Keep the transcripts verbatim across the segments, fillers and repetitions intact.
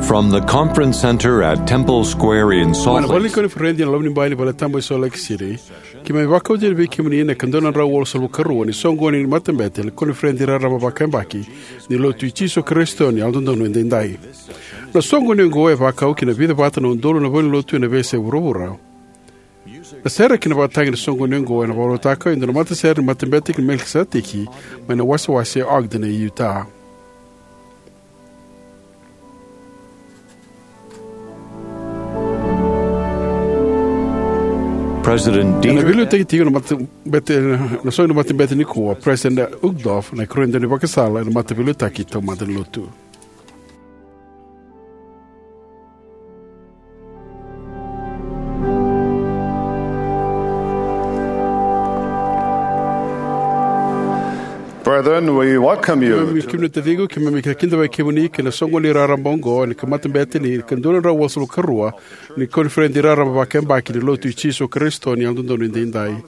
From the conference center at Temple Square in Salt Lake. Mai na vale ni koniferedi ena loma ni bai ni vale tabu e Salt Lake City, keimami vakauta yani vei kemuni na ika dua na drau walusagavulu ka rua ni soqoni ni matabete ni koniferedi raraba vakayabaki ni Lotu i Jisu Karisito ni Yalododonu Edaidai. Na soqoni oqo e vakau ki na vica vata na udolu na valenilotu ena veiyasai vuravura. Na sere kei na vakatagi ni soqoni oqo ena vakarautaka e dua na matasere ni Matabete ni Melikiseteki mai na wasewase e Ogden e Utah. President Ena Dieter veiliutaki tiko na matabete, na soqoni ni matabete nikua, President Uchtdorf, na ikarua ni daunivakasala ena mataveiliutaki taumada ni Lotu. Brethren, we welcome you. Keimami, kemuni na taciqu, keimami kidavaki kemuni ki na soqoni raraba oqo ni matabete ni ika dua na drau walusagavulu ka rua ni koniferedi raraba vakayabaki ni Lotu i Jisu Karisito ni Yalododonu Edaidai.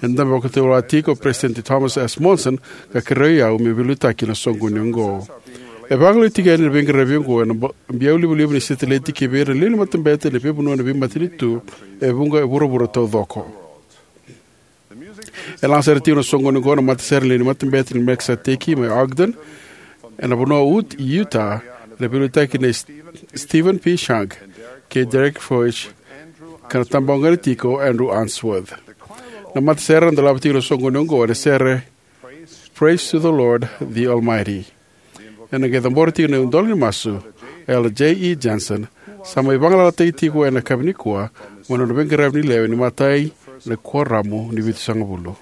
Eda vakatautauvatataka tiko o President Thomas S. Monson ka kerea au meu veiliutaki ena soqoni oqo. E vakalailaitaki yani na veiqaravi oqo ena ba-, biau livaliva ni setilaiti kivei ira na lewe ni matabete ena veivanua ena veimatanitu e vuqa e vuravura taucoko. E laga sara tiko na soqoni oqo na matasere ni lewe ni Matabete ni Melikiseteki mai Ogden, ena vanua o Ut-, Utah, ena veiliutaki nei S-, Stephen P. Shank kei Derek Froese, ka na tabagone tiko o Andrew Unsworth. Na matasere ena dolava tiko na soqoni oqo ena sere Praise to the Lord, the Almighty. Ena qai cabora tiko na idola ni masu o Elder J E Jensen, sa mai vagalalataki tiko ena yakavi nikua mai na nona veiqaravi ni lewe ni imatai ni kuoramu ni vitusagavulu.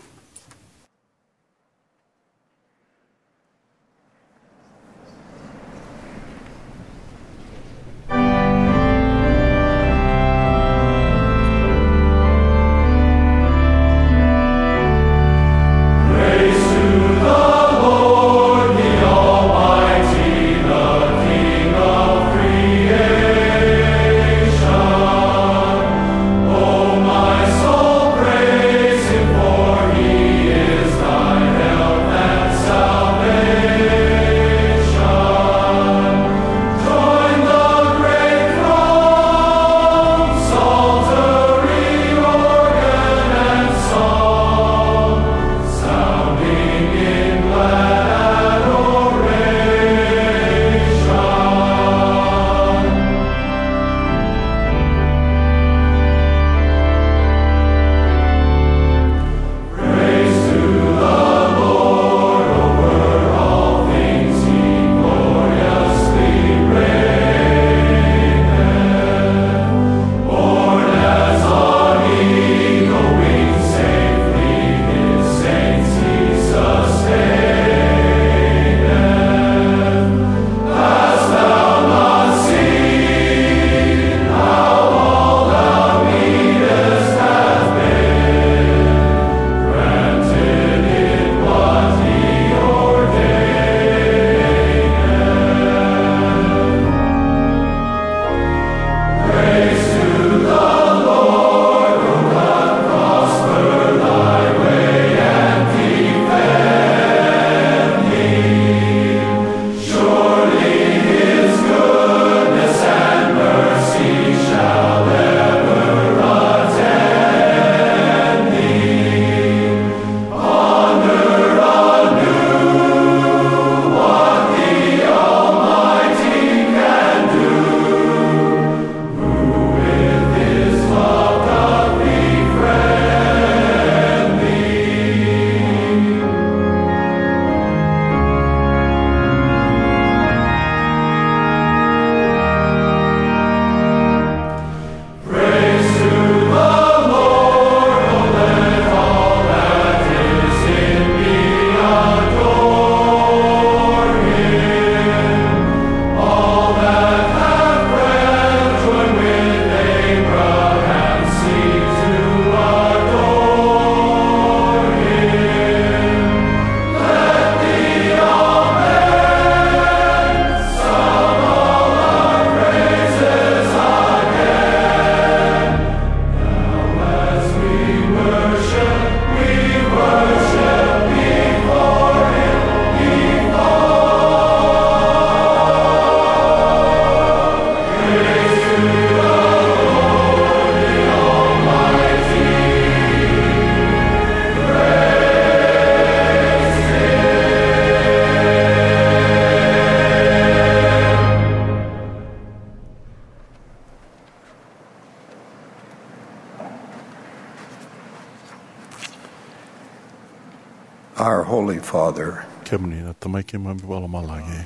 Our Holy Father, kemuni na Tamai keimami vakalomalagi,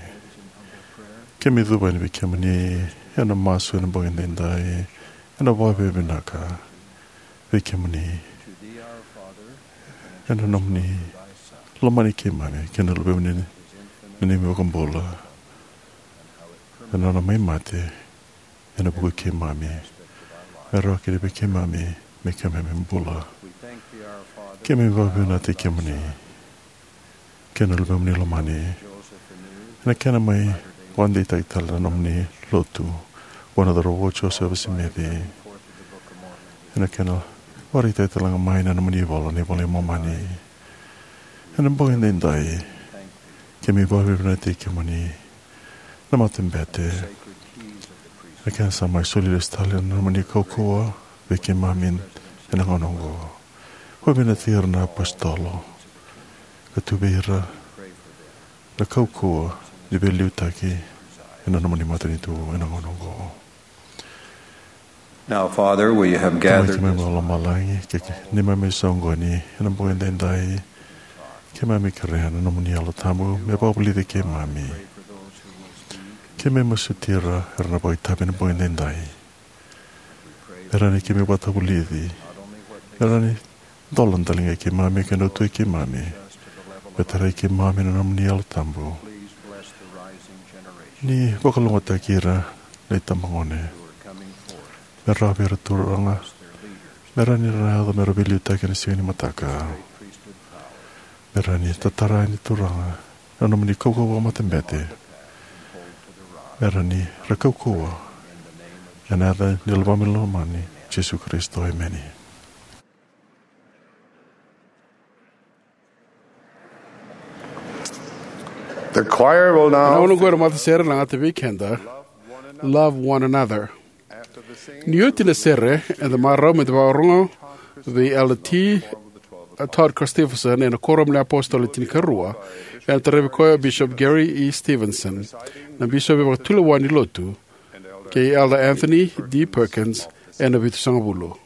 keimami cuva yani vei kemuni ena masu ena bogi edaidai, ena vakavinavinaka vei kemuni ena nomuni lomani keimami kei na Luvemuni na neimami iVakabula, ena nona mai mate ena vuku i keimami, me rawa kina vei keimami me keimami bula. Keimami vakavinavinakataki kemuni kei na Luvemuni lomani ena kena mai vakadeitaki tale na nomuni lotu vua na cauravou o Josefa Simici, ena kena vakaraitaki tale ga mai na nomuni ivola, na iVola i Momani. Ena bogi edaidai, keimami vakavinavinakataki kemuni na matabete, na kena sa mai soli lesu tale na nomuni kaukauwa vei keimami ena gauna oqo. Vakavinavinakataki ira na apositolo ka tu vei ira na kaukauwa ni veiliutaki ena nomuni matanitu ena gauna oqo. Now, Father, we have Tamai gathered keimami this vakalomalagi, ke, ke, neimami soqoni ena bogi edaidai, keimami kerea na nomuni Yalo Tabu me vakavulici keimami. Keimami masuti ira era na vakaitavi ena bogi edaidai, me rawa ni keimami vakatavulici, me rawa ni dola daligai keimami kei na uto i keimami, me tarai keimami na nomuni Yalo Tabu. Ni vakalougatataki ira na itabagone, me rawa vei ira Turaga, me rawa ni ra yaco me ra veiliutaki ena siga ni mataka, me rawa ni tatara yani Turaga na nomuni kaukauwa vakamatabete, me rawa ni ra kaukauwa. Ena yaca ni Luvemuni lomani, Jisu Karisito, emeni. The choir will now. Na gauna oqo na matasere na gata vei keda, Love One Another. Ni oti na sere, eda marau me da vakarorogo vei Elder T. Todd Christofferson ena Kuoramu ni iApositolo Le Tinikarua, ena taravi koya o Bishop Gary E. Stevenson, na bisopi vakatulewa ni Lotu, kei Elder Anthony D. Perkins ena Vitusagavulu.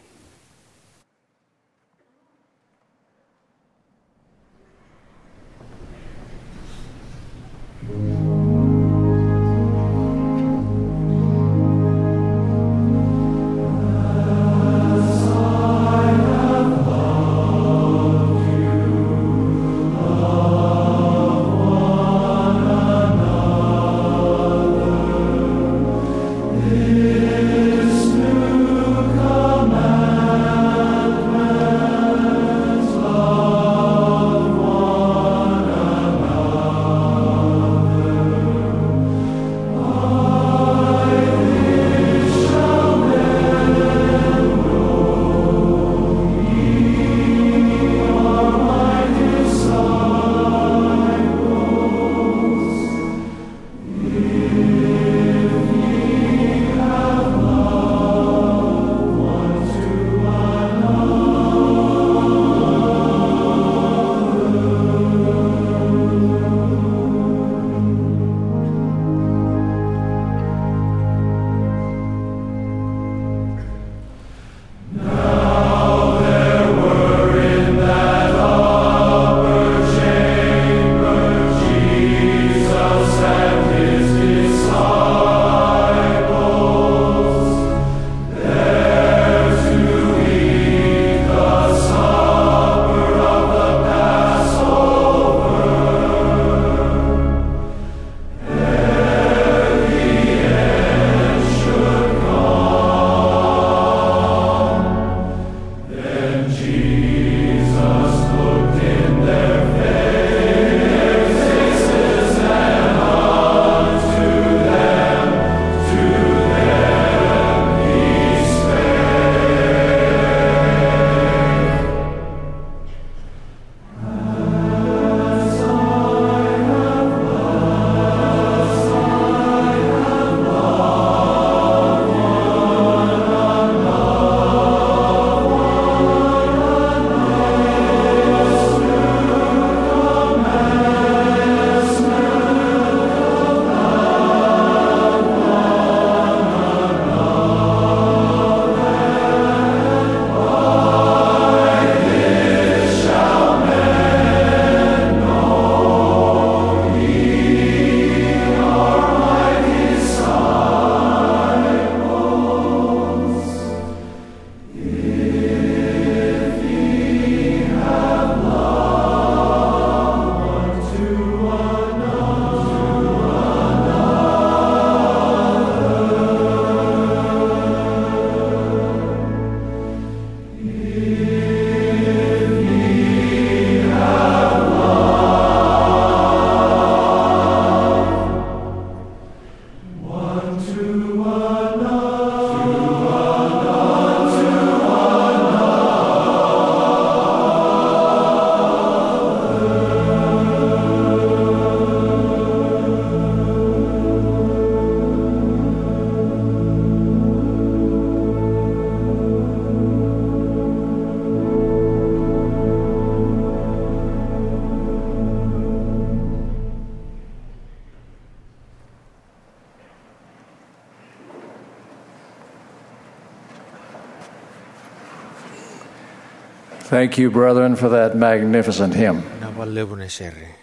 Thank you, brethren, for that magnificent hymn. Na valevu na sere.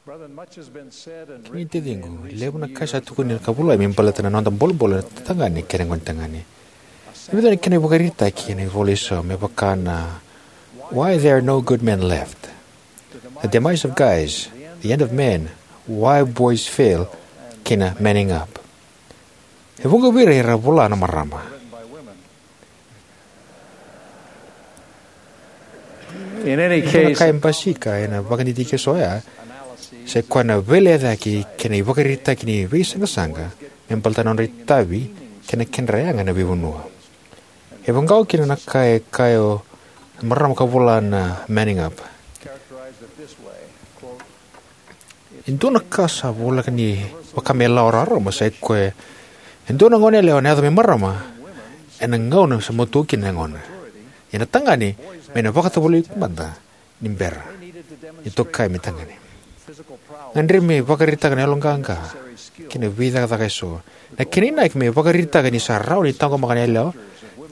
Brethren, much has been said and Kemuni na taciqu, levu na ka sa tukuni ka volai me baleta na noda bolebole na tagane kei na gone tagane. E vica na kena ivakaraitaki ena ivola eso me vaka na Why There Are No Good Men Left, The Demise of Guys, The End of Men, Why Boys Fail, kei na Manning Up. E vuqa vei ira era vola na marama. In any case, ka e basika ena vakadidike eso oya, sa i koya na veilecayaki kei na ivakaraitaki ni veisaqasaqa me baleta na nodra itavi kei na kedra yaga na veivanua. E vaqo kina na ka e kaya o marama ka vola na Manning Up. E dua na ka sa voleka ni vaka me lawa rarama sa i koya e dua na gone yalewa na yaco me marama ena gauna sa matua kina na yagona. Ia na tagane me na vakatovolei mada ni bera ni tokai me tagane. Gadrevi me vakaraitaka na yaloqaqa kei na veicakacaka eso. Na kena inaki me vakaraitaka ni sa rawa ni taqomaka na yalewa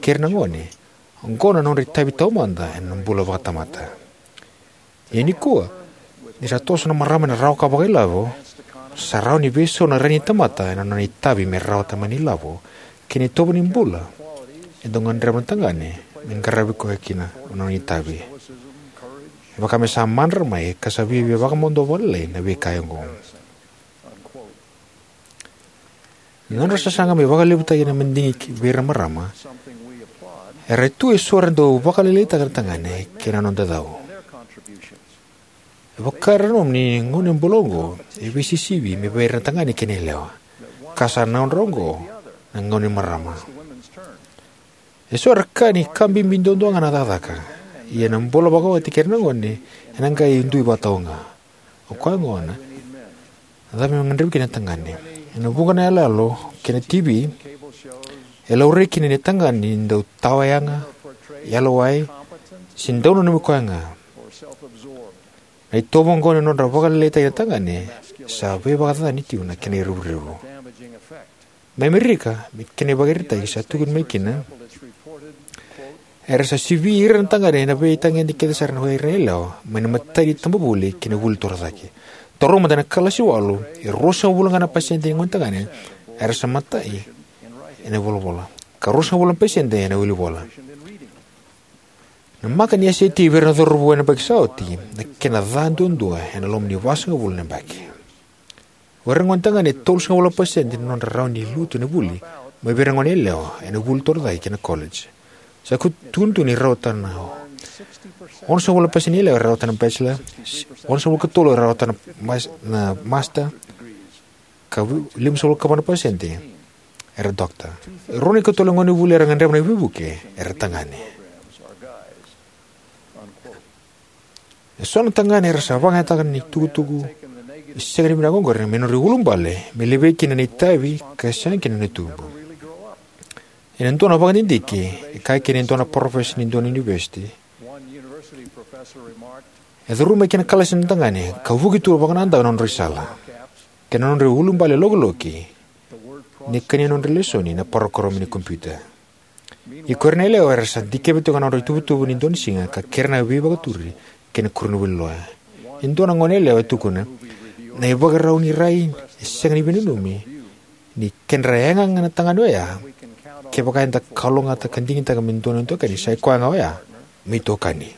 kei ira na gone. Oqo na nodra itavi taumada ena bula vakatamata. Ia nikua, ni sa toso na marama ena rawa ka vakailavo, sa rawa ni veisau na rai ni tamata ena nona itavi me rawata mai na ilavo kei na itovo ni bula e dau gadreva na tagane me qaravi koya kina na nona itavi. E vaka me sa madra mai ka sa viavia vakamacala vakalailai na veika oqo. Na nodra sasaga me vakalevutaki na madigi vei ira na marama era tu eso era dau vakalailaitaka na tagane kei na noda cau. E vaka era nanuma ni gauna bula oqo e veisisivi me vei ira na tagane kei na yalewa, ka sa nodra oqo na gauna ni marama. Eso era kaya ni ka bibi duadua ga na cakacaka, ia na bula vakawati kei ira na gone ena qai dui vakatau ga. O koya gona, cava me gadrevi kina na tagane? Ena vuqa na iyaloyalo kei na T V, e laurai kina ni tagane e dau tawa yaga, yalowai, se dau nanumi koya ga. Na itovo oqo ni nodra vakalailaitaki na tagane sa veivakacacani tiko na kena irevurevu. Mai Amerika, me kena ivakaraitaki sa tukuni mai kina, era sa sivi ira na tagane ena veitagede kece sara na ira na yalewa mai na imatai ni itabavuli ki na vuli torocake. Taura mada na kalasi walu, e ruasagavulu ga na pasede ni gone tagane era sa matai ena volavola, ka ruasagavulu na pasede ena wilivola. Na maka ni S A T vei ira na cauravou ena yabaki sa oti, na kena ca duadua ena loma ni vasagavulu na yabaki. O ira na gone tagane e tolusagavulu na pasede na nodra rawa ni lutu ena vuli mai vei ira na gone yalewa ena vuli torocake kei na college. Sa tukuni tu ni rawata na onosagavulu na pasede ni yalewa era rawata na bachelor, onosagavulu ka tolu era rawata na mas-, na master, ka limasagavulu ka va na pasede era doctor. Rua na ikatolu na gone vuli era gadreva na veivuke era tagane. Eso na tagane era sa vakayagataka na itukutuku e sega ni vinaka oqori me nodra iulubale me levei kina na itavi ka sega kina na tubu. Ena dua na vakadidike, e kaya kina e dua na parofesa ni dua na univesiti, e curu mai ki na kalasi na tagane ka vuki tu vakanadaku na nodra isala kei na nodra iulubale lokoloki ni kania nodra lesoni na parokaramu ni kompiuta. Ia ko ira na yalewa era sa dikeva tiko na nodra ituvatuva ni dua na siga ka kerea na veivakaturi kei na koronivuli loya. E dua na gone yalewa e tukuna, na ivakarau ni rai e sega ni veinanumi ni kedra yaga ga na tagane oya, kevaka eda kalougata ka digitaka me dua na itokani, sa i koya ga oya me itokani.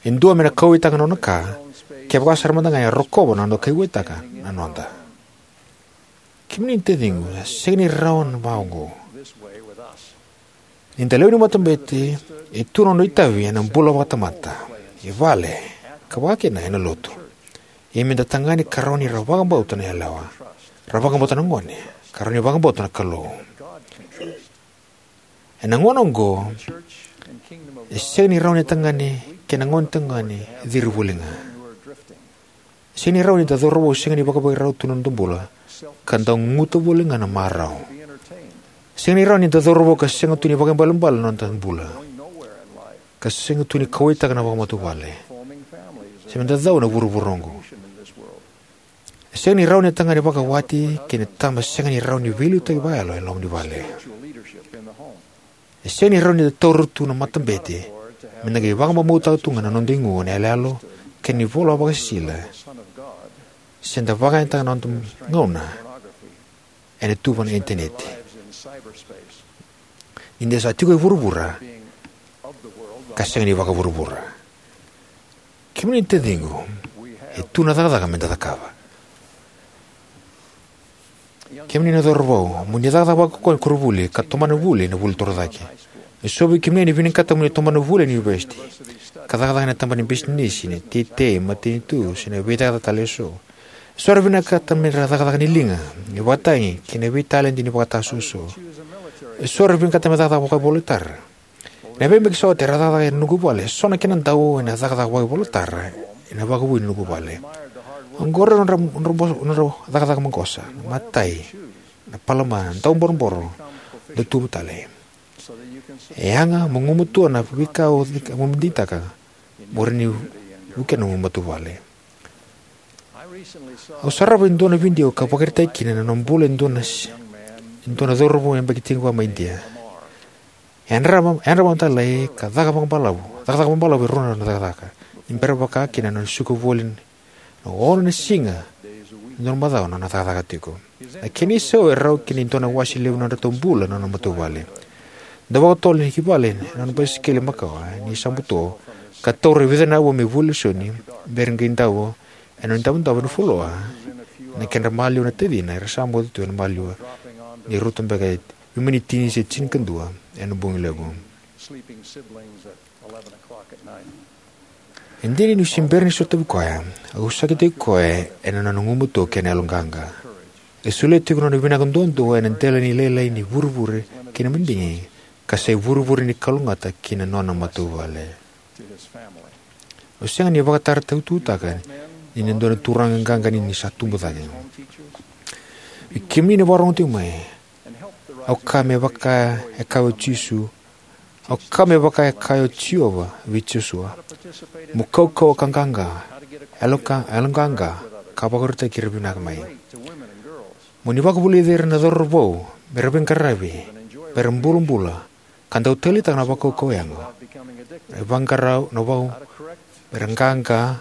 E dua me na kauwaitaka na nona ka, kevaka sara mada ga e rokova na noda kauwaitaka na noda. Kemuni na taciqu, e sega ni rawa na va oqo. Ni da lewe ni matabete, e tu na noda itavi ena bula vakatamata, e vale, ka vakakina ena lotu. Ia me da tagane ka rawa ni ra vakabauta na yalewa, ra vakabauta na gone, ka rawa ni vakabauta na Kalou. Ena gauna oqo, e sega ni rawa ni tagane kei na gone tagane ciri voli ga. E sega ni rawa ni da cauravou sega ni vakavairau tu na noda bula, ka da guta voli ga na marau. E sega ni rawa ni da cauravou ka sega tu ni vakaibalebale na noda bula, ka sega tu ni kauwaitaka na vakamatavuvale, se me da cau ena vuravura oqo. E sega ni rawa ni tagane vakawati kei na tama sega ni rawa ni veiliutaki vakayalo e loma ni vale. E sega ni rawa ni da taura tu na matabete Me da qai vakamamautaka tu ga na noda igu ena yaloyalo kei na ivola vakasisila, se da vakayagataka na noda gauna ena tuva na Initaneti, ni da sa tiko e vuravura ka sega ni vakavuravura. Kemuni na taciqu, e tu na cakacaka me da cakava. Kemuni na cauravou, mo ni cakacaka vakaukauwa ena koronivuli ka tomana vuli ena vuli torocake. Eso vei kemuni ni vinakata mo ni tomana vuli ena univesiti ka cakacaka ena tabana ni bisinisi, na teitei, matanitu, se na veicakacaka tale eso. Eso era vinakata me ra cakacaka ni liga, ni vakatagi, kei na veitaledi ni vakatasuasua. Eso era vinakata me cakacaka vakaivolatara. Na veimaki sa oti era cakacaka ena noqu vale, so na kena dau ena cakacaka vakaivolatara ena vakavui ni noqu vale. Oqori na nodra, nodra, nodra cakacaka maqosa, na matai, na palama, na dauboroboro, dau tubu tale. E yaga mo gumatua na veika o cika mo digitaka mo rawa ni vukea na nomu matavuvale. Au sarava e dua na vidio ka vakaraitaki kina na nona bula e dua na, e dua na cauravou yabaki tinikarua mai Idia. E yadrava, yadrava mada lailai ka caka vakabalavu, cakacaka vakabalavu e rua na cakacaka. Ni bera vaka kina na nona suka voli na ono na siga ena dua na macawa na nona cakacaka tiko. Na kena isau e rawa ki na dua na wase levu na nodratou bula na nona matavuvale. Dau vakatotolo ki vale ena nona basikeli makawa ni sa buto, ka taura e vica na aua me vuli lesoni, bera ni qai davo ena nona idavodavo ena fuloa. Na kedra maliwa na tacina era sa moce tu ena maliwa, ni rauta beka e veimama ni tini se tinikadua ena bogi levu. E dina niu se bera ni sotavi koya, au sakitaki koya ena nona gumatua kei na yaloqaqa. E solia tiko na nona vinaka duadua ena dela ni lailai ni vurevure kei na madigi, ka sa ivurevure ni kalougata ki na nona matavuvale. Au sega ni vakatara taututaka ni na dua na turaga qaqa ni sa tubu cake. Vei kemuni na vakarorogo tiko mai, au kaya me vaka e kaya o Jisu, au kaya me vaka e kaya o Jiova vei Josua, mo kaukauwa ka qaqa, yaloqa, yaloqaqa, ka vakarautaki ira vinaka mai. Mo ni vakavulici ira na cauravou me ra veiqaravi, me ra bulabula, ka dau taleitaka na vakaukauwa yago. Na vaqarau, na vau, me ra qaqa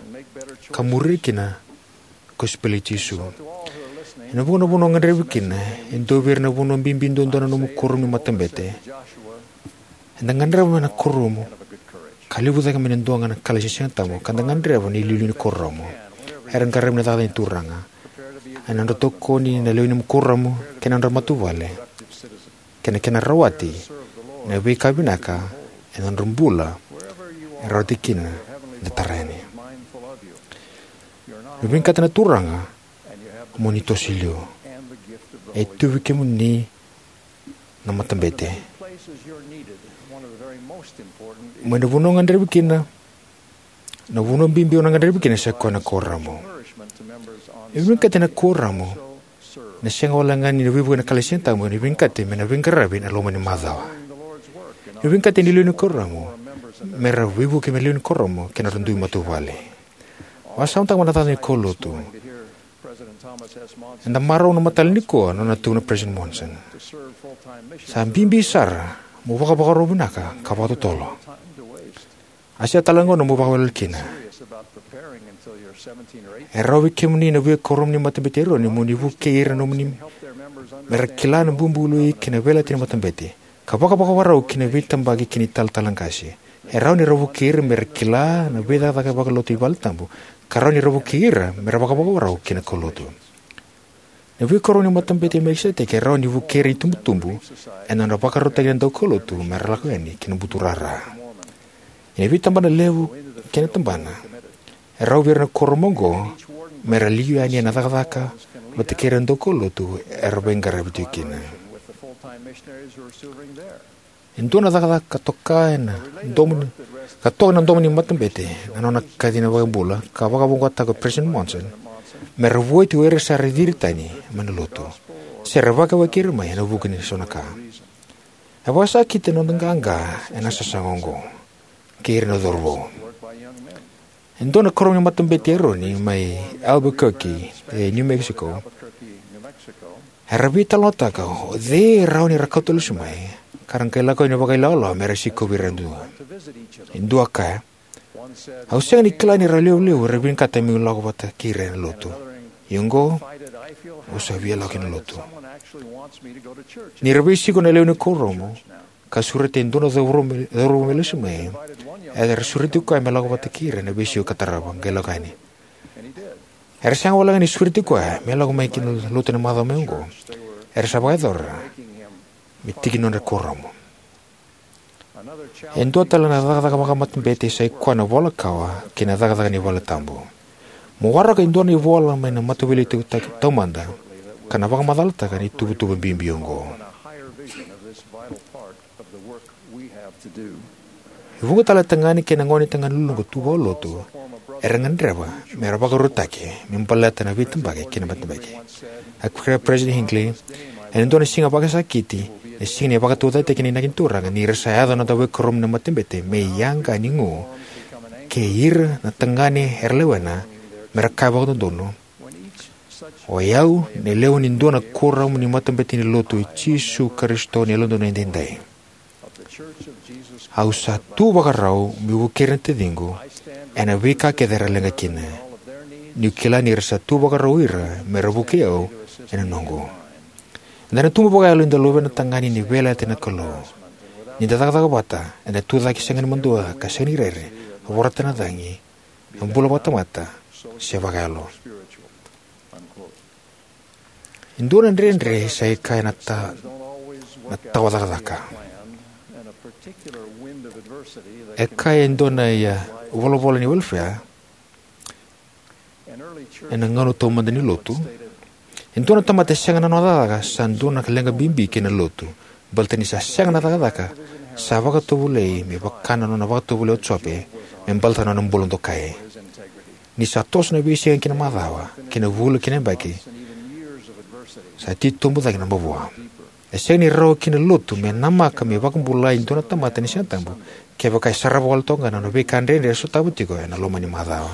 ka muria kina na kosipeli i Jisu. Ena vuqa na vanua gadrevi kina, e dua vei ira na vanua bibi duadua na nomu kuoramu ni matabete. Eda gadreva mai na kuoramu ka levu cake mai na dua ga na kalasi ni Siga Tabu, ka da gadreva na iliuliu ni kuoramu. Era qaravi na cakacaka ni Turaga ena nodra tokoni na lewe ni kuoramu kei na nodra matavuvale, kei na kena rawati na veika vinaka ena nodra bula e rawati kina na tarai. Ni vinakata na Turaga mo ni toso i liu. E tu vei kemuni na matabete. Mai na vanua gadrevi kina, na vanua bibi o na gadrevi kina sa koya na kuoramu. E vinakati na kuoramu na sega wale ga ni na veivuke na kalasi ni Siga Tabu, ni vinakati me na veiqaravi ena loma ni macawa. Ni vinakati ni lewe ni kuoramu me ra veivuke me lewe ni kuoramu kei na nodra dui matavuvale. Vakasamataka mada na cakacaka ni kaulotu. Eda marau na matata nikua na nona tukuna o President Monson. Sa bibi sara mo vakavakarau vinaka ka vakatotolo. A sega tale ga mo vakawelewele kina. E rawa vei kemuni na veiqaravi ni Matabete i Eroni mo ni vukei ira na nomuni me ra kila na bubului kei na veiyalayalati ni matabete, ka vakavakarau ki na veitabaki kei na italatala qase. E rawa ni ra vukei ira me ra kila na veicakacaka vakalotu ni valetabu, ka rawa ni ra vukei ira me ra vakavakarau ki na kaulotu. Na veiqaravi ni Matabete i Melikiseteki e rawa ni vukei ira na itubutubu ena nodra vakarautaki na daukaulotu me ra lako yani ki na buturara. Ena veitabana levu kei na tabana, e rawa vei ira na kuoramu oqo me ra liu yani ena cakacaka vata kei ira na daukaulotu era veiqaravi tiko kina. E dua na cakacaka ka toka ena domo ni, ka toka ena domo ni matabete na nona kaci na iVakabula, ka vakavoqataka o President Monson me ra vueti o ira sa ra ciri tani mai na lotu se ra vakawaki ira mai ena vuku ni so na ka. E vakasakiti na noda qaqa ena sasaga oqo kei ira na cauravou. E dua na kuoramu ni Matabete i Eroni mai Albuquerque, e New Mexico, era veitalanoataka o cei e rawa ni ra kauta lesu mai ka ra qai lako yani vakailawalawa me ra sikovi ira yadua. E dua a kaya, "Au sega ni kila ni ra levulevu era vinakata meu lako vata kei ira ena lotu. Ia oqo, au sa via lako ki na lotu." Ni ra veisiko na lewe ni kuoramu ka sureta e dua na cauravou me, cauravou me lesu mai, era sureti koya me lako vata kei ira ena veisiko ka tarava, qai lako yani. Era sega walega ni sureti koya me lako mai ki na lotu ena macawa mai oqo. Era sa vakayacora me tiki ni nodra kuoramu. E dua tale na cakacaka vakamatabete sai koya na vola kawa kei na cakacaka ni valetabu. Mo waraka e dua na ivola mai na Mataveiliutaki Tau-, Taumada ka na vakamacalataka na ituvatuva bibi oqo. E vuqa tale na tagane kei na gonetagane luluqa tu vakalotu era gadreva me ra vakarautaki me baleta na veitabaki kei na matabete. A kaya o Peresitedi Hinckley, "Ena dua na siga vakasakiti, na siga ni vakataucokotaki ni inaki ni Turaga, ni ra sa yaco na noda veikuoramu na matabete me yaqa ni gu, kei ira na tagane era lewena me ra kaya vakadodonu, 'O yau na lewe ni dua na kuoramu ni matabete ni lotu i Jisu Karisito ni Yalododonu Edaidai. Au sa tu vakarau meu vukei ira na taciqu ena veika kece era leqa kina, niu kila ni ra sa tu vakarau ira me ra vukei au ena noqu.'" Eda na tubu vakayalo ni da luvena tagane ni veiyalayalati na Kalou. Ni da cakacaka vata, eda tucake sega ni madua ka sega ni rere, vorata na cagi, na bula vakatamata se vakayalo. E dua na dredre sa i kaya na ta-, na tawa cakacaka. E kaya e dua na ia volavola ni welfare ena gauna taumada ni lotu, e dua na tamata e sega na nona cakacaka sa dua na leqa bibi kei na lotu, baleta ni sa sega na cakacaka sa vakatovolei me vaka na nona vakatovolei o Jope me baleta na nona bula dokai. Ni sa toso na veisiga kei na macawa, kei na vula kei na yabaki, sa titobu cake na mavoa. E sega ni rawa ki na lotu me namaka me vakabulai e dua na tamata ni Siga Tabu kevaka e sarava wale toka ga na nona veika dredre e sotava tiko ena loma ni macawa.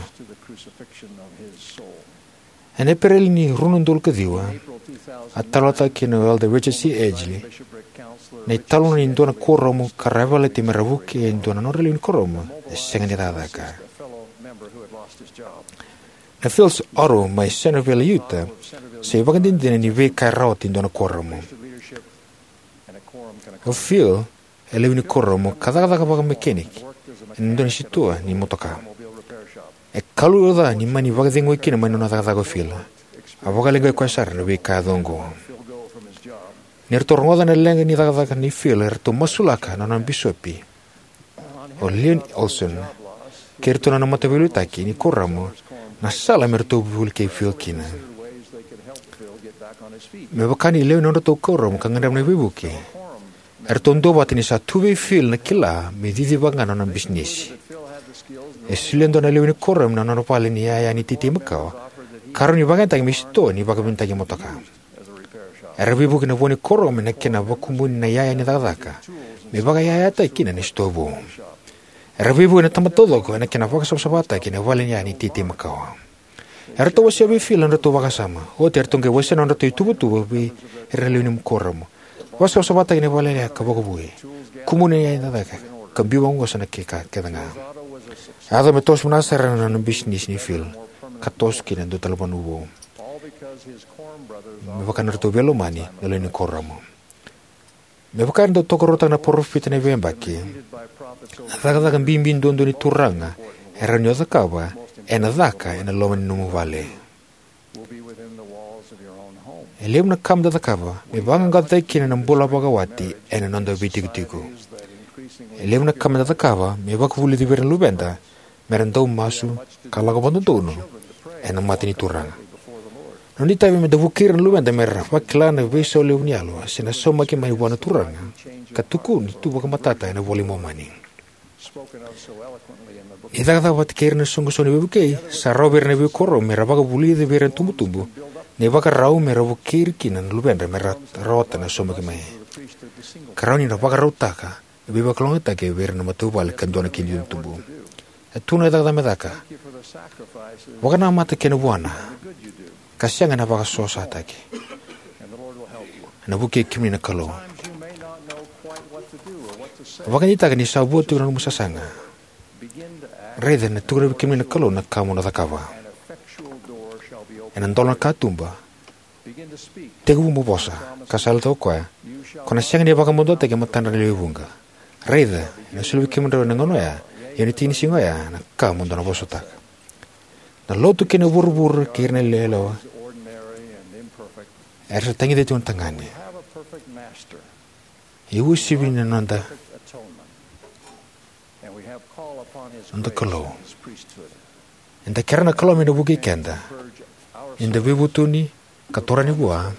Ena Epereli ni rua na udolu ka ciwa, a talanoataka kina o Elder Richard C. Edgley na italanoa ni dua na kuoramu ka ra yavalati me ra vukei e dua na nodra lewe ni kuoramu e sega ni cakacaka. Na Phillips Auto mai Centerville, Utah, sa ivakadinadina ni veika e rawata e dua na kuoramu. O Phil e lewe ni kuoramu ka cakacaka vakamekeniki ena dua na sitoa ni motoka. E kalouca ni mani vakacegui kina mai na nona cakacaka o Phil. A vakaleqai koya sara na veika yaco oqo. Ni ratou rogoca na leqa ni cakacaka nei Phil, eratou masulaka na nona bisopi, o Leon Olson, kei iratou na nona mataveiliutaki ni kuoramu na sala me ratou vukei Phil kina. Me vaka ni lewe ni nodratou kuoramu ka gadreva na veivuke, eratou duavata ni sa tu vei Phil na kila me cicivaka ga na nona bisinisi. E solia e dua na lewe ni kuoramu na nona vale ni yaya ni teitei makawa ka rawa ni vakayagataki me sitoa ni vakavinavinakataki motoka. Era veivuke na vo ni kuoramu ena kena vakumuni na yaya ni cakacaka me vakayayataki kina na sitoa vou. Era veivuke na tamata taucoko ena kena vakasavasavataki na vale ni yaya ni teitei makawa. Eratou wasea vei Phil na nodratou vakasama. Oti eratou qai wasea na nodratou ituvatuva vei ira na lewe ni kuoramu. Vakasavasavataki na vale ni yaya ka vakavoui. Kumuni na yaya ni cakacaka ka biu vaqosa na veika kece ga. A yaco me toso vinaka sara na nona bisinisi nei Phil ka toso kina e dua tale na vanua vou. Me vaka na nodratou veilomani na lewe ni kuoramu. Me vaka era dau tokaruataka na parofita ena veiyabaki, na cakacaka bibi duadua ni Turaga e rawa ni o cakava ena caka ena loma ni nomu vale. E levu na ka meda cakava me vaqaqacotaki kina na bula vakawati ena noda veitikotiko. E levu na ka meda cakava me vakavulici vei ira na luveda me ra dau masu ka lako vakadodonu ena mata ni Turaga. Na noda itavi meda vukei ira na luveda me ra vakila na veisau levu ni yalo se na saumaki mai vua na Turaga ka tukuni tu vakamatata ena iVola i Momani. Ni cakacaka vata kei ira na isoqosoqo ni veivukei, sa rawa vei ira na veikuoramu me ra vakavulica vei ira na itubutubu na ivakarau me ra vukei ira kina na luvedra me ra rawata na saumaki mai. Ka rawa ni ra vakarautaka na veivakalougatataki vei ira na matavuvale ka dua na kena itubutubu. E tu na cakacaka me caka. Vakanamata kei na vuana ka sega na vakasosataki. Ena vukei kemuni na Kalou. Vakadeitaka ni sa vo tiko na nomu sasaga. Raica ena tukuna vei kemuni na Kalou na ka mo na cakava. Ena dola na katuba. Tekivu mo vosa, ka sa yalataka o koya, ko na sega ni vakamaduataki e matadra na lewe vuqa. Raica, ena soli vei kemudrau ena gauna oya, ia ena itinisiga oya na ka mo dou na vosataka. Na lotu kei na vuravura kei ira na yalewa era sa tagica tiko na tagane. E uasivi na noda, noda Kalou. Eda kere na Kalou me na vukei keda. Eda veivutuni ka torani vua.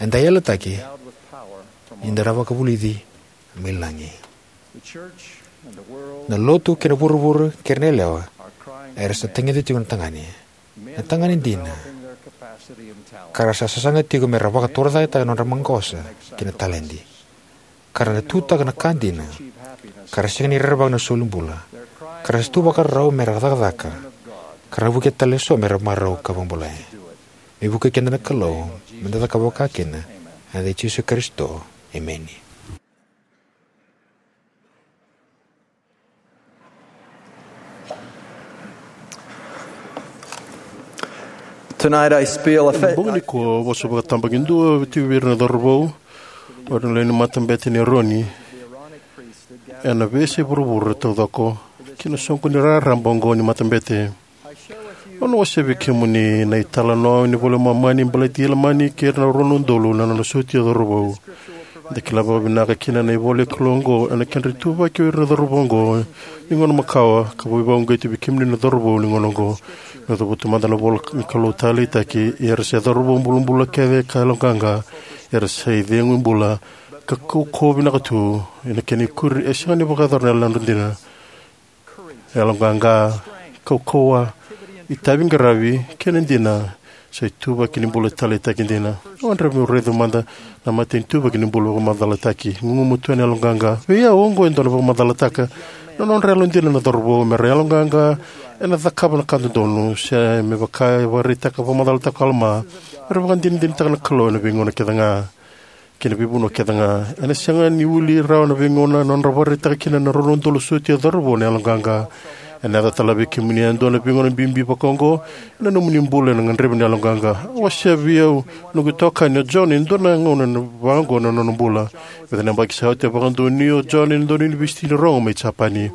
Eda yalataki. Eda na vakavulici mai lagi. Na lotu kei na vuravura kei ira na yalewa era sa tagica tiko na tagane. Na tagane dina ka ra sa sasaga tiko me ra vakatorocaketaka na nodra maqosa kei na taledi, ka ra na tutaka na ka dina, ka ra sega ni rerevaka na soli bula, ka ra sa tu vakarau me ra cakacaka, ka ra vukei tale eso me ra marau ka vakabulai. Me vukei keda na Kalou me da cakava vaka kina. Ena yaca i Jisu Karisito, emeni. Tonight I spiel a Ena bogi nikua au vosa vakatabakidua vei ira na cauravou, o ira na lewe ni matabete ni Eroni, ena veiyasai vuravura taucoko, ki na soqoni raraba oqo ni matabete. Au na wasea vei kemuni na italanoa ni iVola i Momani baleti Ilamani kei ira na rua na udolu na nona sotia cauravou. Eda kila vakavinaka kina na ivola ni Kalou oqo ena kedra ituvaki o ira na cauravou oqo ni gauna makawa, ka veivakauqeti vei kemuni na cauravou ni gauna oqo. Meu cavuta mada na ivola ni Kalou taleitaki, ia era se cauravou bulabula kece ka yaloqaqa, era sa icegu bula ka kaukauwa vinaka tu, ena kena ikuri e sega ni vakayacora na yalodra dina. Yaloqaqa, kaukauwa, itavi qaravi kei na dina sa ituvaki ni bula taleitaki dina. Au gadreva meu raica mada na matanitu ituvaki ni bula vakamacalataki. Gugumatua ena yaloqaqa. Vei au oqo e dua na vakamacalataka na nodra yalodina na cauravou me ra yaloqaqa ena cakava na ka dodonu, se me vaka e vakaraitaka vakamacalataka o Alama, me ra vakadinadinataka na Kalou ena veigauna kece ga kei na veivanua kece ga. Ena sega ni uli rawa na veigauna na nodra vakaraitaka kina na rua na udolu sotia cauravou na yaloqaqa. Ena yaco tale vei kemuni e dua na veigauna bibi vaka oqo ena nomuni bula ena gadrevi na yaloqaqa. A wasea vei au na noqu itokani o John e dua na gauna vaka oqo ena nona bula. Vica na yabaki sa oti a vakadonuya o John ena dua na univesiti ni rogo mai Japani.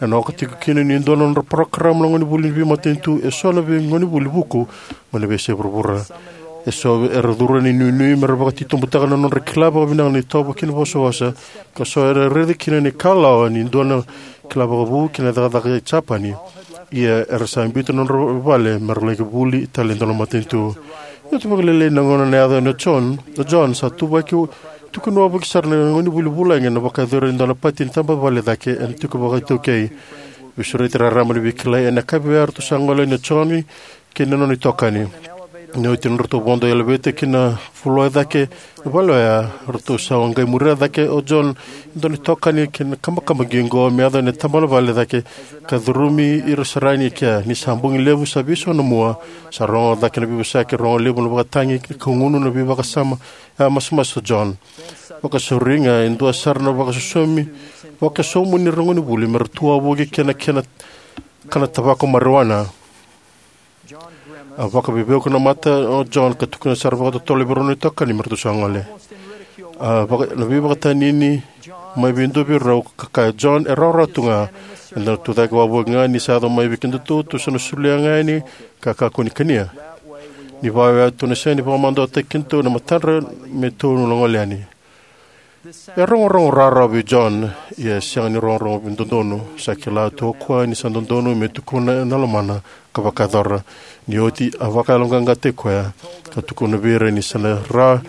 Ena oka tiko kina ni dua na nodra parokaramu na gonevuli ni veimatanitu eso na veigonevuli vuku mai na veiyasai vuravura. Eso era curu ena inuinui me ra vakatitobutaka na nodra kila vakavinaka na itovo kei na vosavosa, ka so era raica kina na ikalawa ni dua na kila vakavu kei na cakacaka e Japani. Ia era sa biuta na nodra vale me ra laki vuli tale e dua na matanitu. Ni oti vakalailai na gauna na yaca o John, o John sa tuvaki, tukuni wavoki sara na gonevuli vulagi ena vakayacori e dua na pati ni tabavale cake ena tiko vakaitaukei. Veisureti raraba ni veikilai ena yakavi oya eratou sa gole yani o John kei na nona itokani. Ni oti nodratou vodo i elevator ki na floor e cake ni vale oya, ratou sa qai muria cake o John e dua na itokani kei na kabakaba qiqo me yaco ena tabana vale cake ka curumi ira sara yani e kea. Ni sa bogi levu sa veisau na mua, sa rogo cake na veivosaki, rogo levu na vakatagi, ka gunu na veivakasama. A masumasu o John. Vakasauri ga e dua sara na vakasosomi, vakasomu ni ra gonevuli me ra tu wavoki kei na kena kana tavako marijuana. A vakaveivuke na mata o John ka tukuna sara vakatotolo vei rau na itokani me ratou sa gole. A vaka, na veivakatanini mai vei dua vei rau ka kaya, John, e rawarawa tu ga. Eda na tu cake wavoki ga ni sa yaco mai vei kedatou, tou sa na solia ga yani ka kakua ni kania. Ni vaka oya tou na sega ni vakamaduataki kedatou na matadra me tou na gole yani. E rogorogo rawarawa vei John, ia e sega ni rogorogo dodonu. Sa kila tu o koya ni sa dodonu me tukuna ena lomana ka vakayacora. Ni oti a vakayaloqaqataki koya ka tukuna vei ira ni sa na ra,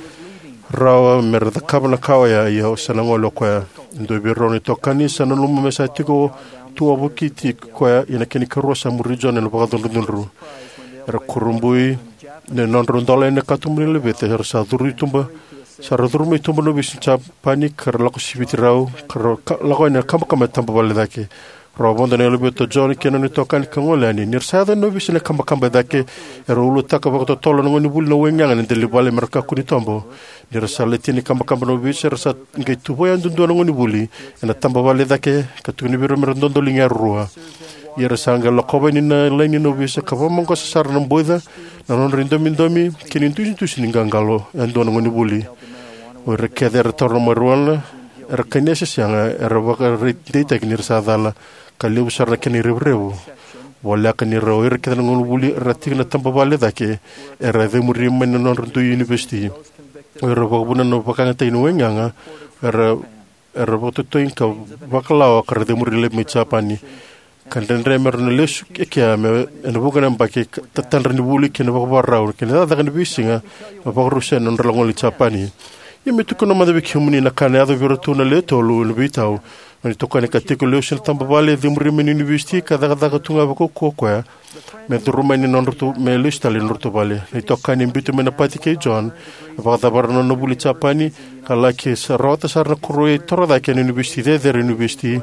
rawa me ra cakava na ka oya, ia sa na gole o koya. E dua vei rau na itokani sa nanuma me sa tiko tu wavokiti koya, ia na kena ikarua sa muri John ena vakacudrucudru. Era kurabui na nodrau dola ena katuba ni elevator, era sa curu i tuba, sa ra curu mai tuba na ovisa ni Japani ka ra lako siviti rau ka ra ka, lako yani ena kabakaba e tabavale cake. Rau vodo na elevator o John kei na nona itokani ka gole yani. Ni ra sa yaco na ovisa na ikabakaba e cake, era ulutakia vakatotolo na gonevuli na waigaga ena delivale me ra kakua ni tobo. Ni ra sa letia na ikabakaba na ovisa, era sa qai tuvai yadudua na gonevuli ena tabavale e cake, ka tukuni vei ira me ra dodoliga yarua. Ia era sa qai lakova yani na laini na ovisa ka vakamaqosa sara na boica, na nodra idomidomi kei na idusidusi ni qaqalo yadua na gonevuli. O ira kece era taura na marijuana, era kania se sega, era vakaraitaki ni ra sa cala, ka levu sara na kena irevurevu. Voleka ni ra o ira kece na gonevuli era tiko na tabavale e cake, era cemuri mai na nodra dui univesiti. O ira vakavuna na vakayagataki ni waigaga, era, era vakatotoi ka vakalawa ka ra cemuri laivi mai Japani. Ka dredre me ra na lesu e kea me, ena vuqa na yabaki, ka tatadra ni vuli kei na vakavakarau, kei na cakacaka ni veisiga, me vakarusa na nodra lako i Japani. Ia me tukuna mada vei kemuni na ka na yaco vei iratou na lewe tolu ena veitau. Na nona itokani ka tiko lesu ena tabavale, cemuri mai na univesiti, ka cakacaka tu ga vakaukauwa o koya me curu mai na nodratou, me lesu tale na nodratou vale. Na itokani e biuta mai na pati kei John, a vakacavara na nona vuli i Japani, ka laki sa rawata sara na koro e toro cake ena univesiti cecere, univesiti.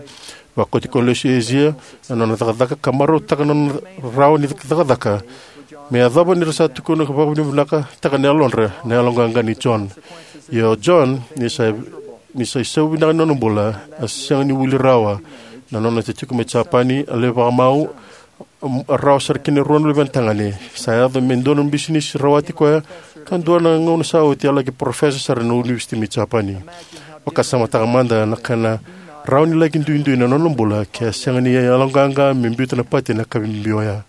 Vakoti koya lesu i Asia ena nona cakacaka, ka marautaka na nona rawa ni cakacaka me yacova ni ra sa tukuna ka vakavinavinakataka na yalodra na yaloqaqa nei John. Ia o John, ni sa, ni sa isau vinaka ni nona bula, a sega ni wili rawa na nona tiko mai Japani. A lai vakamau, a rawa sara kina e rua na luvena tagane. Sa yaco me dua na bisinisi rawati koya, ka dua na gauna sa oti a laki parofesa sara ena univesiti mai Japani. Vakasamataka mada na kena rawa ni laki duidui na nona bula ke a sega ni yaloqaqa me biuta na pati ena yakavi bibi oya.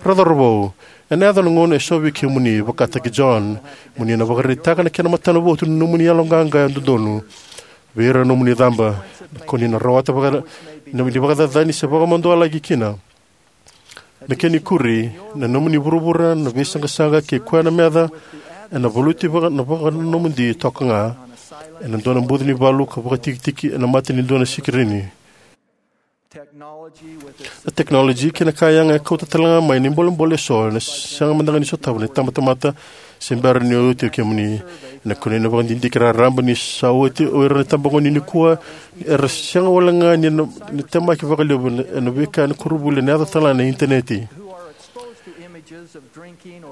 Ra cauravou, ena yaco na gauna eso vei kemuni, vakataki John, mo ni na vakaraitaka na kena matanavotu na nomuni yaloqaqa dodonu vei ira na nomuni icaba. Ko ni na rawata vaka, na nomuni vakacacani se vakamadualaki kina. Me kena ikuri, na nomuni vuravura na veisaqasaqa kei koya na meca, ena valuti vaka, na vakanomodi toka ga, ena dua na buca ni valu ka vakatikitiki ena mata ni dua na sikirini. Na tekinoloji kei na ka yaga e kauta tale ga mai na ibolebole eso, ena sega mada ga ni sotava na itabatamata se bera ni oti o kemuni. Ena kunei na vakadidike raraba ni sa oti o ira na itabagone nikua, era sega wale ga ni na, ni temaki vakalevu ena, ena veika ena koronivuli ena yaco tale ga na initaneti.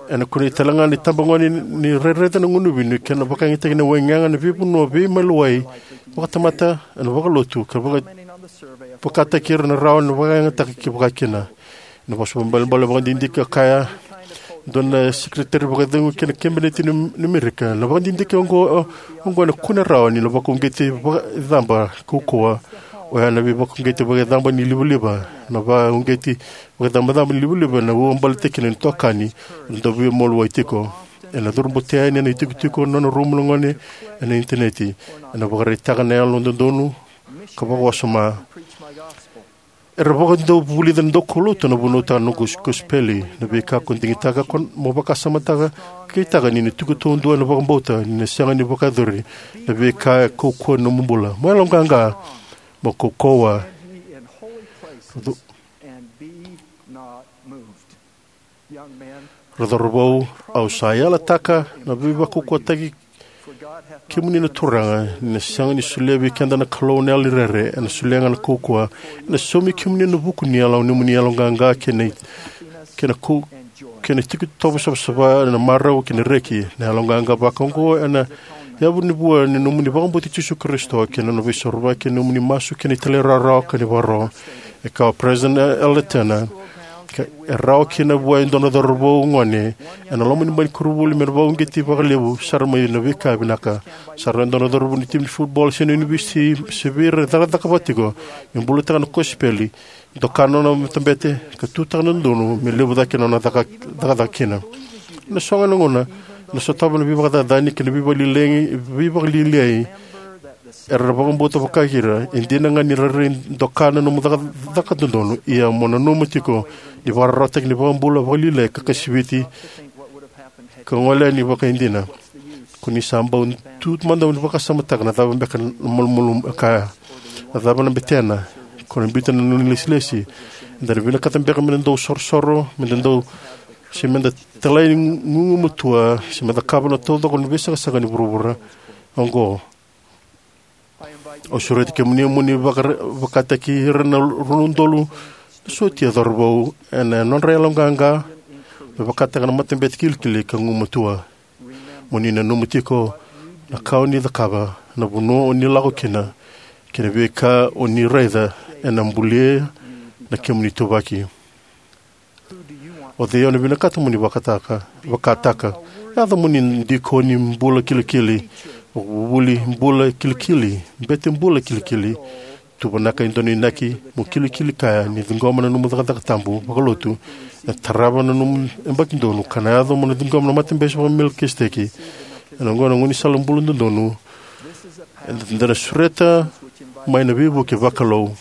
Ena kunei tale ga na itabagone ni raica na gunuvi ni kena vakayagataki na waigaga ena veivanua veimaliwai vakatamata, ena vakalotu, ka vaka, vakataki ira na rawa ni vakayagataki ki vakakina. Ena vosa vakaibalebale vakadidike e kaya e dua na sekereteri vakacegu ki na kabineti ni, ni Amerika, na vakadidike oqo, oqo ena kune rawa ni na vakauqeti vakaicaba kaukauwa, oya na veivakauqeti vakaicaba ni livaliva, na vakauqeti vakaicabacaba ni livaliva ena uabaletaki na itokani, ena dau veimaliwai tiko. Ena curu bute yani ena itikotiko na nona rumu na gone ena initaneti, ena vakaraitaka na yalododonu ka vakawasoma. Era vakadau vulica na daukaulotu na vunautaka na noqu kos-, kosipeli, na veika ko digitaka ko mo vakasamataka, ka kitaka ni na tiko taudua ena vakabauta ni na sega ni vakayacori na veika e kaukauwa ena nomu bula. Mo yaloqaqa, mo kaukauwa. Ra cauravou, au sa yalataka na veivakaukauwataki kemuni na Turaga, ni na sega ni solia vei keda na Kalou na yalo ni rere, ena solia ga na kaukauwa, ena saumi kemuni ena vuku ni yalo, nomuni yaloqaqa kei na, kei na kau, kei na tiko tovo savasava, ena marau kei na reki. Na yaloqaqa vaka oqo ena yavu ni vua ni nomuni vakabauti Jisu Karisito kei na nona veisorovaki, kei na nomuni masu kei na talairawarawa ka ni vakaro. E kaya o President Eldon, ka e rawa kina vua e dua na cauravou gone ena loma ni bai ni koronivuli me na vakauqeti vakalevu sara mai na veika vinaka. Sa rawa e dua na cauravou ni timi ni futbol se na univesiti se vei ira e cakacaka vata tiko me bulataka na kosipeli, doka na nona matabete, ka tutaka na dodonu me levu cake na nona caka, cakacaka kina. Ena so ga na gauna, ena sotava na veivakacacani kei na veivakalialiai, veivakalialiai, era na vakabauta vaka kina, e dina ga ni rairai doka na nomu caka, caka dodonu, ia mo nanuma tiko ni vakararawataki ni vakabula vakalialiai ka kasiviti, ka gole yani vakaidina. Ko ni sa bau tu mada mo ni vakasamataka na cava beka na malumalumu e kaya. Na cava na betena, ko na biuta na nona ilesilesi. Eda na vinakata beka me da dau sorosoro, me da dau, se me da talai gugumatua, se me da cakava na taucoko ni veisaqasaqa ni vuravura oqo. Au sureti kemuni mo ni vakara-, vakataki ira na rua na udolu na sotia cauravou ena nodra yaloqaqa me vakataka na matabete kilikili ka gumatua. Mo ni nanuma tiko na ka o ni cakava, na vanua o ni lako kina, kei na veika o ni raica ena bulia na kemuni ituvaki. O cei o na vinakata mo ni vakataka, vakataka? Yaco mo ni dikoni bula kilikili, vakavuvuli bula kilikili, bete bula kilikili. Tuvanaka e dua na inaki mo kilikili kaya ni ciqoma na nomu cakacaka tabu vakalotu e tarava na nomu yabaki donu, ka na yaco mo na ciqoma na matabete vakaMelikiseteki. Ena oqo na gaunisala bula dodonu eda na sureta mai na veivuke vakalou.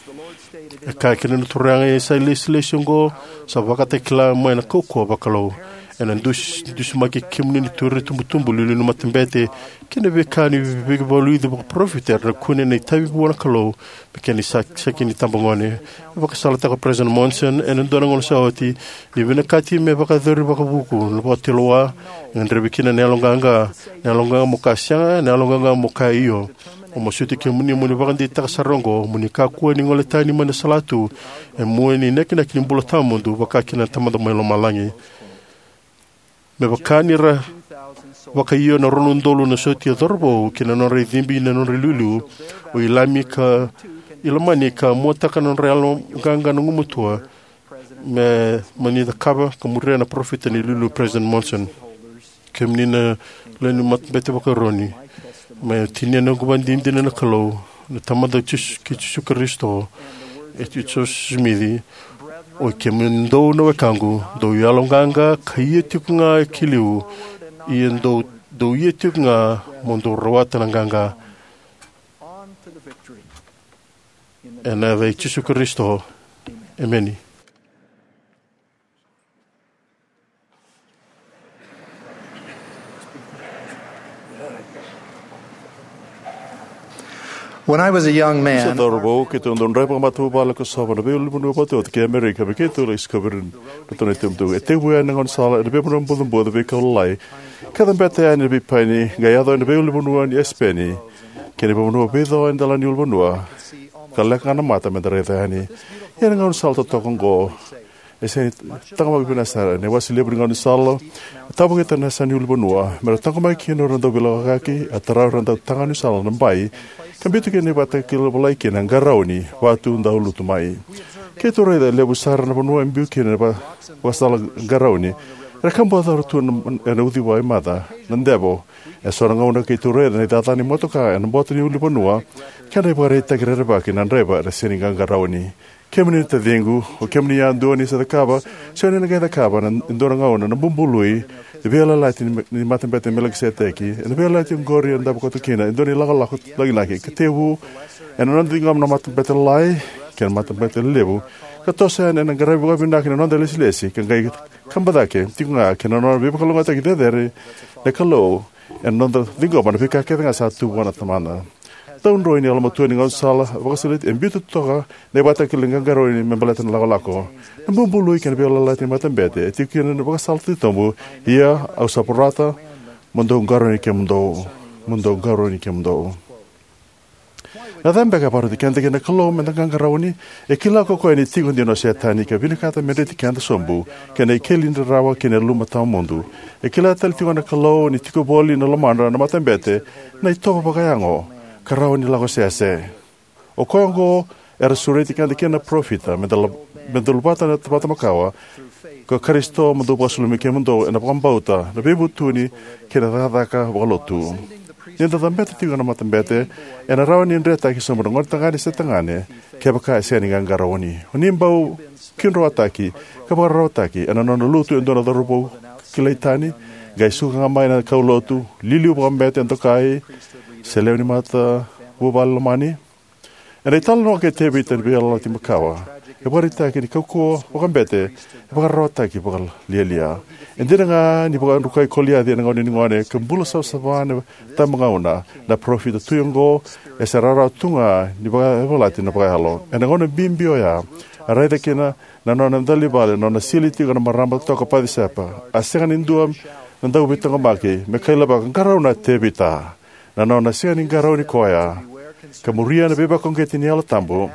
E kaya kina na Turaga, e sa ilesilesi oqo sa vakatakila mai na kaukauwa vakalou. Ena dusi, dusimaki kemuni na itubutubu, iliuliu ni matabete, kei na veika ni veivakaliuci vakaparofita era na kune na itavi vua na Kalou me kena sa-, saki ni tabagone. E vakasalataka o President Monson ena dua na gauna sa oti ni vinakati me vakayacori vakavuku na vakatulewa e gadrevi kina na yaloqaqa. Na yaloqaqa mo kaya sega, na yaloqaqa mo kaya io. Au masuti kemuni mo ni vakadeitaka sara oqo, mo ni kakua ni gole tani mai na salatu e mua ni inakinaki ni bula tawamudu vaka kina na Tamada mai lomalagi. Me vaka ni ra vakaio na rua na udolu na sotia cauravou ki na nodra icibi, na nodra iliuliu, o Ilami ka Ilamani, ka muataka na nodra yaloqaqa na gumatua, me, mo ni cakava ka muria na parofita ni iliuliu, President Monson. Kemuni na lewe ni matabete vakaEroni, me tinia na noqu ivakadinadina na Kalou, na Tamada Jisu, kei Jisu Karisito, e Joseph Smith, oi kemudou na wekaqu, dou yaloqaqa ka ia tiko ga ki liu, ia dou, dou ia tiko ga mo dou rawata na qaqa. Ena yaca i Jisu Karisito, emeni. When I was a young man, sa cauravou, keitou dau draiva vakamatavuvale ka sova na veiulunivanua vakaotioti kei Amerika, me keitou laki sikova na tona itubutubu. E tekivu yani na gaunisala ena veivanua bucabuca, veikau lalai, ka cabeta yani na veipaini, qai yaco ena veiulunivanua ni Esipeni kei na veivanua veico e dela ni ulunivanua, ka leqa ga na mata meda raica yani. Ia na gaunisala totoka oqo e sega ni taqomaki vinaka sara. Na iwase levu ni gaunisala e tavokita na yasana ni ulunivanua me ra taqomaki kina o ira na dauveilakoyaki, a tara o ira na dautagane ni sala na bai, ka biuta kina na ivakatakila volai kina qarauni, vatu dau lutu mai. Keitou raica e levu sara na vanua e biu kina na va-, vakasala qarauni. Era kabuwaca tu na, ena uciwai maca na devo. Eso na gauna keitou raica na icacana ni motoka ena bota ni ulunivanua, kei na ivakaraitaki rerevaki na draiva era sega ni qaqarauni. Kemuni na taciqu, o kemuni yadua ni sa cakava, se o ni na qai cakava ena dua na gauna na bubului ni veiyalayalati ni, ni matabete Melikiseteki. Ena veiyalayalati oqori e davo koto kina e dua na ilakolako lagilagi ka tekivu ena noda ciqoma na matabete lalai kei na matabete lelevu, ka toso yani ena qaravi vakavinaka na noda ilesilesi, ka qai kaba cake tiko ga kei na nona veivakalougatataki cecere na Kalou ena noda ciqoma na veika kece ga sa tu vua na Tamada. Daudroi ni yalomatua ni gaunisala vakasoliti e biuta toka na ivakatakila ni qaqarauni me baleta na lakolako. Na bubului kei na veiyalayalati ni matabete e tiko kina na vakasala titobu. Ia au sa vorata mo dou qarauni kemudou, mo dou qarauni kemudou. Na cava beka e vakaroti keda kina na Kalou meda qaqarauni? E kila ko koya ni tiko dina o Setani ka vinakata me dreti keda sobu kei na ikeli ni rarawa kei na yaluma tawamudu. E kila tale tiko na Kalou ni tiko voli na lomadra na matabete na itovo vakayago ka rawa ni lakosese. O koya oqo era sureti keda kina na parofita, meda la-, meda luvata na tamata makawa, ko Karisito, mo dou vakasulumi kemudou ena vakabauta, na veivutuni kei na cakacaka vakalotu. Ni da cabeta tiko na matabete, ena rawa ni dretaki sobu na gonetagane se tagane kevaka e sega ni qaqarauni. O ni bau kidroataki ka vakararawataki ena nona lutu e dua na cauravou kilai tani, qai suka ga mai na kaulotu, liuliu vakabete e dokai, se lewe ni matavuvale lomani. Ena italanoa kei Tevita ena Veiyalayalati Makawa, e vakaraitaki ni kaukauwa vakabete e vakararawataki vakalialia. E dina ga ni vakadrukai Koliaci ena gauna ni gone ka bula savasava na tabagauna, na parofita tui oqo e se rawarawa tu ga ni vakayavalati na vakayalo. Ena gauna bibi oya, a raica kina na nona dela ni vale, na nona sili tiko na marama toka o Pacisepa. A sega ni dua na dauveitaqomaki me kailavaka, "Qarauna Tevita." Na nona sega ni qarauni koya ka muria na veivakauqeti ni Yalo Tabu,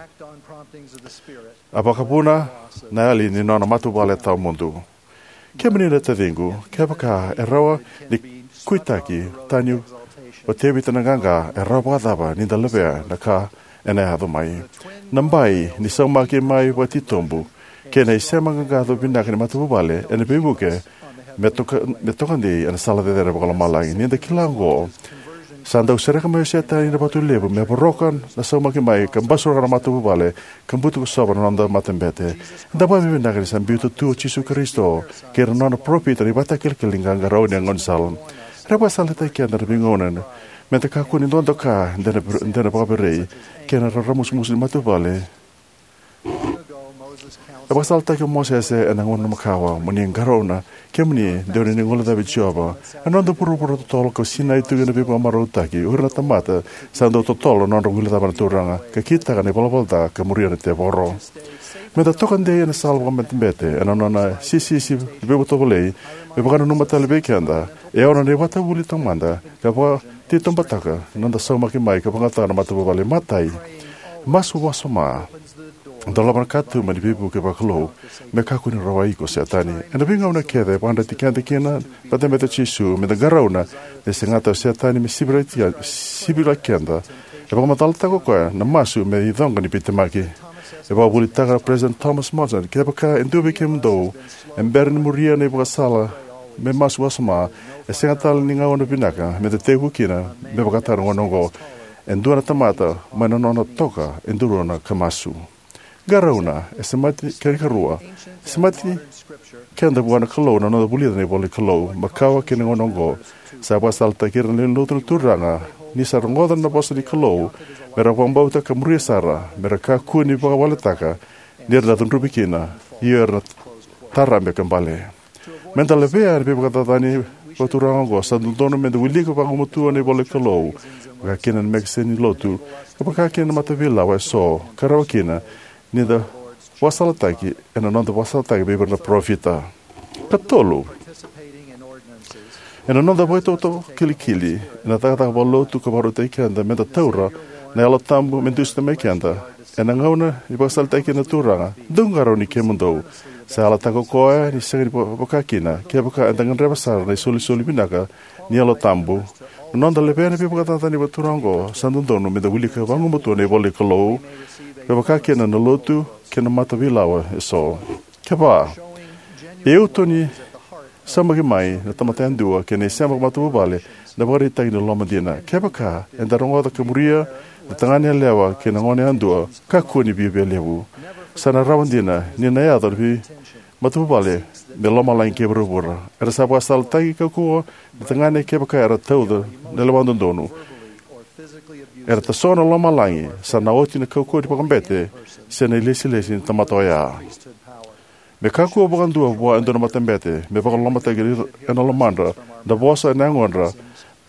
a vakavuna na yali ni nona matavuvale tawamudu. Kemuni na taciqu, kevaka e rawa ni kuitaki tani o Tevita na qaqa, e rawa vakacava ni da levea na ka ena yaco mai? Na bai ni saumaki mai vakatitobu kei na isema qaqaco vinaka ni matavuvale ena veivuke me toka, me toka dei ena sala cecere vakalomalagi. Ni da kila oqo, sa dau sereka mai o Setani na vatu levu me voroka na saumaki mai ka basuraka na matavuvale ka butuka sova na noda matabete. Eda vakavinavinaka ni sa biuta tu o Jisu Karisito kei ira na nona parofita na ivakatakilakila ni qaqarauni e gaunisala. Era vakasalataki keda na veigauna me da kakua ni dodoka de na, de na vakaverei kei na raramusumusu ni matavuvale. E vakasalataki o Mosese ena gauna makawa: Mo ni qarauna, kemuni dewa ni guilecavi Jiova. Ena noda vuravura totolo ka sinai tu ena veivakamarautaki, o ira na tamata sa dau totolo na nodra guilecava na Turaga, ka kitaka na ivalavala ca ka muria na tevoro. Me da toka dei ena sala vakamatabete ena nona sisisi veivakatovolei, me vakananuma tale vei keda e ono na ivakavuvuli taumada ka vakatitobuataka na noda saumaki mai ka vakayagataka na matavuvale. Matai, masu wasoma. Dolava na katuba ni veivuke vakalou me kakua ni rawai iko o Setani. Ena veigauna kece e vakayadrati keda kina na matabete o Jisu, me da qarauna ni segata o Setani me sivi, sivi keda. E vakamacalataka o koya na masu me icoqa ni veitemaki. E vakavuvulitaka o President Thomas Monson: Kevaka e dua vei kemudou e bera ni muria na ivakasala me masu wasoma, e sega tale ni gauna vinaka me da tekivu kina me vakataka na gauna oqo. E dua na tamata mai na nona toka e duruna ka masu. Qarauna, e semati, kena ikarua, e semati keda vua na Kalou na noda vulica na ivola ni Kalou. Makawa kei na gauna oqo, sa vakasalataki ira na lewe ni lotu na Turaga ni sa rogoca na vosa ni Kalou me ra vakabauta ka muria sara, me ra kakua ni vakawaletaka ni ra na cudruvi kina, io era na tarabe ka bale. Me da levea na veivakacacani vakaturaga oqo, sa dodonu me da wilika vagumatua na ivola ni Kalou, vaka kina na mekeseni ni lotu, ka vaka kina na mataveilawa eso, ka rawa kina ni da vakasalataki ena noda vakasalataki vei ira na parofita. Katolu, ena noda vakaitautau kilikili ena cakacaka vakalotu ka vakarautaki keda me da taura na Yalo Tabu me dusia mai keda, ena gauna e vakasalataki kina na Turaga, dou qarauni kemudou. Sa yalataka o koya ni sega ni va-, vaka kina, kevaka eda gadreva sara na isolisoli vinaka ni Yalo Tabu. Na noda levea na veivakacacani vakaturaga oqo, sa dodonu me da wilika vagumatua na ivola ni Kalou, ka vaka kina na lotu kei na mataveilawa eso. Keva, e uto ni saumaki mai na tamata yadua kei na isema matavuvale na ivakaraitaki ni loloma dina. Kevaka eda rogoca ka muria na tagane yalewa kei na gone yadua, kakua ni viavia levu. Sa na rawa dina ni na yaco na veimatavuvale me lomalagi kei vuravura. Era sa vakasalataki kaukauwa na tagane kevaka era tauca na lewa dodonu. Era tasogo na lomalagi, sa na oti na kaukauwa ni vakabete se na ilesilesi ni tamata oya. Me kakua vakadua vua e dua na matabete me vakalolomataki ena lomadra na vosa ena yagodra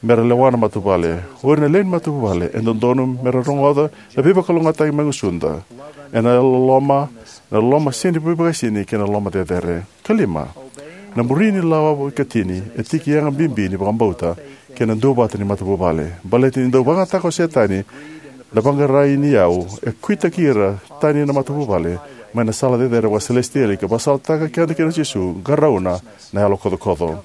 me ra lewa na matavuvale. O ira na lewe ni matavuvale e dodonu me ra rogoca na veivakalougatataki mai gusuda ena loloma, na loloma sega ni veivakaisini kei na loloma cecere. Kalima, na muri ni lawa ikatini e tiki yaga bibi ni vakabauta kei na duavata ni matavuvale. Baleta ni dau vakayagataka o Setani na vaqarai ni yau, e kuitaki ira tani na matavuvale mai na sala cecere vakaselesitieli ka vakasalataka keda kei Jisu: Qarauna na yalo kocokoco.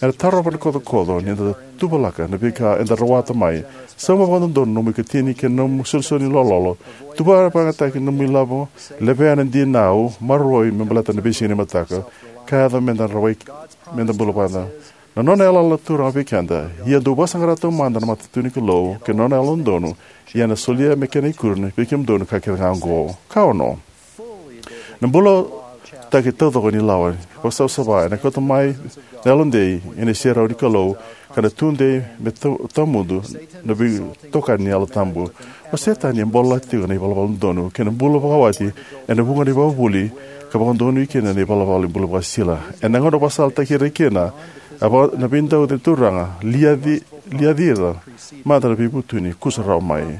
Ena tarova na kocokoco ni da tuvalaka na veika eda rawata mai. Sauma vakadodonu na nomu ikatini kei na nomu isolisoli ni lololo. Tuva vakayagataki na nomu ilavo. Levea na dinau maroroi me baleta na veisiga ni mataka ka yaco me da rawai, me da bula vata. Na nona yalayala na Turaga vei keda: Ia dou vakasaqara taumada na matanitu ni Kalou kei na nona yalododonu, ia ena solia me kena ikuri vei kemudou na ka kece ga oqo. Ka ono, na bulataki taucoko ni lawa vakasavasava ena kauta mai na yalodei ena iserau ni Kalou, ka na tudei me tau-, tawamudu na veitokani ni Yalo Tabu. O Setani e bolati tiko na ivalavala dodonu kei na bula vakawati ena vuqa na ivakavuvuli ka vakadonui kina na ivalavala ni bula vakasisila. Ena gauna vakasalataki ira kina, a vaka na veidauci ni Turaga, liaci, liaci ira mada na veivutuni, kusa rawa mai.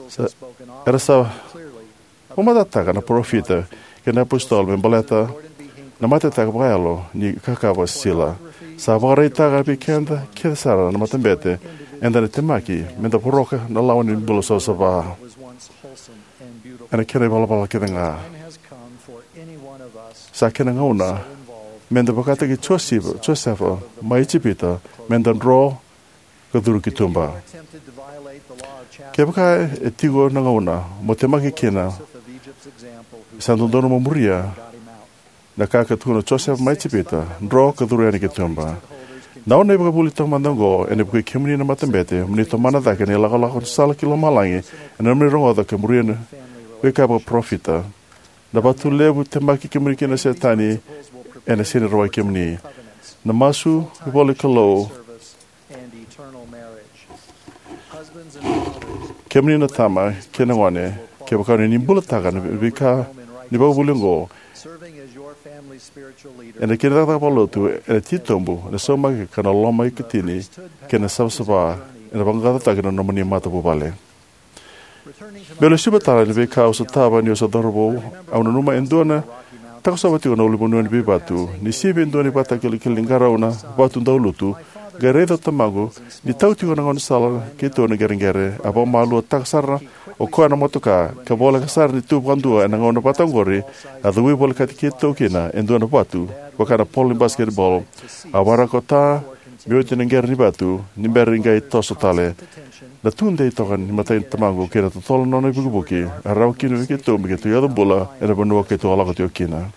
Sa, era sa vakamatatataka na parofita kei na iapositolo me baleta na matetaka vakayalo ni kaka vakasisila. Sa vakaraitaka vei keda kece sara na matabete Eda na temaki meda voroka na lawa ni bula savasava ena kena ivalavala kece ga. Sa kena gauna meda vakataki Josefa, Josefa mai Ijipita, meda dro ka curu ki tuba. Kevaka e tiko na gauna mo temaki kina, sa dodonu mo muria na ka ka tukuna o Josefa mai Ijipita, dro ka curu yani ki tuba. Na nona ivakavuvuli taumada oqo ena vukei kemuni na matabete mo ni tomana cake na ilakolako ni sala ki lomalagi ena nomuni rogoca ka muria na veika vakaparofita. Na vatu levu temaki kemuni kina o Setani ena sega ni rawai kemuni. Na masu, ivola ni Kalou. Kemuni na tama kei na gone, kevaka ni bulataka na veika ni vakavuvuli oqo, ena kena cakacaka vakalotu ena titobu, ena saumaki ka na loma ikatini kei na savasava ena vaqaqacotaki na nomuni matavuvale. Meu lesuva tale na veika au sotava niu se cauravou. Au nanuma e dua na takosova tiko na ulunivanua ni veivatu. Ni sivi e dua na ivakatakilakila ni qarauna vatu daulutu, qai raica o tamaqu ni tau tiko na gaunisala keitou na qereqere. A vakamaaluataka sara o koya na motoka ka voleka sara ni tu vakadua ena gauna vata oqori. A cavuti volekati keitou kina e dua na vatu vaka na polo ni basiketibolo. A waraka o ta me oti na qere ni vatu ni bera ni qai toso tale. Na tudei toka ni matai ni tamaqu kei na totolo na nona ivukivuki a rawa kina vei keitou me keitou yaco bula ena vanua keitou a lako tiko kina.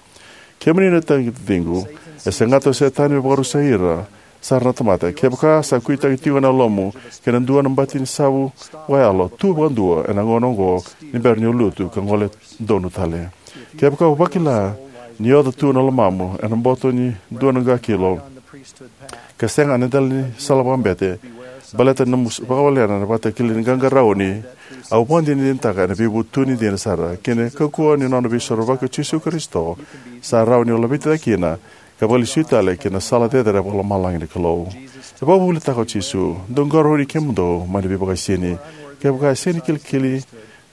Kemuni na taciqu, e segata o Setani me vakarusai ira sara na tamata. Kevaka sa kuitaki tiko na yalomu kei na dua na bati ni savu vakayalo, tu vakadua ena gauna oqo ni bera ni o lutu ka gole donu tale. Kevaka o vakila ni oca tu na lomamu ena boto ni dua na qa kilo ka sega ena dela ni sala vakabete baleta ni nomu vakawalena na ivakatakilakila ni qaqarauni, au vakadinadinataka ena veivutuni dina sara kei na kaukauwa ni nona Veisorovaki o Jisu Karisito, sa rawa ni o laveti cake kina ka vakalesui tale ki na sala cecere vakalomalagi ni Kalou. E vakavuvulitaka o Jisu: Dou qarauni kemudou mai na veivakaisini. Kevaka e sega ni kilikili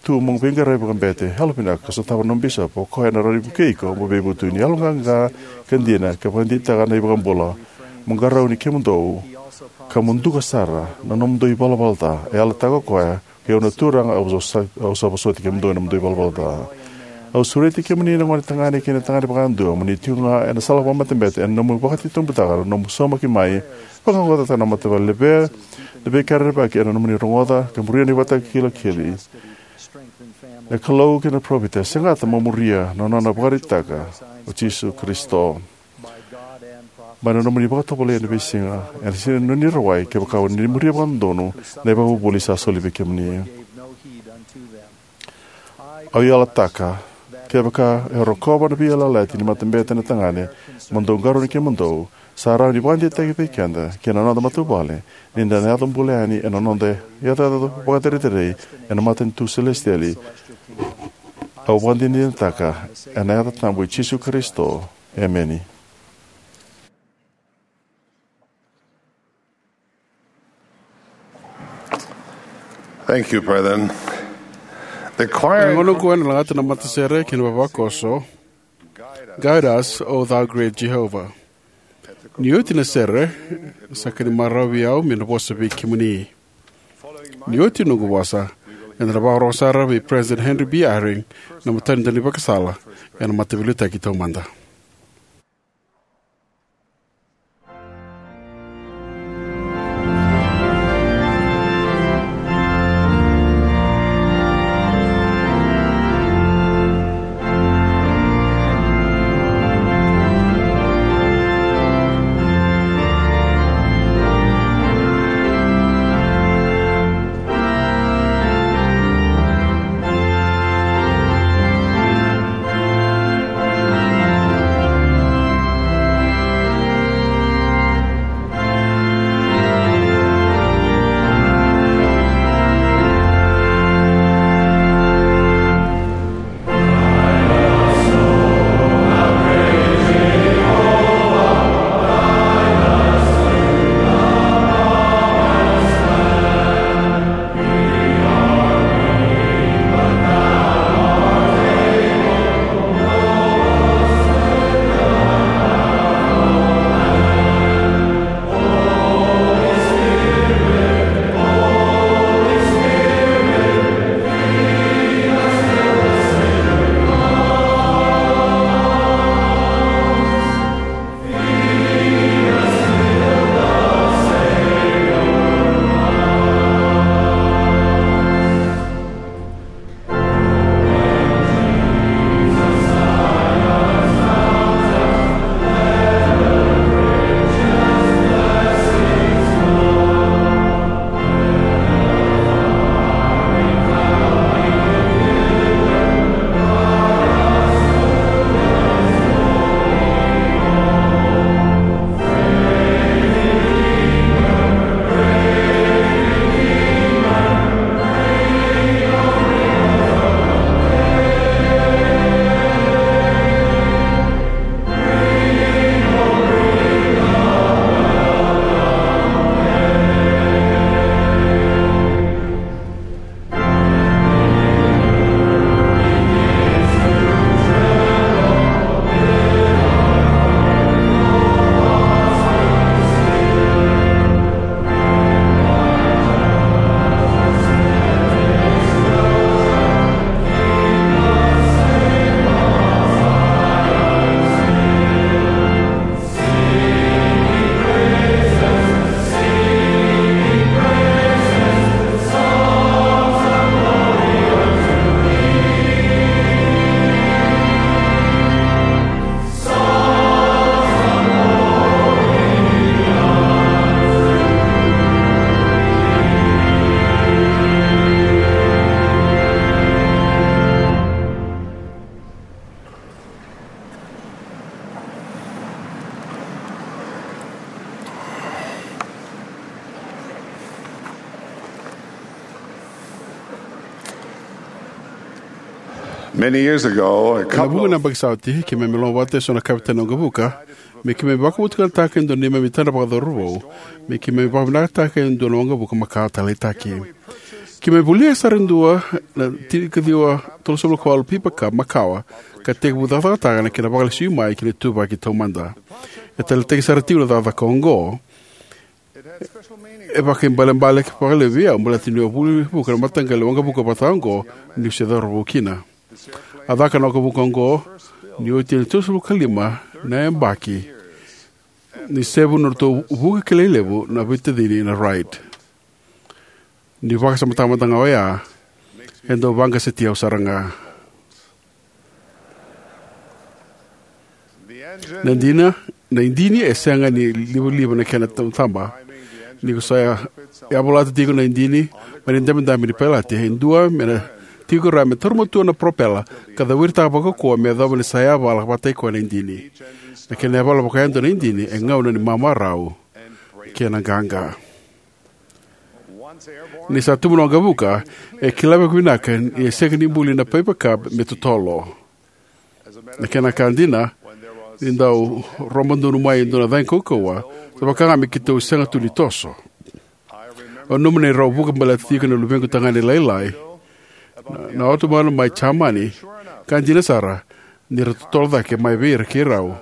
tu mo veiqaravi vakabete, yalovinaka ka sotava na nomu bisopi, o koya ena rawa ni vukei iko mo veivutuni. Yaloqaqa ka dina ka vakadeitaka na iVakabula. Mo qarauni kemudou ka mo duka sara na nomudou ivalavala ca. E yalataka o koya: Kei au na Turaga, au sa, au sa vosoti kemudou ena nomudou ivalavala ca. Au sureti kemuni na gone tagane kei na tagane vakayadua, mo ni tiko ga ena sala vakamatabete ena nomu vakatitobutaka na nomu saumaki mai, vaqaqacotaka na matavuvale, levea na veika rerevaki ena nomuni rogoca ka muria na ivakatakilakila. Na Kalou kei na parofita, segata mo muria na nona ivakaraitaki o Jisu Karisito. Mai na nomuni vakatovolei ena veisiga, ena sega ni nomuni rawai kevaka o ni muria vakadodonu na ivakavuvuli sa soli vei kemuni. Au yalataka, kevaka e rokova na veiyalayalati ni matabete na tagane, mo dou qarauni kemudou, sa rawa ni vakadeitaki vei keda kei na noda matavuvale ni da na yaco bula yani ena noda iyacoyaco vakacerecerei ena matanitu selesitieli. Au vakadinadinataka ena yaca tabu i Jisu Karisito. Emeni. Thank you, brethren. The choir. Ena gauna oqo ena lagata na matasere kei na vavakoso, Guide Us, O Thou Great Jehovah. Ni oti na sere, sa ka ni marau vei au me na vosa vei kemuni. Ni oti noqu vosa, eda na vakarorogo sara vei President Henry B. Eyring, na imatai ni daunivakasala ena Mataveiliutaki Taumada. Many years ago, a Ena couple vuqa na of yabaki sa oti, keimami lomavata eso na kavetani waqavuka me keimami vakavotukanataka e dua na neimami tadra vakacauravou me keimami vakavinakataka e dua na waqavuka makawa taleitaki. Keimami volia sara e dua na tinikaciwa tolusagavulu ka walu Piper Cub makawa ka tekivu cakacakataka na kena vakalesui mai ki na ituvaki taumada. E taleitaki sara tiko na cakacaka oqo. E vakaibalebale vakalevu vei au baleta niu a vuli vuka na mataqali waqavuka vata oqo niu se cauravou kina. A caka na waqavuka oqo ni oti e tolusagavulu ka lima na yabaki ni sevu na nodratou vuka kilai levu na veitacini na Wright. Niu vakasamataka mada ga oya, e dau vaqasetia au sara ga. Na dina, na idini e sega ni livaliva na kena tababa. Ni ko sa yavalata tiko na idini mai na idabedabe ni pailate, e dua me na tiko rawa me taura matua na propela ka caviritaka vakaukauwa me yacova ni sa yavala vata i koya na idini. Na kena yavala vakayadua na idini e gauna ni mamarau kei na qaqa. Ni sa tubu na waqavuka, e kila vakavinaka ni e sega ni buli na Piper Cub me totolo. Na kena ka dina, ni dau robadonu mai e dua na cagi kaukauwa, sa vaka ga me keitou sega tu ni toso. Au nanuma ni rau vuka baleta tiko na luvequ tagane lailai, na, na otomanu mai Jamani, ka dina sara ni ra totolo cake mai vei ira kei rau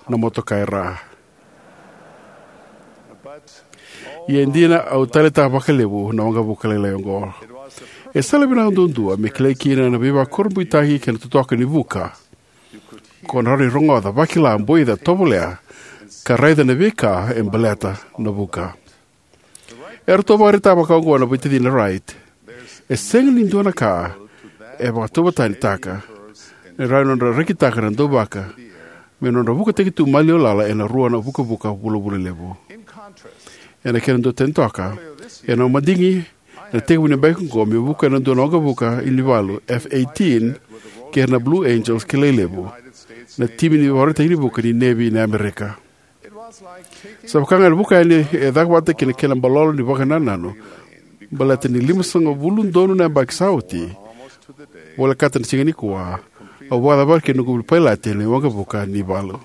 na motoka e ra. Ia e dina, au taleitaka vakalevu na waqavuka lailai oqo. E sala vinaka duadua me kilai kina na veivakurabuitaki kei na totoka ni vuka. Ko na rawa ni rogoca, vakila, boica, tovolea, ka raica na veika e baleta na vuka. Eratou vakaraitaka vakaoqo na veitacini na Wright: E sega ni dua na ka e vakatauvatanitaka ni rawa ni nodra rekitaka na dauvaka me nodra vukataki tu maliwa lala ena rua na vukavuka vulavula levu. Ena kena dau tani toka, ena madigi ena tekivu ni yabaki oqo meu vuka ena dua na waqavuka ni valu F eighteen kei ira na Blue Angels kilai levu, na timi ni vakarautaki ni vuka ni nevi ni Amerika. Sa vaka ga na vuka yani e caka vata kei na kena balolo ni vakanananu, baleta ni limasagavulu donu na yabaki sa oti, volekata na siga nikua, au vakacavara kei na noqu pailate ena waqavuka ni valu.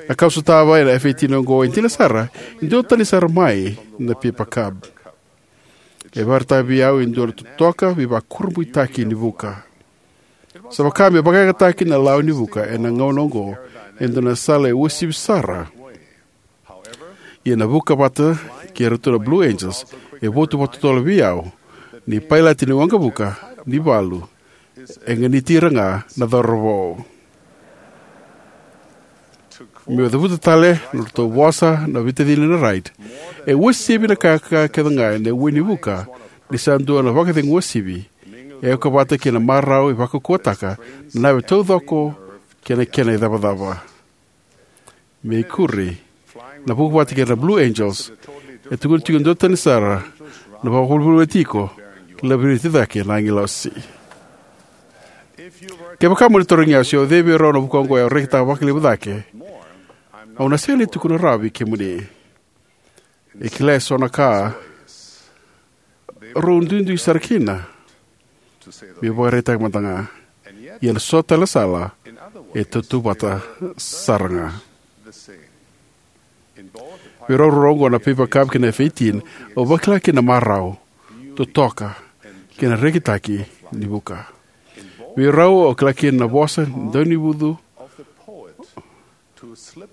Na ka au sotava ena F eighteen oqo e dina sara, e duatani sara mai na Piper Cub. E vakaraitaka vei au e dua na totoka veivakurabuitaki ni vuka. Sa vaka me vakayagataki na lawa ni vuka ena gauna oqo e dua na sala e uasivi sara. Ia na vuka vata kei iratou na Blue Angels e votu vakatotolo vei au ni pailate ni waqavuka ni valu e ganiti ira ga na cauravou. Meu cavuta tale na nodratou vosa na veitacini na Wright e uasivi na ka kece ga ena ue ni vuka, ni sa dua na vakacegu uasivi e oka vata kei na marau e vakaukauwataka na nave taucoko kei na kena icavacava. Me ikuri, na vuka vata kei ira na Blue Angels e tukuna tiko e duatani sara na vakavolivoliti iko, laviriti cake na agilosi. Kevaka mo ni tarogi au se o cei vei rau na vuka oqo au rekitaka vakalevu cake, au na sega ni tukuna rawa vei kemuni. E kila eso na ka rau duidui sara kina, meu vakaraitaka mada ga. Ia ena so tale na sala e tautauvata sara ga. Vei rau ruarua oqo, na Piper Cub kei na F eighteen, au vakila kina na marau, totoka, kei na rekitaki ni vuka. Vei rau au kila kina na vosa ni daunivucu,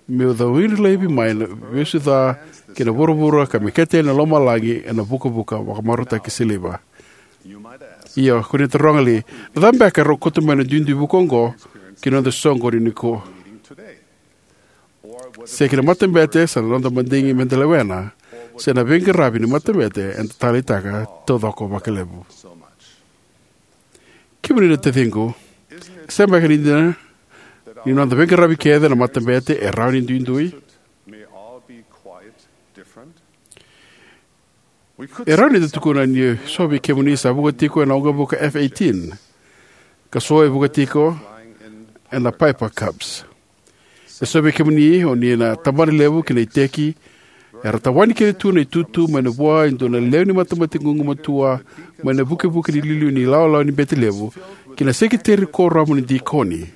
meu cawiri laivi mai na ivesu ca kei na vuravura ka meketa yani na lomalagi ena vukavuka vakamarautaki siliva. Ia, ko ni taroga li, na cava beka e rau kauta mai na duidui vuka oqo ki na noda soqoni nikua? Se ki na matabete sa na noda madigi meda lewena, se na veiqaravi ni matabete eda taleitaka taucoko vakalevu? Kemuni na taciqu, e sega beka ni dina ni noda veiqaravi kece na matabete e rawa ni duidui? E rawa ni da tukuna ni so vei kemuni sa vuka tiko ena waqavuka F eighteen, ka so e vuka tiko ena Piper Cubs. E so vei kemuni o ni na tabana levu ki na iteki era tawani kece tu na itutu mai na vua e dua na lewe ni matemate gugumatua mai na vukevuke ni liuliu ni ilawalawa ni bete levu, ki na sekeriteri kuoramu ni dikoni.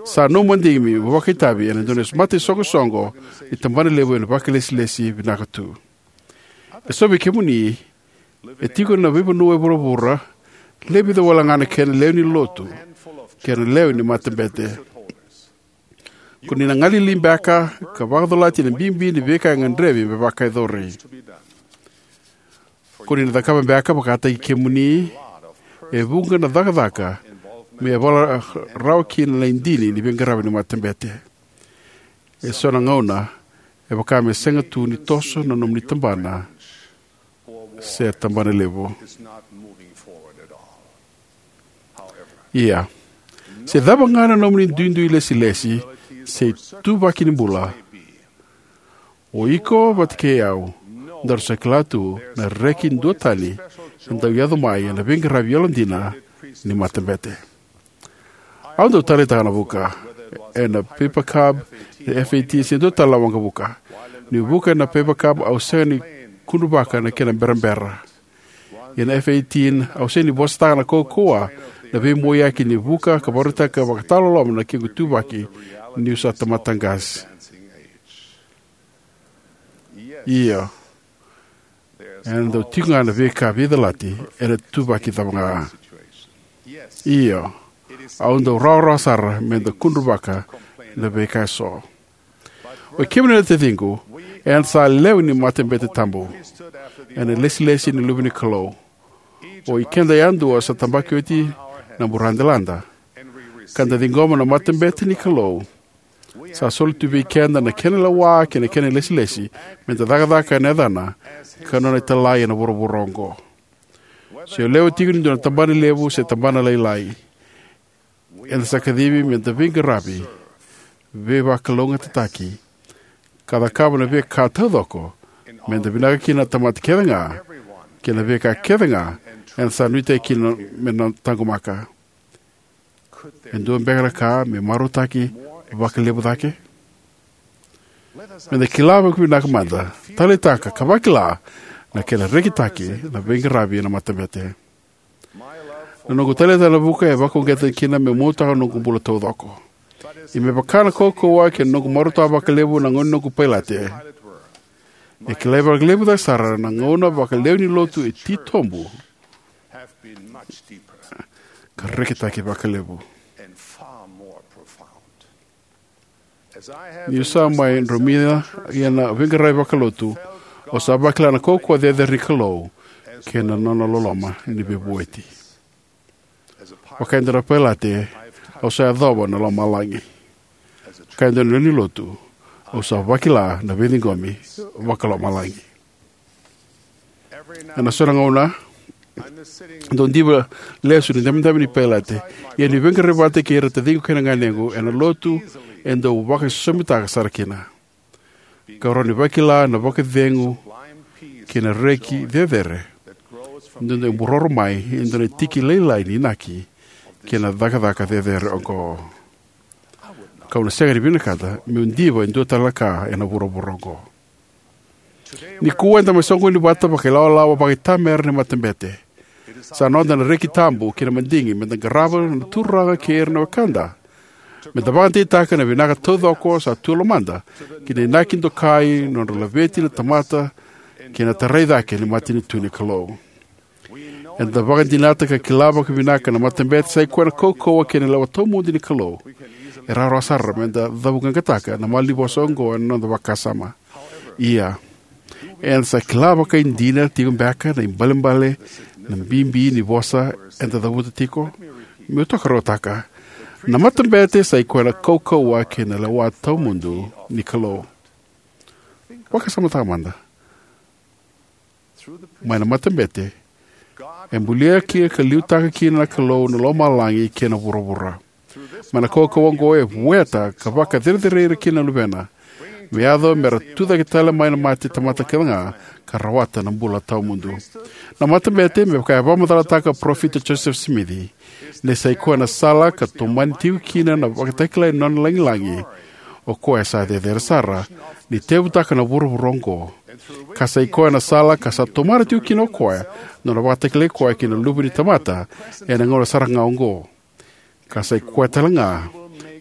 Sa nomu madigi mo vakaitavi ena dua na mataisoqosoqo ni tabanalevu ena vakailesilesi vinaka tu. E so vei kemuni e tiko ena veivanua e vuravura, lewe vica wale ga na kena lewe ni lotu kei na lewe ni matabete. Ko ni na galili beka ka vakacolati na bibi ni veika e gadrevi me vakayacori. Ko ni na cakava beka vakataki kemuni e vuqa na cakacaka me yavala rawa kina na idini ni veiqaravi ni matabete. E so na gauna e vaka me sega tu ni toso na nomuni tabana se tabanalevu. Ia, se cava ga na nomuni duidui lesilesi se ituvaki ni bula, o iko vata kei au daru sa kila tu na reki duatani e dau yaco mai ena veiqaravi yalodina ni matabete. Au dau taleitaka na vuka ena Piper Cub, na F eighteen, se dua tale na waqavuka. Niu vuka ena Piper Cub, au sega ni kudruvaka na kena berabera. Ia na F eighteen, au sega ni vosataka na kaukauwa na veimoiyaki ni vuka ka vakaraitaka vakatawaloloma na kequ ituvaki niu sa tamata qase. Io, ena dau tiko ga na veika veicalati ena ituvaki cava ga. Io, au dau rawarawa sara me da kudruvaka na veika eso. Oi kemuni na taciqu, eda sa lewe ni matabete tabu ena ilesilesi ni luve ni Kalou. O ikeda yadua sa tabaki oti na buradelada, ka da ciqoma na matabete ni Kalou. Sa soli tu vei keda na kena lewa kei na kena ilesilesi me da cakacaka ena yacana ka nona italai ena vuravura oqo. Se o lewe tiko ni dua na tabana levu se tabana lailai, eda sa kacivi me da veiqaravi, veivakalougatataki, ka cakava na veika taucoko me da vinaka kina na tamata kece ga kei na veika kece ga eda sa nuitaki kina me na taqomaka. E dua beka na ka me marautaki vakalevu cake? Me da kila vakavinaka mada, taleitaka ka vakila na kena rekitaki na veiqaravi ena matabete. Na noqu taleitaka na vuka e vakauqeta kina meu mautaka na noqu bula taucoko. Ia me vaka na kaukauwa kei na noqu marautaka vakalevu na gauna ni noqu pailate, e kilai vakalevu cake sara na gauna vakalewe ni lotu e titobu ka rekitaki vakalevu. Niu sa mai dromica ena veiqaravi vakalotu, au sa vakila na kaukauwa cecere ni Kalou kei na nona loloma ni veivueti. Vaka e dua na pailate, au sa yacova na lomalagi. Vaka e dua na lewe ni lotu, au sa vakila na veiciqomi vakalomalagi. Ena so na gauna, dau diva lesu na idabedabe ni pailate. Ia niu veiqaravi vata kei ira na taciqu kei na ganequ ena lotu, e dau vakaisosomitaka sara kina. Kau rawa ni vakila na vakacegu kei na reki cecere e dau buroro mai e dua na tiki lailai ni inaki kei na cakacaka cecere oqo. Kau na sega ni vinakata meu diva e dua tale na ka ena vuravura oqo. Nikua eda mai soqoni vata vakailawalawa vakaitamera ni matabete. Sa noda na reki tabu kei na madigi me da qarava na Turaga kei ira na wekada, me da vakadeitaka na vinaka taucoko sa tu e lomada ki na inaki dokai ni nodra laveti na tamata kei na tarai cake ni matanitu ni Kalou. Eda vakadinata ka kila vakavinaka na matabete sa ikoya na kaukauwa kei na lewa tawamudu ni Kalou. E rawarawa sara me da cavuqaqataka na malanivosa oqo ena noda vakasama. Ia, eda sa kila vakaidina tiko beka na ibalebale, na bibi ni vosa eda cavuta tiko? Meu tokaruataka: na matabete sa ikoya na kaukauwa kei na lewa tawamudu ni Kalou. Vakasamataka mada. Mai na matabete, e bulia kina ka liutaka kina na Kalou na lomalagi kei na vuravura. Mai na kaukauwa oqo e vueta ka vakacerecerei ira kina na luvena, me yaco me ra tucake tale mai na mate tamata kece ga ka rawata na bula tawamudu. Na matabete, me vaka e vakamacalataka o Parofita Josefa Simici, ni sa ikoya na sala ka tomani tiko kina na vakatakilai ni nona lagilagi o koya sa cecere sara, ni tekivutaka na vuravura oqo Ka sa i koya na sala ka sa tomana tiko kina o koya na nona vakatakilai koya kei na Luve ni tamata ena gauna sara ga oqo. Ka sa i koya tale ga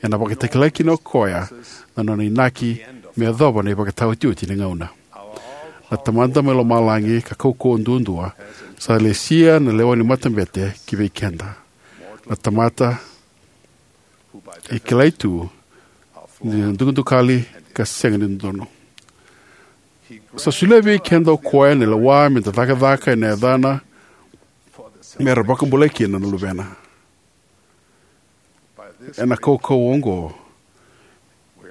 ena vakatakilai kina o koya na nona inaki me yacova na ivakataotioti ni gauna. Na Tamada mai lomalagi ka kaukauwa duadua sa lesia na lewa ni matabete ki vei keda, na tamata e kilai tu ni na dukadukali ka sega ni dodonu. Sa solia vei keda o koya na lewa me da cakacaka ena yacana me ra vakabulai kina na luvena. Ena kaukauwa oqo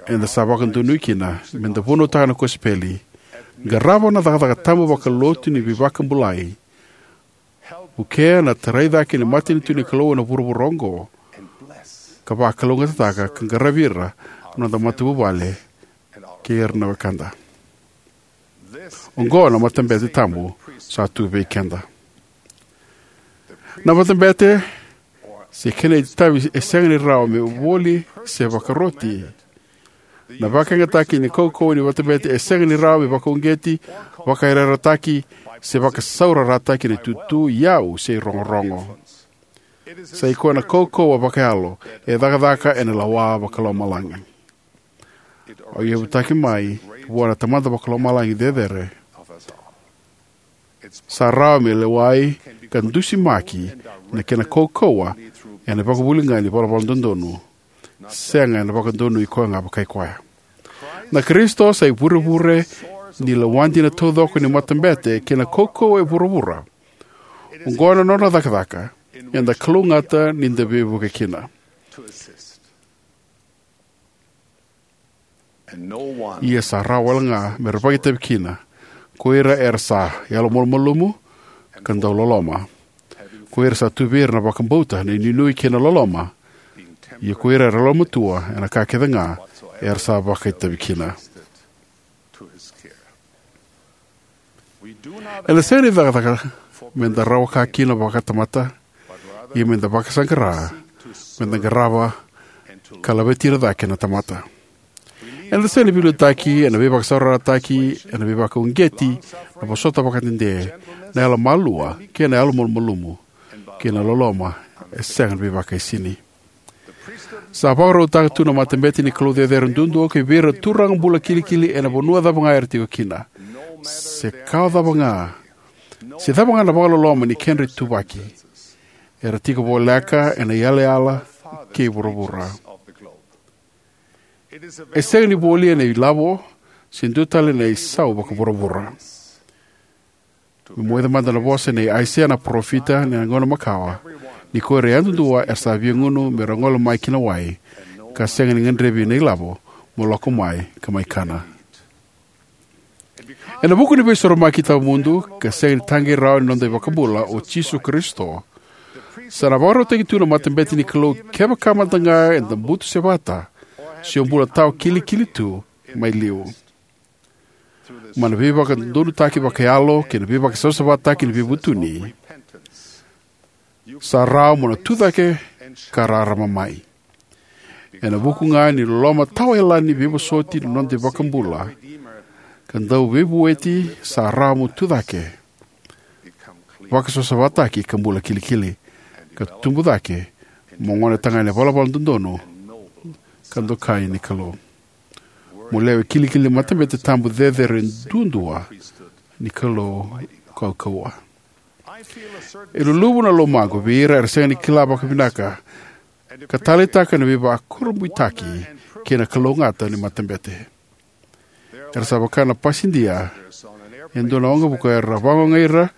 eda sa vakadonui kina me da vunautaka na kosipeli, qarava na cakacaka tabu vakalotu ni veivakabulai, vukea na tarai cake ni matanitu ni Kalou ena vuravura oqo, ka vakalougatataka ka qaravi ira na noda matavuvale kei ira na wekada. Oqo na matabete tabu sa tu vei keda. Na matabete se kena itavi e sega ni rawa me voli se vakaroti. Na vakayagataki ni kaukauwa ni matabete e sega ni rawa me vakauqeti, vakayarayarataki, se vakasaurarataki ena itutu, iyau, se irogorogo. Sa i koya na kaukauwa vakayalo e cakacaka ena lawa vakalomalagi. Au yavutaki mai vua na Tamada vakalomalagi cecere. Sa rawa me lewai ka dusimaki na kena kaukauwa ena vakavuli ga ni valavala dodonu, sega ena vakadonui koya ga vakai koya. Na Karisito sa ivurevure ni lewa dina taucoko ni matabete kei na kaukauwa e vuravura. Oqo na nona cakacaka eda kalougata ni da veivuke kina. Ia sa rawa wale ga me ra vakaitavi kina ko ira era sa yalomalumalumu ka dau loloma, ko ira sa tu vei ira na vakabauta, na inuinui kei na loloma. Ia ko ira era yalomatua ena ka kece ga era sa vakaitavi kina. Eda sega ni cakacaka me da rawa ka kina vakatamata, ia me da vakasaqara me da qarava ka laveti ira cake na tamata. Eda sega ni veiliutaki ena veivakasaurarataki, ena veivakauqeti, na vosota vakadede, na yalomalua kei na yalomalumalumu, kei na loloma e sega ni veivakaisini. Sa vakarautaka tu na matabete ni Kalou cecere duadua ki vei ira na turaga bula kilikili ena vanua cava ga era tiko kina. Se ka cava ga, se cava ga na vakaloloma ni kedra ituvaki, era tiko voleka ena iyalayala kei vuravura. E sega ni voli ena ilavo se dua tale na isau vakavuravura. Me moica mada na vosa nei Aisea na parofita ena gauna makawa, ni ko ira yadudua era sa via gunu me ra gole mai ki na wai, ka sega ni gadrevi na ilavo, mo lako mai ka mai kana. Ena vuku ni Veisorovaki tawamudu ka sega ni taqei rawa ni noda iVakabula o Jisu Karisito, sa na vakarautaki tu na matabete ni Kalou kevaka mada ga eda butusevata se o bula tawa kilikili tu mai liu. Mai na veivakadodonutaki vakayalo kei na veivakasavasavataki ni veivutuni, sa rawa mo na tucake ka rarama mai. Ena vuku ga ni loloma tawayalani veivosoti na noda iVakabula ka Dauveivueti, sa rawa mo tucake, vakasavasavataki ka bula kilikili, ka tubu cake mo gone tagane valavala dodonu ka dokai ni Kalou, mo lewe kilikili ni matabete tabu cecere duadua ni Kalou kaukauwa. E luluvu na lomaqu vei ira era sega ni kila vakavinaka ka taleitaka na veivakurabuitaki kei na kalougata ni matabete. Era sa vaka na pasidia e dua na waqavuka era vakaogai ira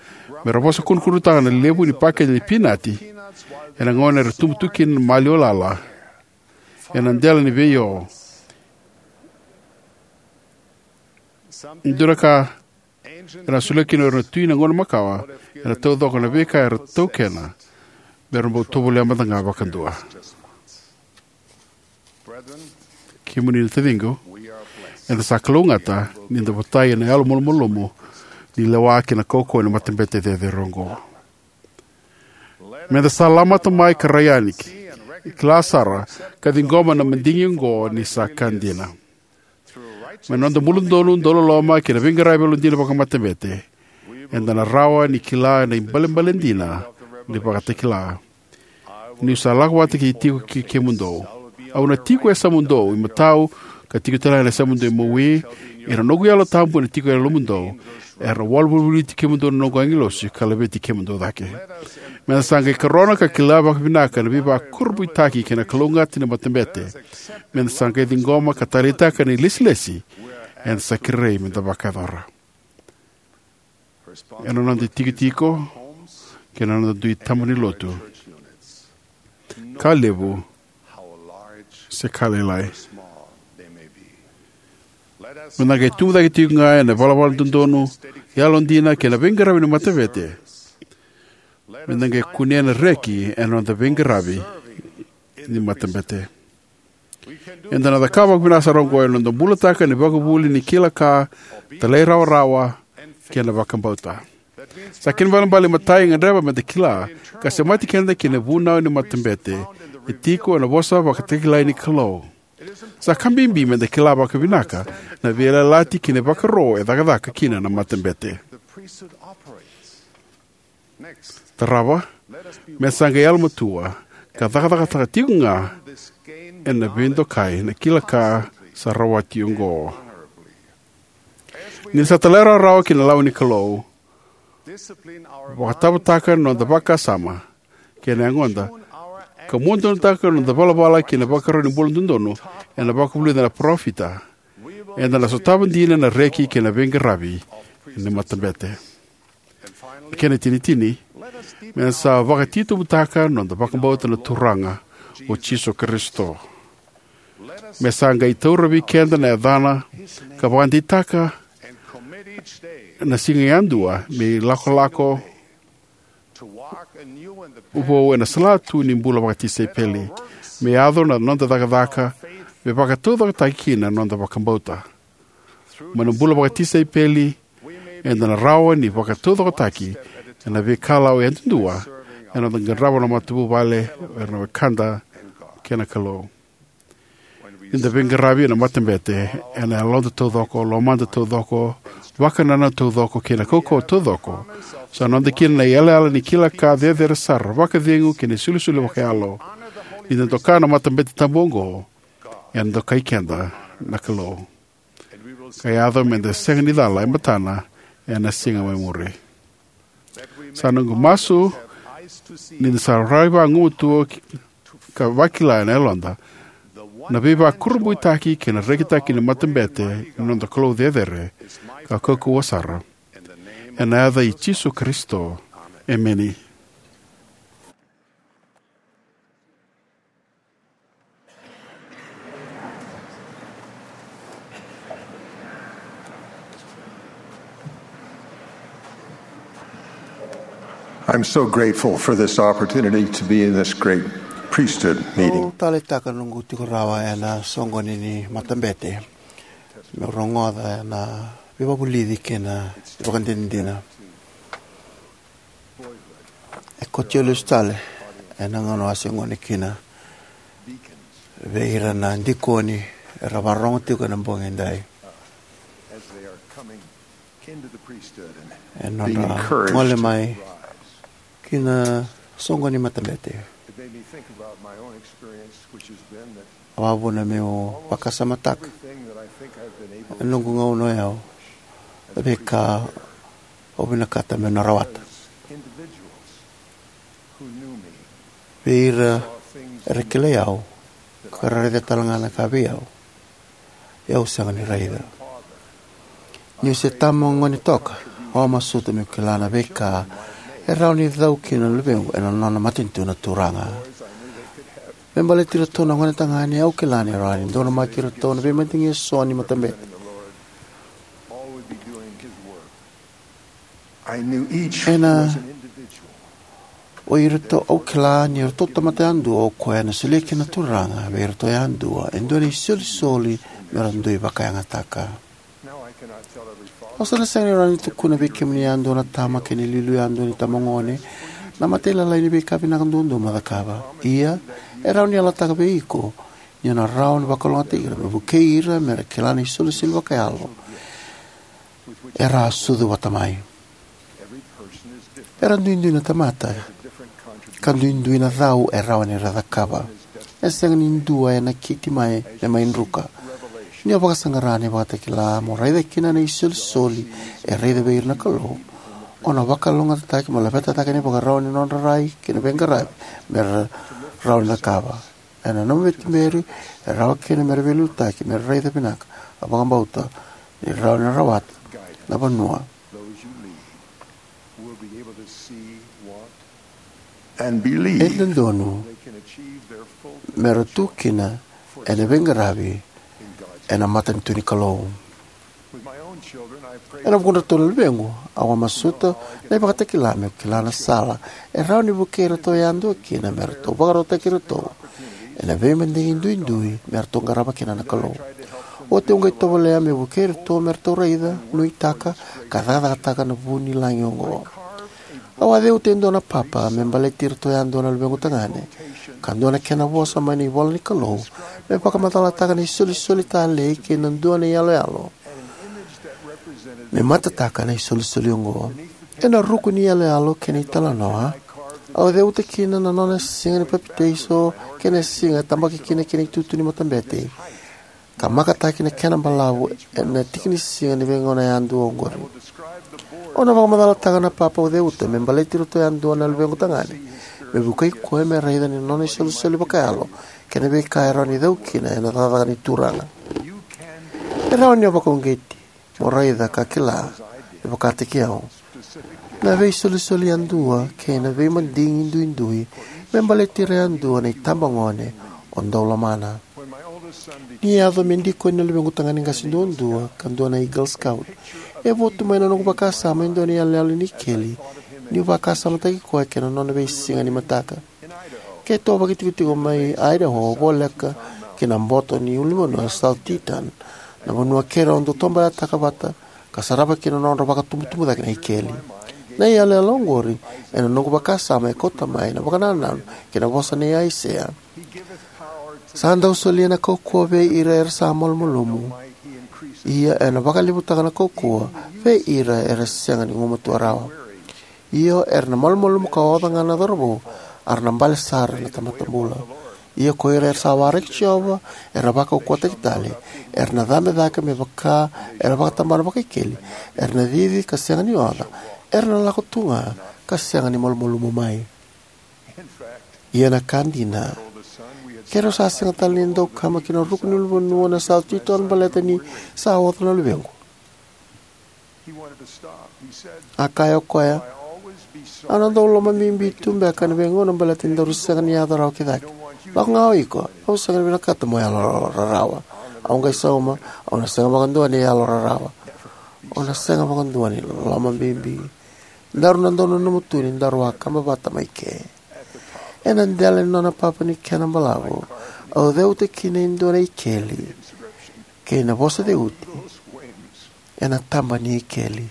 me ra vosa kudrukudrutaka na levu ni pakete ni pinati ena gauna era tubu tu kina na maliwa lala ena dela ni veio. Dua na ka era na solia kina o ira na tui na gauna makawa ena taucoko na veika era taukena me ra bau tovolea mada ga vakadua. Kemuni na taciqu, eda sa kalougata ni da votai ena yalo malumalumu ni lewa kei na kaukauwa ni matabete cecere oqo. Me da sa lamata mai ka rai yani, kila sara, ka ciqoma na madigi oqo ni sa ka dina. Mai na noda bula dodonu, dauloloma, kei na veiqaravi yalodina vakamatabete, eda na rawa ni kila na ibalebale dina ni ivakatakila. Niu sa lako vata kei tiko kei kemudou, au na tiko e yasamudou imatau, ka tiko talega ena yasamudou imawi, ia na noqu Yalo Tabu ena tiko e yalomudou, era na walu volivoliti kemudou na noqu agilosi ka laveti kemudou cake. Meda sa qai karona ka kila vakavinaka na veivakurabuitaki kei na kalougata ni matabete. Meda sa qai ciqoma ka taleitaka na ilesilesi eda sa kerei meda vakayacora ena noda itikotiko kei na noda dui tabana ni lotu, ka levu se ka lailai. Meda qai tubu cake tiko ga ena ivalavala dodonu, yalodina, kei na veiqaravi ni matabete. Meda qai kunea na reki ena noda veiqaravi ni matabete. Eda na cakava vakavinaka sara oqo ena noda bulataka na ivakavuvuli ni kila ka, talairawarawa, kei na vakabauta. Sa kena ibalebale, imatai, e gadreva meda kila ka semati keda ki na vunau ni matabete e tiko ena vosa vakatakilai ni Kalou. Sa ka bibi meda kila vakavinaka na veiyalayalati kei na ivakaro e cakacaka kina na matabete. Tarava, meda sa qai yalomatua ka cakacakataka tiko ga ena veidokai na kila ka sa rawati oqo. Ni da sa talairawarawa ki na lawa ni Kalou, vakatavataka na noda vakasama kei na yagoda, ka muadonutaka na noda ivalavala kei na ivakaro ni bula dodonu ena vakavulica na parofita, eda na sotava dina na reki kei na veiqaravi ni matabete. Kena itinitini, meda sa vakatitobutaka na noda vakabauta na Turaga o Jisu Karisito. Me sa qai taura vei keda na yacana ka vakadeitaka na siga yadua me ilakolako vou ena salatu ni bula vakatisaipeli, me yaco na noda cakacaka, me vakataucokotaki kina na noda vakabauta. Mai na bula vakatisaipeli, eda na rawa ni vakataucokotaki ena veikalawa yadudua ena noda qarava na matavuvale, era na wekada, kei na Kalou. Ni da veiqaravi ena matabete, ena yaloda taucoko, lomada taucoko, vakanananu taucoko, kei na kaukauwa taucoko, sa noda kina na iyalayala ni kila ka cecere sara, vakacegu, kei na isolisoli vakayalo. Ni da doka na matabete tabu oqo, ena dokai keda na Kalou, ka yaco meda sega ni cala e matana ena siga mai muri. Sa noqu masu ni da sa raica vagumatua ka vakila ena yaloda na veivakurabuitaki kei na rekitaki ni matabete ni noda Kalou cecere ka kaukauwa sara. Ena yaca i Jisu Karisito, emeni. I'm so grateful for this opportunity to be in this great priesthood meeting. Au taleitaka na noqu tiko rawa ena soqoni ni matabete, meu rogoca na veivakavulici kei na ivakadinadina. E koto lesu tale ena gauna au a se gone kina vei ira na dikoni era vakarorogo tiko ena bogi edai, e nodra gole mai ki na soqo ni matabete. Au a vuna meu vakasamataka ena noqu gauna o yau na veika au vinakata meu na rawata. Vei ira era kilai au ka ra raica tale ga na ka vei au, e au sega ni raica. Niu se tama gone toka, au a masuta meu kila na veika e rawa ni cau kina na luvequ ena nona matanitu na Turaga. Me baleti iratou na gone tagane, au kila ni rawa ni donumaki iratou na veimadigi eso ni matabete. Ena o iratou, au kila ni o iratou tamata yadua o koya ena solia kina na Turaga vei iratou yadua e dua na isolisoli me ra dui vakayagataka. Au sa na sega ni rawa ni tukuna vei kemuni yadua na tama kei na iliuliu yadua ni tamagone na matailalai ni veika vinaka duadua mo cakava. Ia, e rawa ni yalataka vei iko Ni o na rawa ni vakalougatataki ira, me vukei ira me ra kila na isolisoli vakayalo era a sucu vata mai. Era duidui na tamata, ka duidui na cau e rawa ni ra cakava. E sega ni dua e nakiti mai me mai druka. Ni o vakasaqara na iVakatakila, mo raica kina na isolisoli e raica vei ira na Kalou, o na vakalougatataki mo laveta cake na ivakarau ni nodra rai kei na veiqaravi me ra rawa ni cakava. Ena nomu veituberi, e rawa kina me ra veiliutaki me ra raica vinaka, a vakabauta ni rawa ni rawata na vanua. E dodonu me ra tu kina ena veiqaravi ena matanitu ni Kalou. Ena vukudratou na luvequ, au a masuta na iVakatakila meu kila na sala e rawa ni vukei iratou yadua kina me ratou vakarautaki iratou ena veimadigi duidui me ratou qarava kina na Kalou. Oti au qai tovolea meu vukei iratou me ratou raica, nuitaka, ka cakacakataka na vu ni lagi oqo. Au a ceuta e dua na papa me baleti iratou yadua na luvequ tagane, ka dua na kena vosa mai na ivola ni Kalou me vakamacalataka na isolisoli talei kei na dua na iyaloyalo me matataka na isolisoli oqo. Ena ruku ni iyaloyalo kei na italanoa, au ceuta kina na nona siga ni papitaiso kei na siga e tabaki kina kei na itutu ni matabete, ka makataki na kena balavu ena tikinisiga ni veigauna yadua oqori. Au na vakamacalataka na papa au ceuta me baleti iratou yadua na luvequ tagane, me vukei koya me raica na nona isolisoli vakayalo kei na veika e rawa ni cau kina ena cakacaka ni Turaga. E rawa ni o vakauqeti mo raica ka kila, me vakataki au, na veisolisoli yadua kei na veimadigi duidui me baleti ira yadua na itabagone o dau lomana. Ni yaco me dikoni na luvequ tagane qase duadua ka dua na Eagle Scout, e votu mai na noqu vakasama e dua na iyaloyalo ni ikeli, niu vakasamataki koya kei na nona veisiga ni mataka. Keitou a vakaitikotiko mai Idaho voleka ki na boto ni ulunivanua o South Teton, na vanua keirau dau tobaletaka vata ka sarava kina na nodra vakatubutubu cake na ikeli. Na iyaloyalo oqori, ena noqu vakasama, e kauta mai na vakanananu kei na vosa nei Aisea: Sa dau solia na kaukauwa vei ira era sa malumalumu, ia ena vakalevutaka na kaukauwa vei ira era sega ni gumatua rawa. Io, era na malumalumu ka oca ga na cauravou, a ra na bale sara na tamata bula. Ia ko ira era sa waraki Jiova, era na vakaukauwataki tale, era na cabe cake me vaka era vakatabana vakaikeli, era na cici ka sega ni oca, era na lako tu ga ka sega ni malumalumu mai. Ia na ka dina, keirau sa sega tale ni dau kama ki na ruku ni ulunivanua na South Teton baleta ni sa oca na luvequ. A kaya o koya: Au na dau lomabibi tu beka ena veigauna baleta ni daru sega ni yaco rawa ki cake. Lako ga o iko, au sega ni vinakata mo yalo rarawa. Au qai sauma, au na sega vakadua ni yalo rarawa. Au na sega vakadua ni lomabibi. Daru na dau nanuma tu ni daru a kaba vata mai ke. Ena dela ni nona papa ni kena balavu, au ceuta kina e dua na ikeli kei na vosa ceuti ena taba ni ikeli.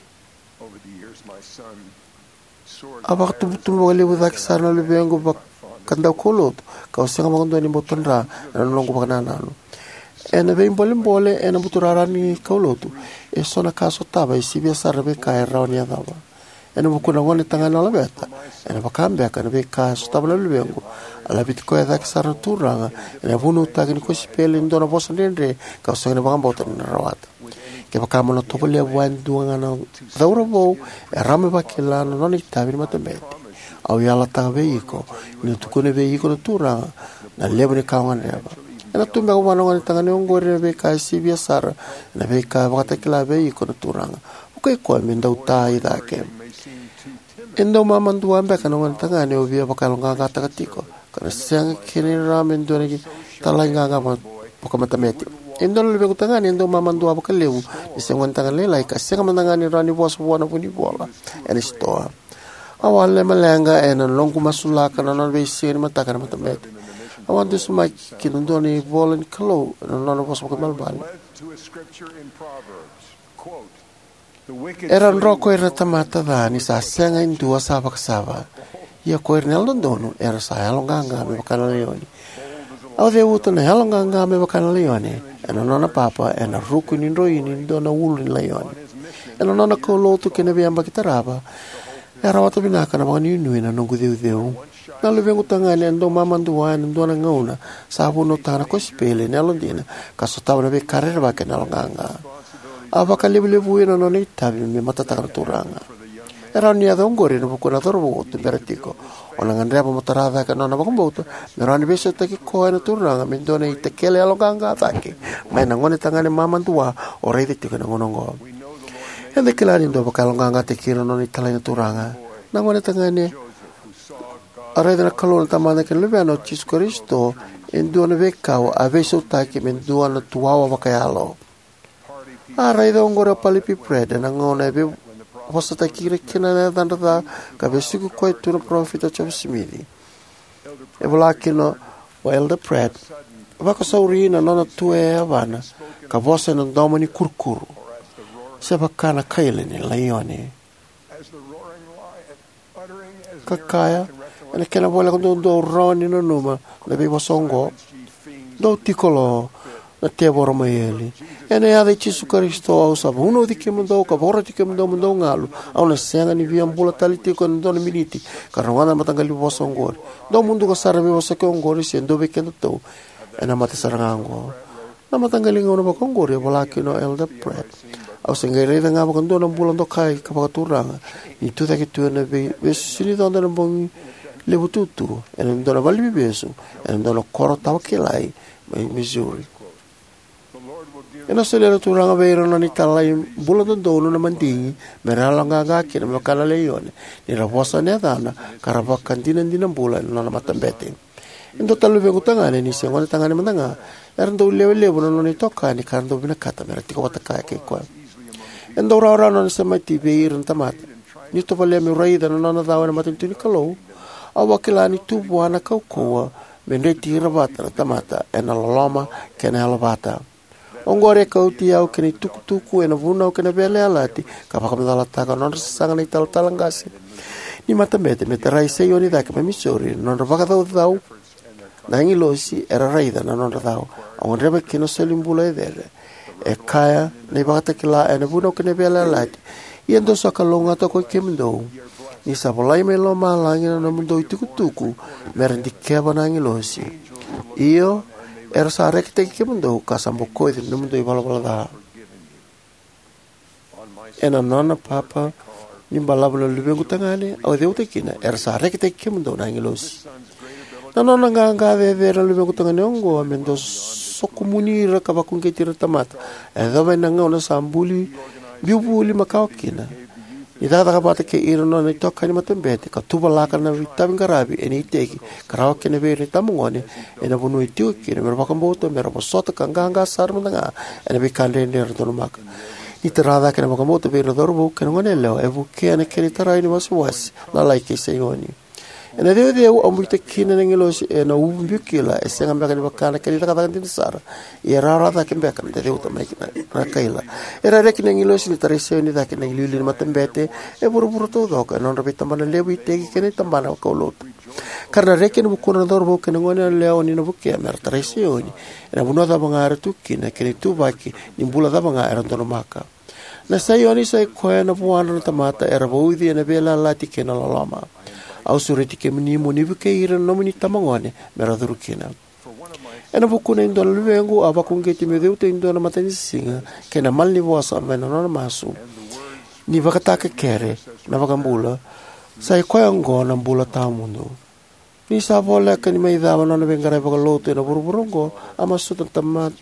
A vakatubutubu vakalevu cake sara na luvequ vakadaukaulotu, kau sega vakadua ni bau tadra na noqu vakanananu. Ena veibolebole ena buturara ni kaulotu, eso na ka sotava e sivia sara na veika e rawa ni yacova. Ena vukuna na gonetagane o Laveta, ena vaka beka na veika e sotava na luvequ, a laveti koya cake sara na Turaga ena vunautaki ni kosipeli e dua na vosa dredre kau sega ni vakabauta ni na rawata. Kevaka mo na tovolea vua e dua ga na cauravou, e rawa me vakila na nona itavi ni matabete. Au yalataka vei iko ni na tukuna vei iko na Turaga na levu ni ka o gadreva. Ena tu beka vua na gonetagane oqori na veika e sivia sara na veika e vakatakila vei iko na Turaga. Vukei koya me dau ta i cake. E dau mamadua beka na gonetagane o via vakayaloqaqataka tiko, ka na sega kina ni rawa me dua na italai qaqa vaka-, vakamatabete. E dua na luvequ tagane e dau mamadua vakalevu ni se gonetagane lailai, ka sega mada ga ni rawa ni vosa vua na vunivola ena sitoa. Au a lomaleqa ena noqu masulaka na nona veisiga ni mataka ena matabete. Au a dusimaki ki na dua na ivola ni Kalou ena nona vosa vakaibalebale. Era dro ko ira na tamata ca ni sa sega e dua sa vakasava. Ia ko ira na yalododonu era sa yaloqaqa me vaka na laioni. Au ceuta na yaloqaqa me vaka na laione ena nona papa ena ruku ni droini ni dua na ulu ni laione. Ena nona kaulotu kei na veiyabaki tarava, e rawata vinaka na vakanuinui na noqu ceuceu. Na luvequ tagane e dau mamadua ena dua na gauna sa vunautaka na kosipeli ena yalodina ka sotava na veika rerevaki ena yaloqaqa. A vakalevulevuya na nona itavi me matataka na Turaga. E rawa ni yaco oqori ena vukuna cauravou o tubera tiko. O na gadreva mo tara cake na nona vakabauta me rawa ni veisautaki koya na Turaga me dua na itakele yaloqaqa cake mai na gonetagane mamadua o raica tiko ena gauna oqo. Eda kila ni dau vakayaloqaqataki ira na nona italai na Turaga. Na gonetagane a raica na Kalou na Tamada kei na Luvena o Jisu Karisito e dua na veikau a veisautaki me dua na tuwawa vakayalo. A raica oqori o Paley P. Pratt ena gauna e veivosataki ira kina na yacadra ca ka vesuki koya tu na Parofita o Josefa Simici. E vola kina o Elder Pratt, vakasauri na nona tu e yavana ka vosa ena domo ni kurukuru, se vaka na kaila ni laione, ka kaya, ena kena voleka duadua, au rawa ni nanuma na veivosa oqo: Dou tiko lo, na tevoro mai eli. Ena yaca i Jisu Karisito au sa vunauci kemudou ka vakaroti kemudou mo dou galu. Au na sega ni via bula tale tiko ena dua na miniti ka rogoca na mataqali vosa oqori. Dou muduka sara na veivosaki oqori se dua vei kedatou ena mate sara ga oqo. Na mataqali gauna vakaoqori, e vola kina o Elder Pratt, au se qai raica ga vakadua na bula dokai ka vakaturaga ni tucake tu ena vei- veisusu ni coda ena bogi levu tutu ena dua na valeniveivesu ena dua na koro tawa kilai mai Missouri. Ena solia na Turaga vei ira na nona italai bula dodonu na madigi me ra yaloqaqa kina me vaka na laione ni ra vosa ena yacana ka ra vakadinadina bula ena nona matabete. E dua tale na luvequ tagane, ni se gonetagane mada ga, era dau lewe levu na nona itokani ka ra dau vinakata me ra tiko vata kaya kei koya. E dau rawarawa na nona semati vei ira na tamata. Niu tovolea meu raica na nona cau ena matanitu ni Kalou, au a kila ni tu vua na kaukauwa me dreti ira vata na tamata ena loloma kei na yalovata. Oqori e kauti au ki na itukutuku ena Vunau kei na Veiyalayalati ka vakamacalataka na nodra sasaga na italatala qase ni matabete me tarai Saioni cake mai Missouri na nodra vakacaucau na agilosi era raica na nodra cau. Au gadreva kina na solibula e cere. E kaya na ivakatakila ena Vunau kei na Veiyalayalati: Ia dou sa kalougata ko i kemudou, ni sa volai mai lomalagi na nomudou itukutuku me ra dikeva na agilosi. Io, era sa rekitaki kemudou ka sa bokoci na nomudou ivalavala ca. Ena nona papa ni balavu na luvequ tagane, au ceuta kina: Era sa rekitaki kemudou na agilosi. Na nona qaqa cecere na luvequ tagane oqo me dau sokomuni ira ka vakauqeti ira na tamata, e yacova ena gauna sa buli, biu vuli makawa kina. Ni cakacaka vata kei ira na nona itokani matabete ka tuvalaka na veitaviqaravi ena iteki ka rawa kina vei ira na itabagone ena vanua e tiko kina me ra vakabauta, me ra vosota ka qaqa sara mada ga ena veika dredre era donumaka. Ni tara cake na vakabauta vei ira na cauravou kei na goneyalewa e vukea na kena itarai ni wasewase lalai kei Saioni. Ena ceuceu au biuta kina na agilosi ena uvu biu kila, e sega beka ni vaka na kena icakacaka dina sara, ia e rawarawa cake beka me da ceuta mai na kaila. E rairai kina na agilosi ni tarai Saioni cake na iliuliu ni matabete e vuravura taucoko ena nodra veitabana levu iteki kei na tabana vakaulotu. Ka ra na reki ena vukudra na cauravou kei na goneyalewa ni na vukea me ra tarai Saioni ena vanua cava ga era tu kina kei na ituvaki ni bula cava ga era donumaka. Na Saioni sa i koya na vuadra na tamata era vauci ena veiyalayalati kei na loloma. Au sureti kemuni mo ni vukei ira na nomuni itabagone me ra curu kina. Ena vukuna e dua na luvequ, a vakauqeti meu ceuta e dua na matanisiga kei na malanivosa mai na nona masu. Ni vakatakekere na iVakabula, sa i koya oqo na bula tawamudu. Ni sa voleka ni mai cava na nona veiqaravi vakalotu ena vuravura oqo, a masuta na tama-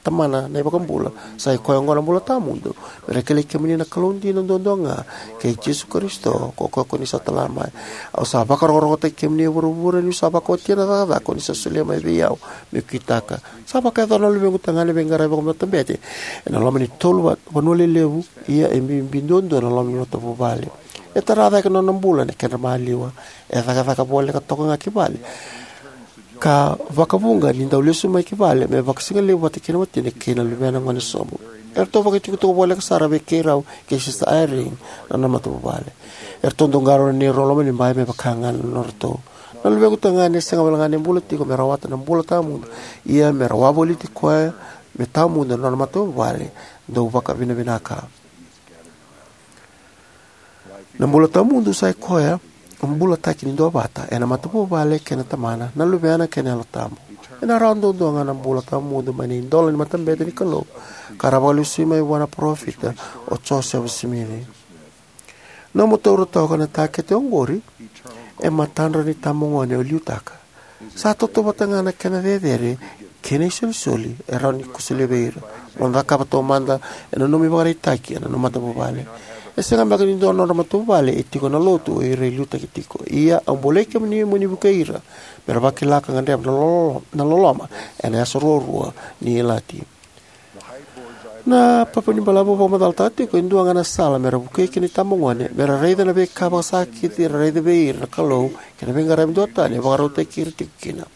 Tamana na iVakabula, sa i koya oqo na bula tawamudu, me ra kilai kemuni na Kalou dina duadua ga, kei Jisu Karisito, ko koya ko ni sa tala mai. Au sa vakarokorokotaki kemuni e vuravura niu sa vakaotia na cakacaka ko ni sa solia mai vei au meu kitaka. Sa vakayacora na luvequ tagane na veiqaravi vakamatabete ena loma ni tolu va- vanua lelevu, ia e bibi duadua na loma ni matavuvale. E tara cake na nona bula ena kedra maliwa. E cakacaka voleka toka ga ki vale, ka vakavuqa ni dau lesu mai ki vale me vakasigalevu vata kei na watina kei na luvena gone sobu. Eratou vakaitukutuku voleka sara vei keirau kei Sister Eyring na nona matavuvale. Eratou dau qarauna neirau lomanibai me vaka ga na nodratou. Na luvequ tagane e sega walega ni bula tiko me rawata na bula tawamudu, ia me ra wavoliti koya me tawamudu na nona matavuvale. Dou vakavinavinaka. Na bula tawamudu sa ikoya na bulataki ni duavata ena matavuvale kei na tamana, na luvena kei na Yalo Tabu. Ena rawa duadua ga na bula tawamudu mai na idola ni matabete ni Kalou ka ra vakalesui mai vua na Parofita o Josefa Simici. Nomu taura toka na takete oqori e matadra na itabagone o liutaka. Sa tautauvata ga na kena cecere kei na isolisoli e rawa ni ko solia vei ira. Mo cakava taumada ena nomu ivakaraitaki ena nomu matavuvale. E sega beka ni dua na nodra matavuvale e tiko ena Lotu o ira e liutaki tiko. Ia au bolei kemuni mo ni vukei ira me ra vakila ka gadreva na lolo-, na loloma ena yasa ruarua ni ilati. Na papa ni balavu au vakamacalataka tiko e dua ga na sala me ra vukei kina na itabagone me ra raica na veika vakasakiti era raica vei ira na Kalou kei na veiqaravi duatani e vakarautaki ira tiko kina.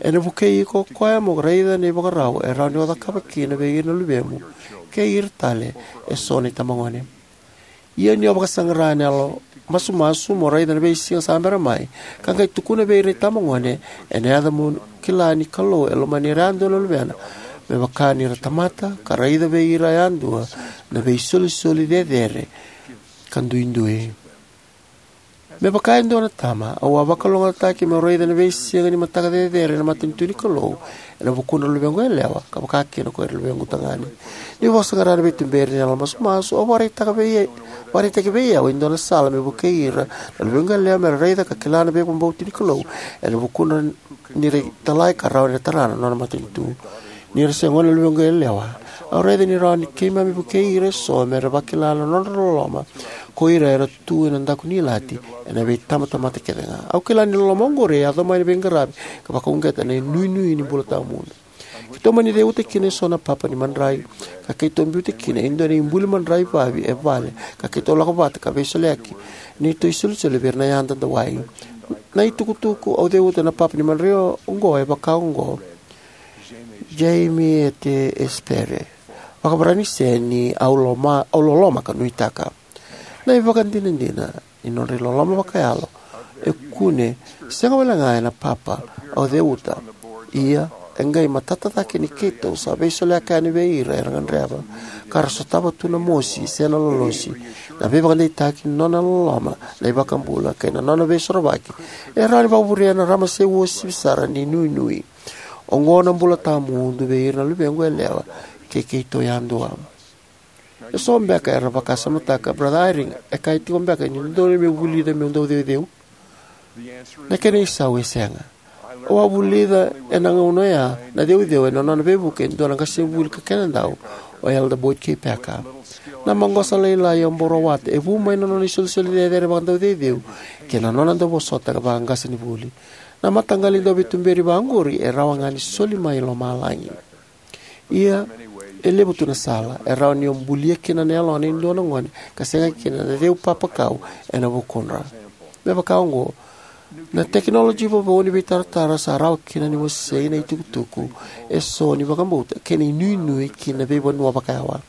Ena vukei iko o koya mo raica na ivakarau e rawa ni o cakava kina vei ira na luvemu kei ira tale eso na itabagone. Ia ni o vakasaqara ena yalo masumasu mo raica na veisiga sa bera mai, ka qai tukuna vei ira na itabagone ena yaca mo kila ni Kalou e lomani ira yadua na luvena, me vaka ni ra tamata, ka raica vei ira yadua na veisolisoli cecere ka duidui. Me vaka e dua na tama, au a vakalougatataki meu raica na veisiga ni mataka cecere ena matanitu ni Kalou ena vukudra na luvequ yalewa, ka vaka kina ko ira na luvequ tagane. Niu vakasaqara na veituberi ni yalo masumasu, au vakaraitaka vei, vakaraitaki vei au e dua na sala me vukei ira na luvequ yalewa me ra raica ka kila na veivakabauti ni Kalou ena vukudra ni ra italai ka rawa ni ra tara na nona matanitu. Ni ra se gone na luvequ yalewa, au raica ni rawa ni keimami vukei ira eso me ra vakila na nodra loloma ko ira era tu ena daku ni ilati ena veitabatamata kece ga. Au kila ni loloma oqori e yaco mai na veiqaravi ka vakauqeta na inuinui ni bula tawamudu. Keitou mani ceuta kina eso na papa ni madrai, ka keitou biuta kina e dua na ibuli madrai vavi e vale, ka keitou lako vata ka veisoliyaki neitou isolisoli vei ira na yada dawai. Na itukutuku au ceuta na papa ni madrai oqo e vaka oqo: Jamie e te espere, vakavarani se ni au loma, au loloma ka nuitaka. Na ivakadinadina ni nodra iloloma vakayalo e kune sega walega ena papa au ceuta, ia e qai matata cake ni keitou sa veisoliyaka yani vei ira era gadreva, ka ra sotava tu na mosi se na lolosi, na veivakadeitaki ni nona loloma na iVakabula kei na nona veisorovaki e rawa ni vakavurea na ramase uasivi sara ni nuinui. Oqo na bula tawamudu vei ira na luvequ yalewa kei keitou yadua. Eso beka era vakasamataka, Brother Eyring, e kaya tiko beka ni dodonu meu vulica meu dauceuceu? Na kena isau e sega. Au a vulica ena gauna oya na ceuceu ena nona veivuke e dua na qasenivuli ka kenadau, o Elder Boyd K. Packer. Na maqosa lailai au bau rawata e vu mai na nona isolisoli cecere vakadauceuceu kei na nona dauvosota vakaqasenivuli. Na mataqali dauveituberi vaqori e rawa ga ni soli mai lomalagi. Ia, e levu tu na sala e rawa ni o bulia kina na yalona e dua na gone ka sega kina na ceu papakau ena vukudra. Me vaka oqo, na tekinoloji vovou ni veitaratara sa rawa kina ni wasei na itukutuku eso ni vakabauta kei na inuinui ki na veivanua vakayawa,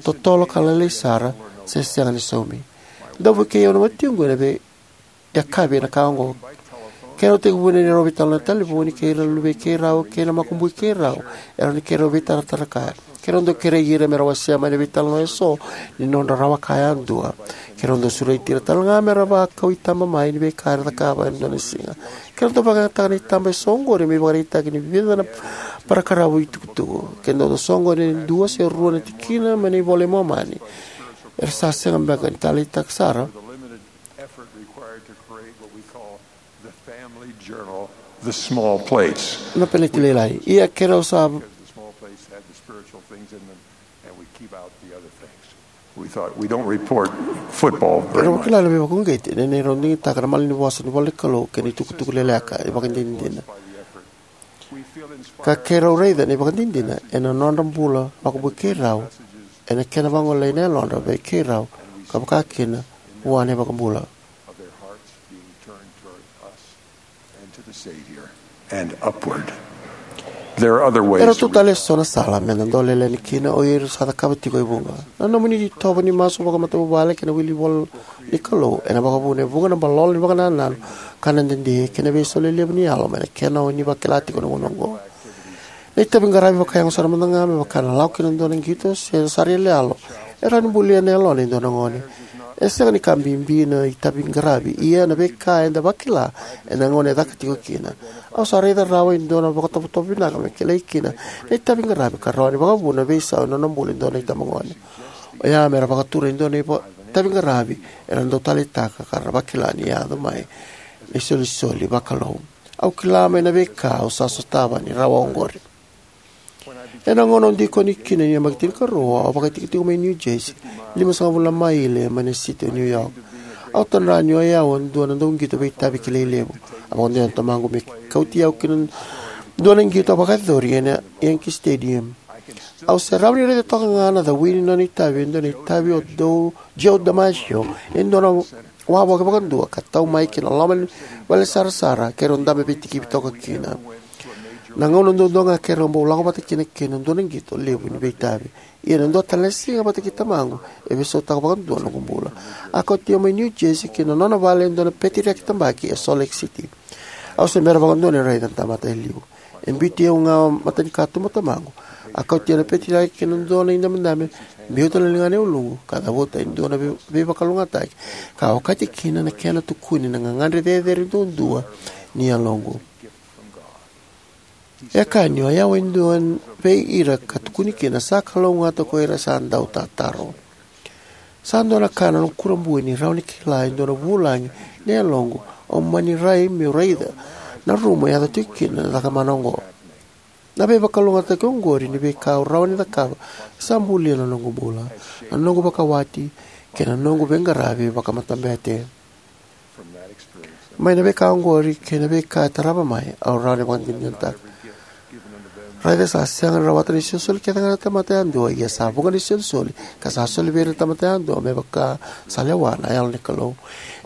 totolo ka lailai sara, se sega ni saumi. Dau vukei au na watiqu ena vei yakavi ena ka oqo. Keirau tekivu na neirau veitalanoa ena talevoni kei ira na luvei keirau kei na makubui keirau, e rawa ni keirau veitaratara kaya. Keirau dau kerei ira me ra wasea mai na veitalanoa eso ni nodra rawa kaya yadua. Keirau dau sureti ira talega me ra vakau itaba mai ni veika era cakava ena dua na siga. Keirau dau vakayagataka na itaba eso oqori me ivakaraitaki ni vica na parakaravu itukutuku. Keirau dau soqoni e dua se rua na tikina mai na iVola i Momani. Era sa sega beka ni taleitaki sara. Effort required to create what we call the family journal, The Small Plates. Na peneti lailai. Ia keirau sa The small plates had the spiritual things in them, and we keep out the other things. We thought, "We don't report football very much." Keirau kila na veivakauqeti, na neirau digitaka na malanivosa ni ivola ni Kalou kei na itukutuku leleka, ivakadinadina. Ka keirau raica na ivakadinadina ena nodra bula vakabui keirau, ena kena vagolei na yalodra vei keirau, ka vakakina vua na iVakabula. Of their hearts being turned toward us and to the Savior and upward. There are other ways. Era tu tale eso na sala me da dau leleni kina o ira sa cakava tiko e vuqa. Na nomuni itovo ni masu vakamatavuvale kei na wili ivola ni Kalou ena vakavuna e vuqa na balolo ni vakanananu, ka na dede kei na veisau lelevu ni yalo mai na kena o ni vakila tiko na gauna oqo. Na itavi qaravi vakayago sara mada ga me vaka na lako kina dua na qito se sara iyaloyalo e rawa ni bulia na yalona e dua na gone. E sega ni ka bibi na itavi qaravi, ia na veika eda vakila ena gauna e caka tiko kina. Au sa raica rawa e dua na vakatovotovo vinaka me kilai kina na itavi qaravi ka rawa ni vakavuna veisau ena nona bula e dua na itabagone. Oya me ra vakatura e dua na itavi qaravi era dau taleitaka ka ra vakila ni yaco mai na isolisoli vakalou. Au kila mai na veika au sa sotava ni rawa oqori. Ena gauna au dikoni kina ni yabaki tinikarua, au vakaitikotiko mai New Jersey, limasagavulu na maile mai na siti o New York. Au tadra ni o yau e dua na dauqito veitavi kilai levu. A vakadewataka na tamaqu me kauti au ki na dua na qito a vakayacori ena Yankee Stadium. Au se rawa ni raica toka ga na cawi ni nona itavi, e dua na itavi o Dou, Joe DiMaggio, e dua na wavoki vakadua ka tau mai ki na loma ni vale sarasara keirau dabe veitikivi toka kina. Na gauna duadua ga keirau bau lako vata kina kei na dua na qito levu ni veitavi. Ia na dua tale na siga vata kei tamaqu e veisautaka vakadua na noqu bula. A kauti au mai New Jersey ki na nona vale e dua na peteriaki tabaki e Salt Lake City. Au se bera vakadua ni raica na tamata e liu. E biuti au ga matanikatuba o tamaqu. A kauti au na peteriaki ki na dua na idabedabe, biuta na ligana e uluqu ka cavuta e dua na vei- veivakalougatataki ka okati kina na kena tukuni na gagadre cecere duadua ni yaloqu. E kaya ni o yau e dua vei ira ka tukuni kina sa kalougata ko ira sa dau tataro. Sa dua na ka na noqu kurabui ni rawa ni kila e dua na vulagi ni yaloqu au mani rai meu raica na rumu e yaco tiko kina na cakamana oqo. Na veivakalougatataki oqori ni veika au rawa ni cakava sa bulia na noqu bula, na noqu vakawati, kei na noqu veiqaravi vakamatabete. Mai na veika oqori kei na veika e tarava mai, au rawa ni vakadinadinataka. Raica sa sega ni rawata na isolisoli kece ga na tamata yadua, ia sa vuqa na isolisoli ka sa soli vei ira na tamata yadua me vaka sa lewa na Yalo ni Kalou.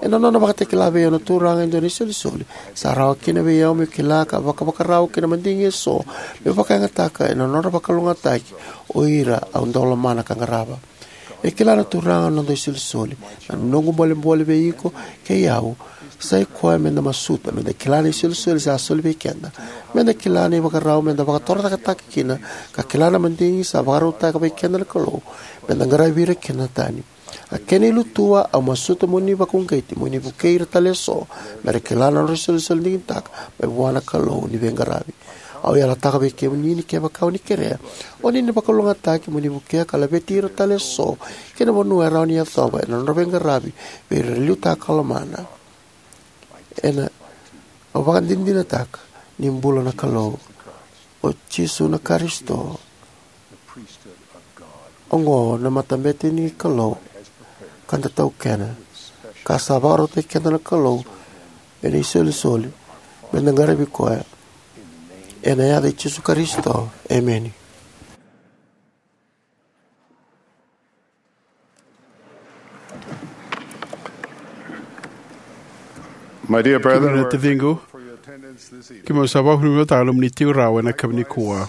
Ena nona vakatakila vei au na Turaga e dua na isolisoli, sa rawa kina vei au meu kila ka vakavakarau ki na madigi eso meu vakayagataka ena nodra vakalougatataki o ira au dau lomana ka qarava. E kila na Turaga na noda isolisoli, na noqu bolebole vei iko kei au sa i koya me da masuta me da kila na isolisoli sa soli vei keda, me da kila na ivakarau me da vakatorocaketaka kina, ka kila na madigi sa vakarautaka vei keda na Kalou me da qaravi ira kina na tani. A kena ilutua, au masuta mo ni vakauqeti mo ni vukei ira tale eso me ra kila na nodra isolisoli digitaka mai vua na Kalou ni veiqaravi. Au yalataka vei kemuni ni kevaka o ni kerea, o ni na vakalougatataki mo ni vukea ka laveti ira tale eso ki na vanua e rawa ni yacova ena nodra veiqaravi vei ira era liutaka ka lomana. Ena, au vakadinadinataka ni bula na Kalou, o Jisu na Karisito. Oqo na matabete ni Kalou ka da taukena, ka sa vakarautaki keda na Kalou ena isolisoli me da qaravi koya. Ena yaca i Jisu Karisito, emeni. My dear brethren, kemuni na taciqu, kemuni sa vakavinavinakataka na nomuni tiko rawa ena yakavi nikua.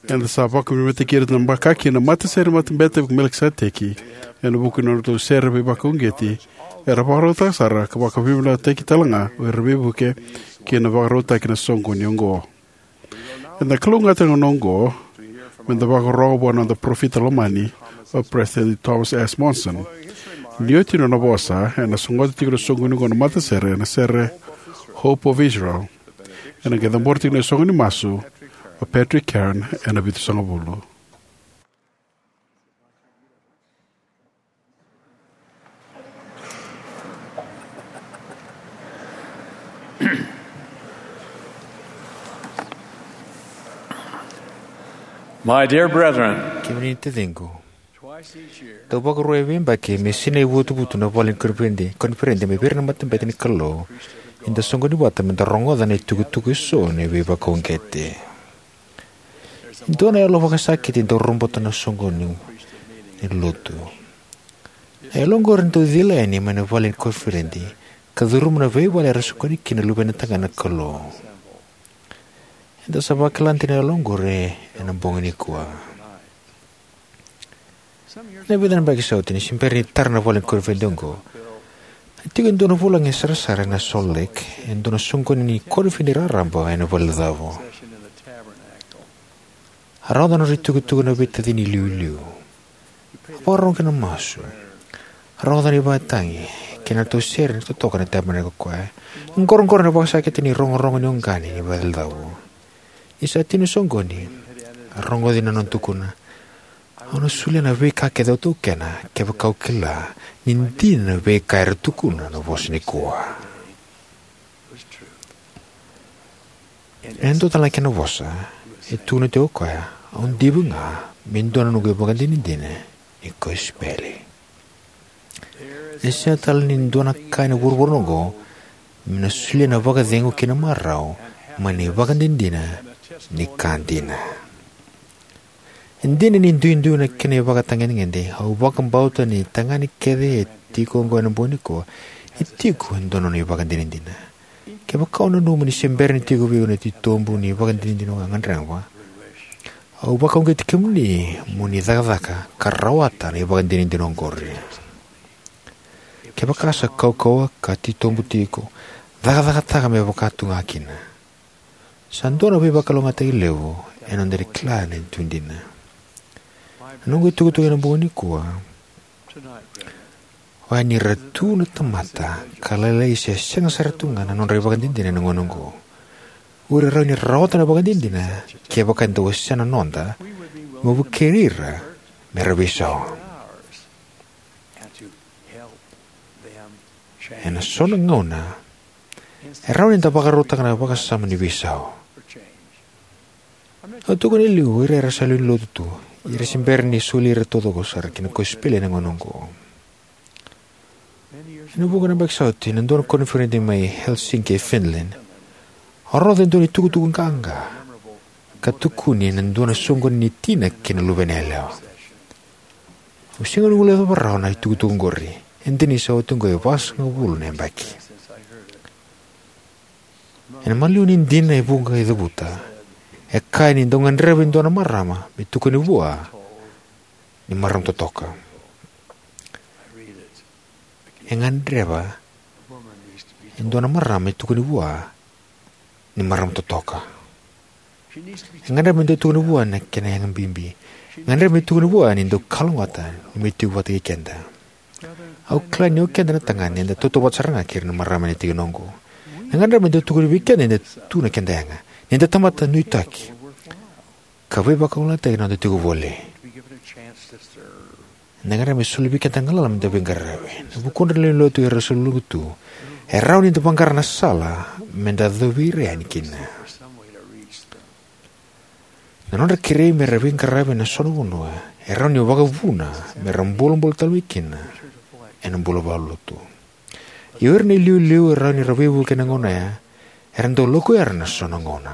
Eda sa vakavinavinakataki ira na baka kina na matasere ni Matabete i Melikiseteki ena vuku ni nodratou sere veivakauqeti. Era vakarautaka sara ka vakavinavinakataki tale ga o ira veivuke ki na vakarautaki na soqoni oqo. Eda kalougata ena gauna oqo me da vakarogo vua na noda parofita lomani, o Peresitedi Thomas S. Monson. Ni oti na nona vosa, ena sogota tiko na soqoni oqo na matasere ena sere Hope of Israel. Ena qai cabora tiko na soqo ni masu o Patrick Kearn ena vitusagavulu. My dear brethren, kemuni na taciqu, twice each year, dau vakarua e veiyabaki me sinai vutuvutu na vale ni koniferedi, koniferedi mai vei ira na matabete ni Kalou, eda soqoni vata me da rogoca na itukutuku eso ni veivakauqeti. E dua na yalo vakasakiti e dau robota na soqoni ni lotu. Na yalo oqori e dau cila yani mai na vale ni koniferedi ka curuma na veivale era soqoni kina na luvena tagane na Kalou. Eda sa vakila dina na yalo oqori ena bogi nikua. Ena vica na yabaki sa oti, ni se bera ni tara na vale ni konifidenti oqo, a tiko e dua na vulagi e sarasara ena Salt Lake e dua na soqoni ni konifidenti raraba ena Valecavu. A rauta na nodra itukutuku na veitacini iliuliu. A vakarorogo ki na masu. A rogoca na ivakatagi kei na ratou sere ni totoka na Tabernacle Choir. E qoroqoro na vakasakiti ni rogorogo ni oqani ni Valecavu. Ni sa tini na soqoni, a rogoci na nona tukuna: "Au na solia na veika kece au taukena kevaka au kila ni dina na veika era tukuna na vosa nikua." E dua tale na kena vosa e tukuna tiko o koya: "Au diva ga me dua na noqu ivakadinadina ni kosipeli." E sega tale ni dua na ka ena vuravura oqo me na solia na vakacegu kei na marau mai na ivakadinadina ni ka dina. E dina ni duidui na kena ivakatagedegede, au vakabauta ni tagane kece e tiko oqo ena bogi nikua e tiko e dua na nona ivakadinadina. Kevaka o nanuma ni se bera ni tiko vei iko na titobu ni ivakadinadina o gadreva, au vakauqeti kemuni mo ni cakacaka ka rawata na ivakadinadina oqori. Kevaka sa kaukauwa ka titobu tiko, cakacakataka me vaka tu ga kina. Sa dua na veivakalougatataki levu ena noda kila na tu dina. Na noqu itukutuku ena bogi nikua oya ni ra tu na tamata ka lailai se sega sara tu ga na nodra ivakadinadina ena gauna oqo. O ira e rawa ni ra rawata na ivakadinadina kevaka eda wasea na noda me vukei ira me ra veisau. Ena so na gauna e rawa ni da vakarautaka na vakasama ni veisau. Au tukuna e liu o ira era sa lewe ni lotu tu, ia era se bera ni soli ira taucoko sara ki na kosipeli ena gauna oqo. Ena vuqa na yabaki sa oti, ena dua na koniferedi mai Helsinki e Finland, au rogoca e dua na itukutuku qaqa ka tukuni ena dua na soqoni ni tina kei na luvena yalewa. Au sega ni guilecava rawa na itukutuku oqori, e dina ni sa oti oqo e vasagavulu na yabaki. Ena maliwa ni dina e vuqa e cavuta, e kaya ni dau gadreva e dua na marama me tukuni vua ni marama totoka. E gadreva e dua na marama me tukuni vua ni marama totoka. E gadreva me dau tukuni vua na kena yaga bibi. E gadreva me tukuni vua ni dau kalougata ni me tiko vata kei keda. Au kila ni o keda na tagane eda tautauvata sara ga kei ira na marama ena tikina oqo. E gadreva me dau tukuni vei keda ni da tu na keda yaga, ni da tamata nuitaki ka veivakalougatataki na noda tiko voli. Eda gadreva me soli vei keda na galala me da veiqaravi. Na vukudra na lewe ni lotu era sa luluqa tu e rawa ni da vaqara na sala me da yacovi ira yani kina. Na nodra kerei me ra veiqaravi ena so na vanua e rawa ni vakavuna me ra bolebole tale mai kina ena bula vakalotu. Ia o ira na iliuliu e rawa ni ra veivuke ena gauna oya era dau lako era na so na gauna.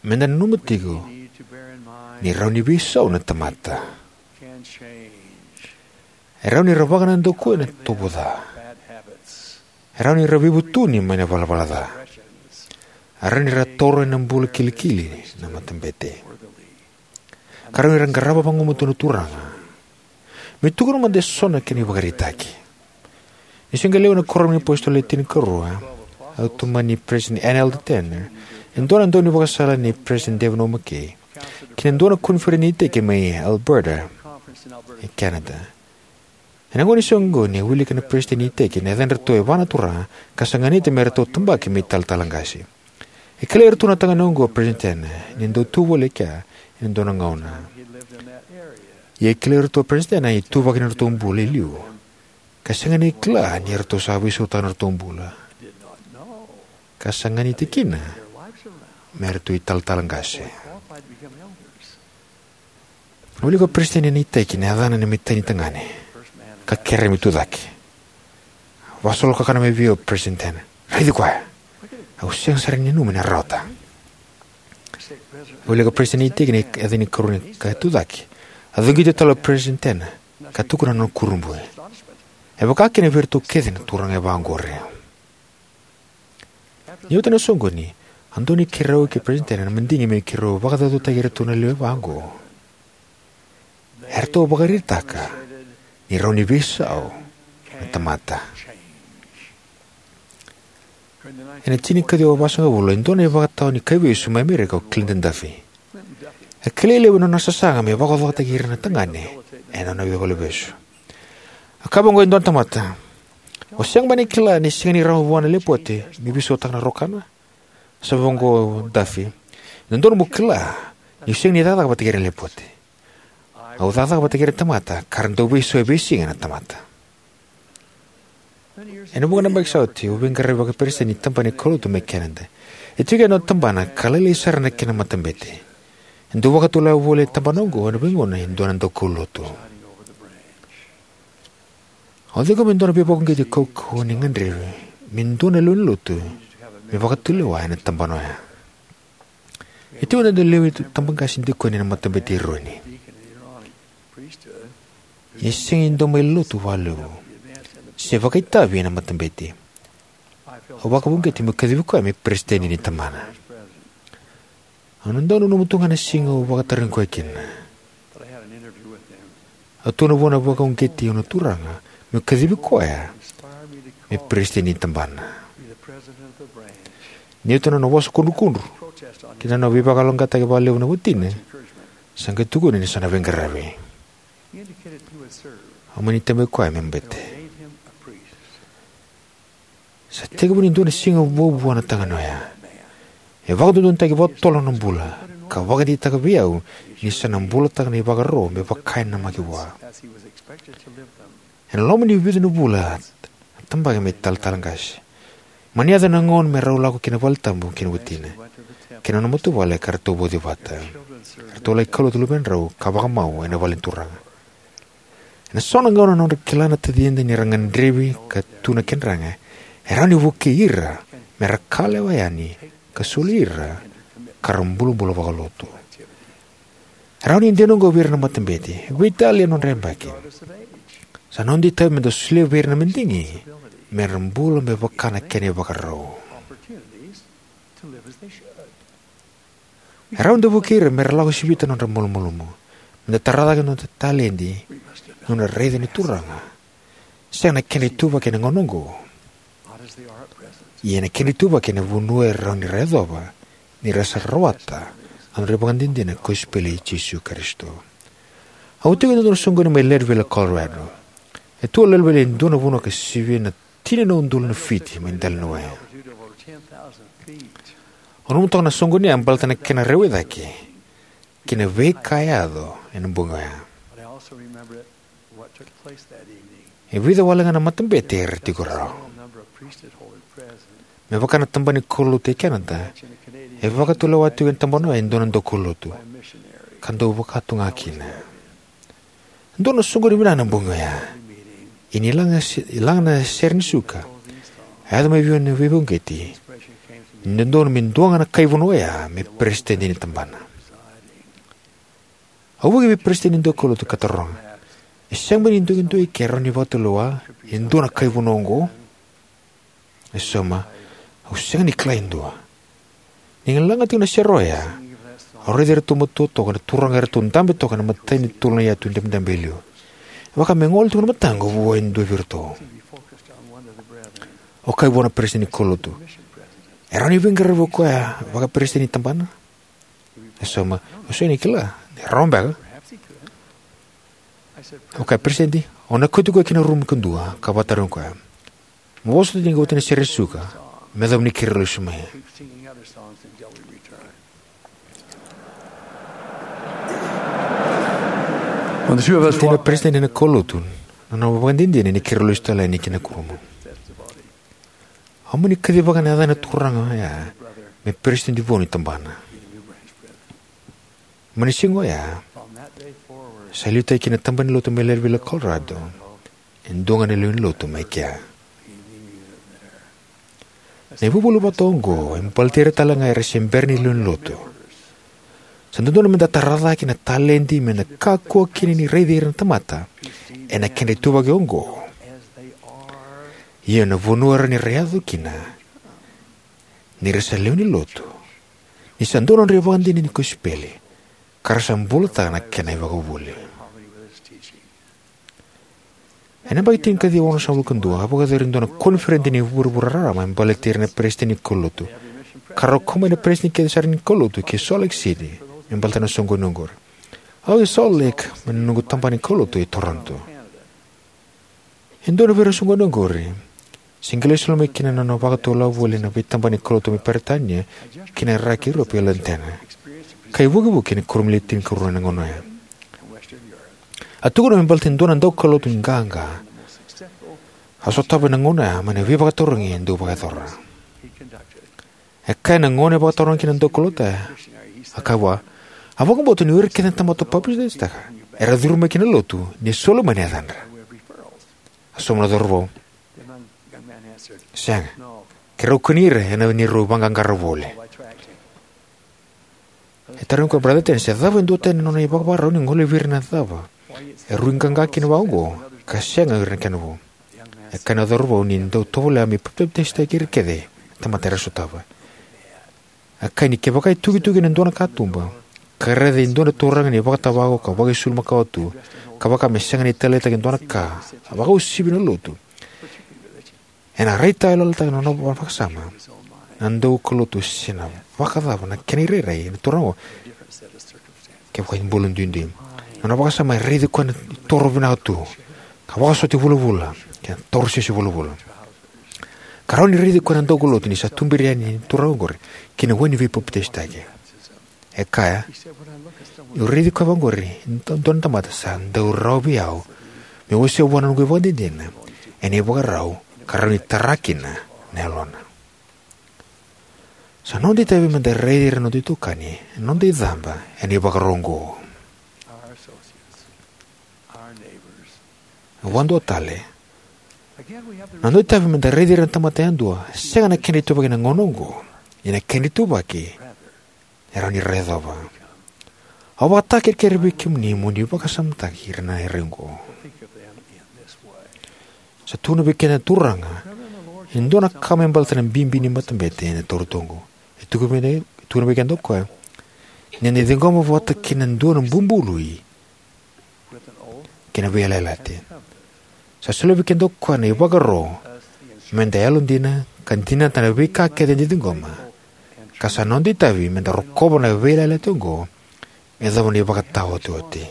Me da nanuma tiko ni rawa ni veisau na tamata. E rawa ni ra vakanadakuya na itovo ca. E rawa ni ra veivutuni mai na valavala ca. E rawa ni ra taura ena bula kilikili na matabete. Ka rawa ni ra qarava vagumatua na Turaga. Me tukuna mada e so na kena ivakaraitaki. Ni se qai lewe na kuoramu ni apositolo e tinikarua, au tomani President N. Eldon Tanner, e dua na daunivakasala nei President David O. McKay, ki na dua na koniferedi ni iteki mai Alberta, e Canada. Ena gauna ni soqoni e wilika na peresitedi ni iteki na yacadratou e va na turaga ka sa ganita me ratou tabaki me italatala qase. E kilai iratou na tagane oqo o President Tanner ni dau tu voli e kea ena dua na gauna. Ia e kilai iratou o President Tanner na ituvaki ni nodratou bula e liu ka sega ni kila ni ratou sa veisautaka na nodratou bula ka sa ganita kina me ratou italatala qase. Wilika o peresitedi ni iteki na yacana na imatai ni tagane ka kerea me tucake. Vakasolokakana mai vei au o President Tanner. Raici koya. Au sega sara ni nanuma ni na rawata. Wilika o peresitedi ni iteki na yaca ni karua ni ka tucake. A cogiti tale o President Tanner ka tukuna na nona kurabui. E vaka kina vei iratou kece na turaga e va oqori. Ni oti na soqoni, a dua ni keirau kei Peresitedi Tenney na madigi me keirau vakacaucautaki iratou na lewe va oqo. Eratou vakaraitaka ni rawa ni veisau na tamata. Ena tinikaciwa vasagavulu, e dua na ivakatawa ni kaivesu mai Amerika o Clinton Duffy. E kilai levu na nona sasaga me vakacaucautaki ira na tagane ena nona veivalevesu. A kaya vaqo e dua na tamata: "O sega mada ni kila ni sega ni rawa vua na lepote me veisautaka na rokana?" Sa vaqo o Duffy: "E dodonu mo kila niu sega ni cakacaka vata kei ira na lepote. Au cakacaka vata kei ira na tamata ka ra dau veisau e veisiga na tamata." Ena vuqa na yabaki sa oti, au veiqaravi vakaperesitedi ni tabana ni kaulotu mai Canada. E tiko e dua na tabana ka lailai sara na kena matabete. E dau vakatulewa voli e tabana oqo ena veigauna e dua na daukaulotu. Au ciqoma e dua na veivakauqeti kaukauwa ni gadrevi me dua na lewe ni lotu me vakatulewa ena tabana oya. E tiko e dua na lewe ni tabaqase dikoni ena matabete i Eroni. Ia e sega ni dau mai lotu vakalevu se vakaitavi ena matabete. Au vakauqeti meu kacivi koya me peresitedi ni tabana. Au na dau nanuma tu ga na siga au vakatarogi koya kina. Au tukuna vua na vakauqeti au na turaga meu kacivi koya me peresitedi ni tabana. Ni oti na nona vosa kudrukudru kei na nona veivakayaloqaqataki vakalevu na watina, sa qai tukuna ni sa na veiqaravi. Au mani tabai koya me bete. Sa tekivu ni dua na siga vou vua na tagane oya. E vakadodonutaki vakatotolo na nona bula ka vakadeitaka vei au ni sa na bulataka na ivakaro me vaka e namaki vua. Ena loma ni vica na vula, a tabaki me talatala qase. Mani yaco na gauna me rau lako ki na valetabu kei na watina kei na nona matavuvale ka ratou vauci vata. Ratou laki kaulotu luvedrau ka vakamau ena vale ni turaga. Ena so na gauna na nodra kila na tacida ni ra gadrevi ka tu na kedraga, e rawa ni vukei ira me ra kalawa yani ka soli ira ka ra bulabula vakalotu. E rawa ni dina oqo vei ira na matabete, veitalia na nodra yabaki. Sa noda itavi me da solia vei ira na madigi me ra bula me vaka na kena ivakarau. E rawa ni da vukei ira me ra lako sivita na nodra malumalumu, me da tara cake na noda taledi, na nodra raica ni Turaga. Sega na kedra ituvaki ena gauna oqo, ia na kedra ituvaki ena vanua e rawa ni ra yacova ni ra sa rawata na nodra ivakadinadina na kosipeli i Jisu Karisito. Au tiko ena dua na soqoni mai Leadville, Colorado. E tu o Leadville e dua na vanua ka sivia na tini na udolu na fiti mai dela ni wai. Au nanuma toka na soqoni oya baleta na kena rewa i cake kei na veika e yaco ena bogi oya. E vica wale ga na matabete era tiko rawa. Me vaka na tabana ni kaulotu e Canada, e vakatulewa tiko ena tabana oya e dua na daukaulotu ka dau vaka tu ga kina. Dua na soqoni vinaka na bogi oya. Ia ni laga se-, laga na sere ni suka, a yaco mai vei au na veivakauqeti ni dodonu me dua ga na kai vanua oya me peresitedi ni tabana. Au vuki vei peresitedi ni daukaulotu ka taroga, e sega beka ni duidui ke rawa ni vakatulewa e dua na kai vanua oqo? E sauma, au sega ni kila e dua. Ni laga tiko na sere oya, au raici iratou matua toka na turaga eratou dabe toka ena imatai ni tolo na yatu dabedabe e liu. E vaka me gole tiko na mataqu vua e dua vei iratou. Au kaya vua na peresitedi ni kaulotu, e rawa ni veiqaravi o koya vakaperesitedi ni tabana? E sauma, au sega ni kila, e rawa beka. Au kaya, Peresitedi, au na kauti koya ki na rumu kadua ka vakatarogi koya. Mo vosota ni qai oti na sere suka me yacova ni keirau lesu mai. Tina peresitedi ena kaulotu, na nona vakadinadina ni keirau lesu tale yani ki na kurumu. Au mani kacivaka na yaca ni turaga oya me peresitedi vou ni tabana. Mai na siga oya, sa liutaki kina na tabana ni lotu mai Leadville, Colorado, e dua ga na lewe ni lotu mai kea. Na ivuvuli vata oqo e baleti ira tale ga era se bera ni lewe ni lotu. Sa dodonu me da tara cake na taledi me da kakua kina ni raici ira na tamata ena kedra ituvaki oqo. Ia na vanua e rawa ni ra yaco kina, ni ra sa lewe ni lotu, ni sa dua na nodra ivakadinadina ni kosipeli, ka ra sa bulataka na kena ivakavuvuli. Ena yabaki tinikaciwa onosagavulu ka dua, a vakayacori e dua na koniferedi ni vuravura raraba me baleti ira na peresitedi ni kaulotu, ka rau kau mai na peresitedi kece sara ni kaulotu ki Salt Lake City me baleta na soqoni oqori. Au i Salt Lake mai na noqu tabana ni kaulotu e Toronto. E dua vei ira na soqoni oqori, se qai lai soli mai kina na nona vakatulewa voli na veitabana ni kaulotu mai Peritania ki na Iraki, Europe, kei London, ka ivukivuki ena kuoramu ni Le Tinikarua ena gauna oya. A tukuna me baleta e dua na daukaulotu qaqa a sotava ena gauna oya mai na veivakatarogi e dau vakayacora. E kaya ena gauna e vakatarogi kina na daukaulotu oya, a kaya vua, a vakabauta ni o ira kece na tamata o papitaisotaka era curu mai ki na lotu ni soli mai na yacadra. A sauma na cauravou, sega, keirau kania ira ena neirau vaqaqara voli. E tarogi koya o Brother Ten se cava e duatani na nona ivakavakarau ni gole vei ira na cava e rui qaqa kina vaqo ka sega o ira na kena vou. E kaya na cauravou ni dau tovolea me papitaisotaki ira kece na tamata era sotava. E kaya ni kevaka e tukituki ena dua na katuba ka raica e dua na turaga ni vakatavako ka vakaisulu makawa tu, ka vaka me sega ni taleitaki e dua na ka, a vakauasivi na lotu, ena raitayaloyalotaka na nona vakasama na daukaulotu se na vakacava na kena irairai na turaga oqo. Kevaka e bula duidui, na nona vakasama e raici koya ni toro vinaka tu, ka vakasota vulavula kei na torosese vulavula. Ka rawa ni raici koya na daukaulotu ni sa tuberi yani na turaga oqori ki na wai ni veipapitaisotaki. E kaya, niu raici koya vaqori e dua na tamata sa dau rawa vei au meu wasea vua na noqu ivakadinadina ena ivakarau ka rawa ni tara kina na yalona. Sa noda itavi meda raici ira na noda itokani ena noda icaba ena ivakarau oqo. Vakadua tale, na noda itavi meda raici ira na tamata yadua sega na kena ituvaki ena gauna oqo, ia na kena ituvaki e rawa ni ra yacova. Au vakatakerekere vei kemuni mo ni vakasamataki ira ena irairai oqo. Sa tukuna vei keda na Turaga e dua na ka me baleta na bibi ni matabete ena taura tu oqo. E tukuna vei, tukuna vei keda o koya ni da ciqoma vata kei na dua na bubului kei na veiyalayalati. Sa solia vei keda o koya na ivakaro meda yalodina ka dinata na veika kece eda ciqoma, ka sa noda itavi meda rokova na veiyalayalati oqo me yacova na ivakataotioti.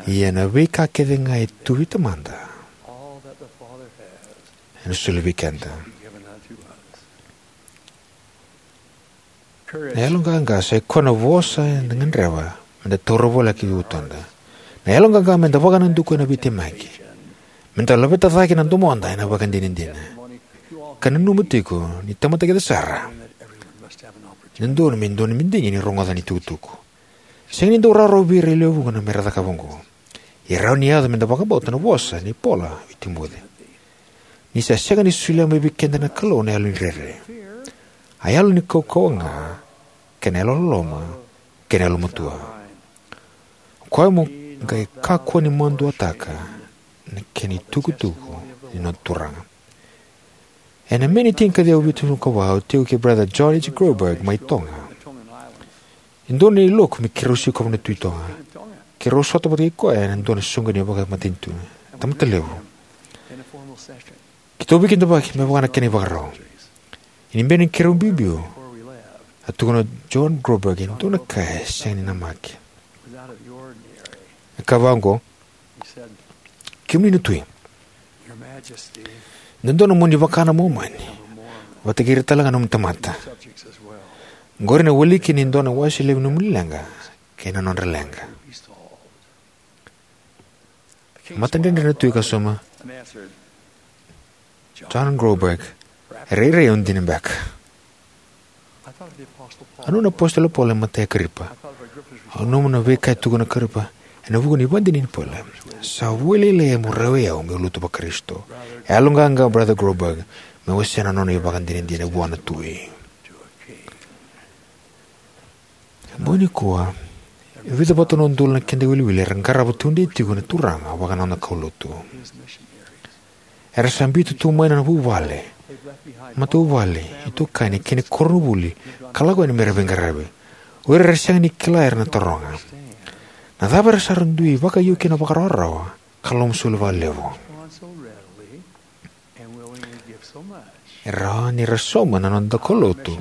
Ia na veika kece ga e tu vei Tamada ena soli vei keda. Na yaloqaqa sa ikoya na vosa eda gadreva meda taura voleka ki vutuda. Na yaloqaqa meda vakanadukua ena veitemaki, meda laveta cake na domoda ena vakadinadina, ka nanuma tiko ni tamata kece sara e dodonu me dua na madigi ni rogoca na itukutuku. Sega ni dau rawarawa vei ira e lewe vuqa na mera cakava oqo. E rawa ni yaco meda vakabauta na vosa nei Paula vei Timoci: Ni sa sega ni solia mai vei keda na Kalou na yalo ni rere, a yalo ni kaukauwa ga, kei na yalololoma, kei na yalomatua. O koya mo qai kakua ni maduataka na kena itukutuku ni noda Turaga. Ena Me ni tinikaciwa vitusagavulu ka va, au tiko kei Brother John H. Groberg mai Toga. E dua na iloku me keirau sikova na Tui Toga. Keirau sota vata kei koya ena dua na soqoni vakamatanitu. Tamata levu. Keitou veikidavaki me vaka na kena ivakarau. Ia ni bera ni keirau biubiu, a tukuna o John Groberg e dua na ka e sega ni namaki. E kaya vaqo: Kemuni na Tui, dodonu mo ni vaka na Momani vata kei ira tale ga na nomuni tamata. Oqori na wiliki ni dua na wase levu ni nomuni leqa kei na nodra leqa. Matadredre na Tui ka sauma: John Groberg, e rairai au dina beka. Au nanuma na iApositolo Paula e matai Karipa. Au nanuma na veika e tukuna o Karipa ena vuku ni ivakadinadina ni Paula: Sa vo lailai mo rawai au meu lutu vaKarisito. E yaloqaqa o Brother Groberg me wasea na nona ivakadinadina vua na Tui. Bogi nikua, e vica vata na udolu na keda iwiliwili era qarava tudei tiko na Turaga vaka na noda kaulotu. Era sa biuta tu mai na vuvale, matavuvale, itokani kei na koronivuli ka lako yani me ra veiqaravi. O ira era sega ni kila era na taroga, na cava era sa dui vakaiuki ena vakarawarawa ka lomasoli vakalevu? E rawa ni ra sauma na noda daukaulotu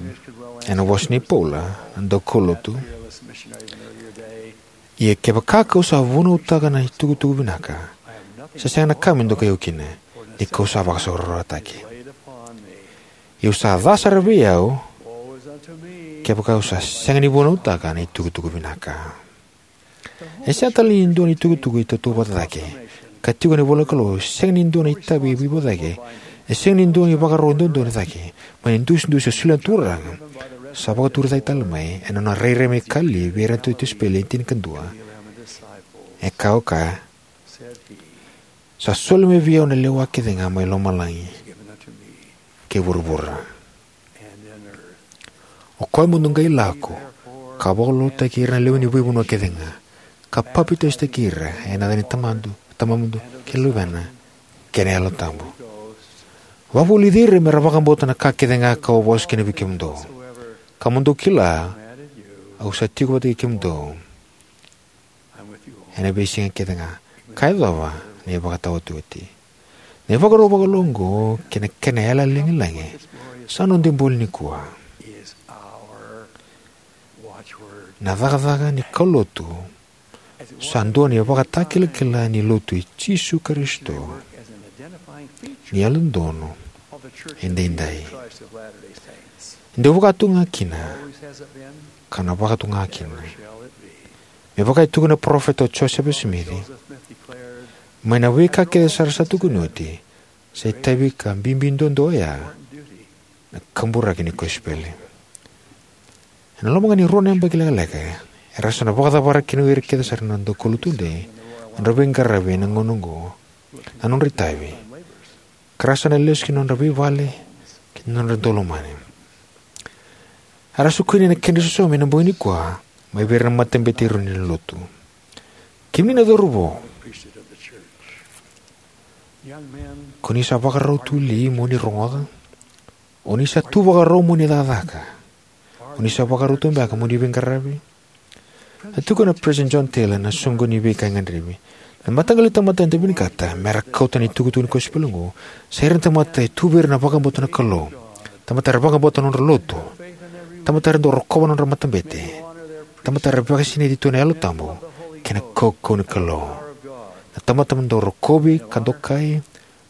ena vosa nei Paula na daukaulotu: Ia kevaka kau sa vunautaka na itukutuku vinaka, sa sega na ka me dokai au kina, ni kau sa vakasaurarataki. Ia sa ca sara vei au kevaka au sa sega ni vunautaka na itukutuku vinaka. E sega tale ni dua na itukutuku e tautauvata cake, ka tiko ena ivolanikalou, e sega ni dua na itavi e veivauci cake, e sega ni dua na ivakaro duadua cake mai na idusidusi e solia na Turaga, sa vakaturi cake tale mai ena nona rairai mai Kalili vei ira na tisaipeli e tinikadua. E kaya o koya, sa soli mai vei au na lewa kecega mai lomalagi kei vuravura. O koya mo dou qai lako ka vakalotutaki ira na lewe ni veivanua kecega, ka papitaisotaki ira ena yaca ni Tamamudou kei na Luvena kei na Yalo Tabu. Vakavulici ira me ra vakabauta na ka kecega kau a vosa kina vei kemudou, ka mo dou kila au sa tiko vata kei kemudou ena veisiga kecega, ka yacova na ivakataotioti. Na ivakarau vakalou oqo kei na kena yalayala lagilagi sa noda ibole nikua. Na cakacaka ni kaulotu sa dua na ivakatakilakila ni Lotu i Jisu Karisito ni Yalododonu Edaidai. E dau vaka tu ga kina, ka na vaka tu ga kina. Me vaka e tukuna na parofita o Josefa Simici, mai na veika kece sara sa tukuni oti, sa itavi ka bibi duadua oya na kaburaki ni kosipeli. Ena loma ga ni rua na yabaki lekaleka, era sa na vakacavara kina o ira kece sara na daukaulotu tudei na nodra veiqaravi ena gauna oqo, na nodra itavi, ka ra sa na lesu ki na nodra veivale kei na nodra daulomani. Era sa kune ena kedra isau mai ena bogi nikua mai vei ira na matabete eroni ni Lotu. Kemuni na cauravou, ko ni sa vakarau tu li mo ni rogoca? O ni sa tu vakarau mo ni cakacaka? O ni sa vakarau tu beka mo ni veiqaravi? A tukuna o Peresitedi John Taylor ena soqoni ni veika e gadrevi: Na mataqali tamata eda vinakata me ra kauta na itukutuku ni kosipeli oqo sa ira na tamata e tu vei ira na vakabauta na Kalou, tamata era vakabauta na nodra lotu, tamata era dau rokova na nodra matabete, tamata era vakasinaiti tu ena Yalo Tabu kei na kaukauwa ni Kalou, na tamata me dau rokovi ka dokai,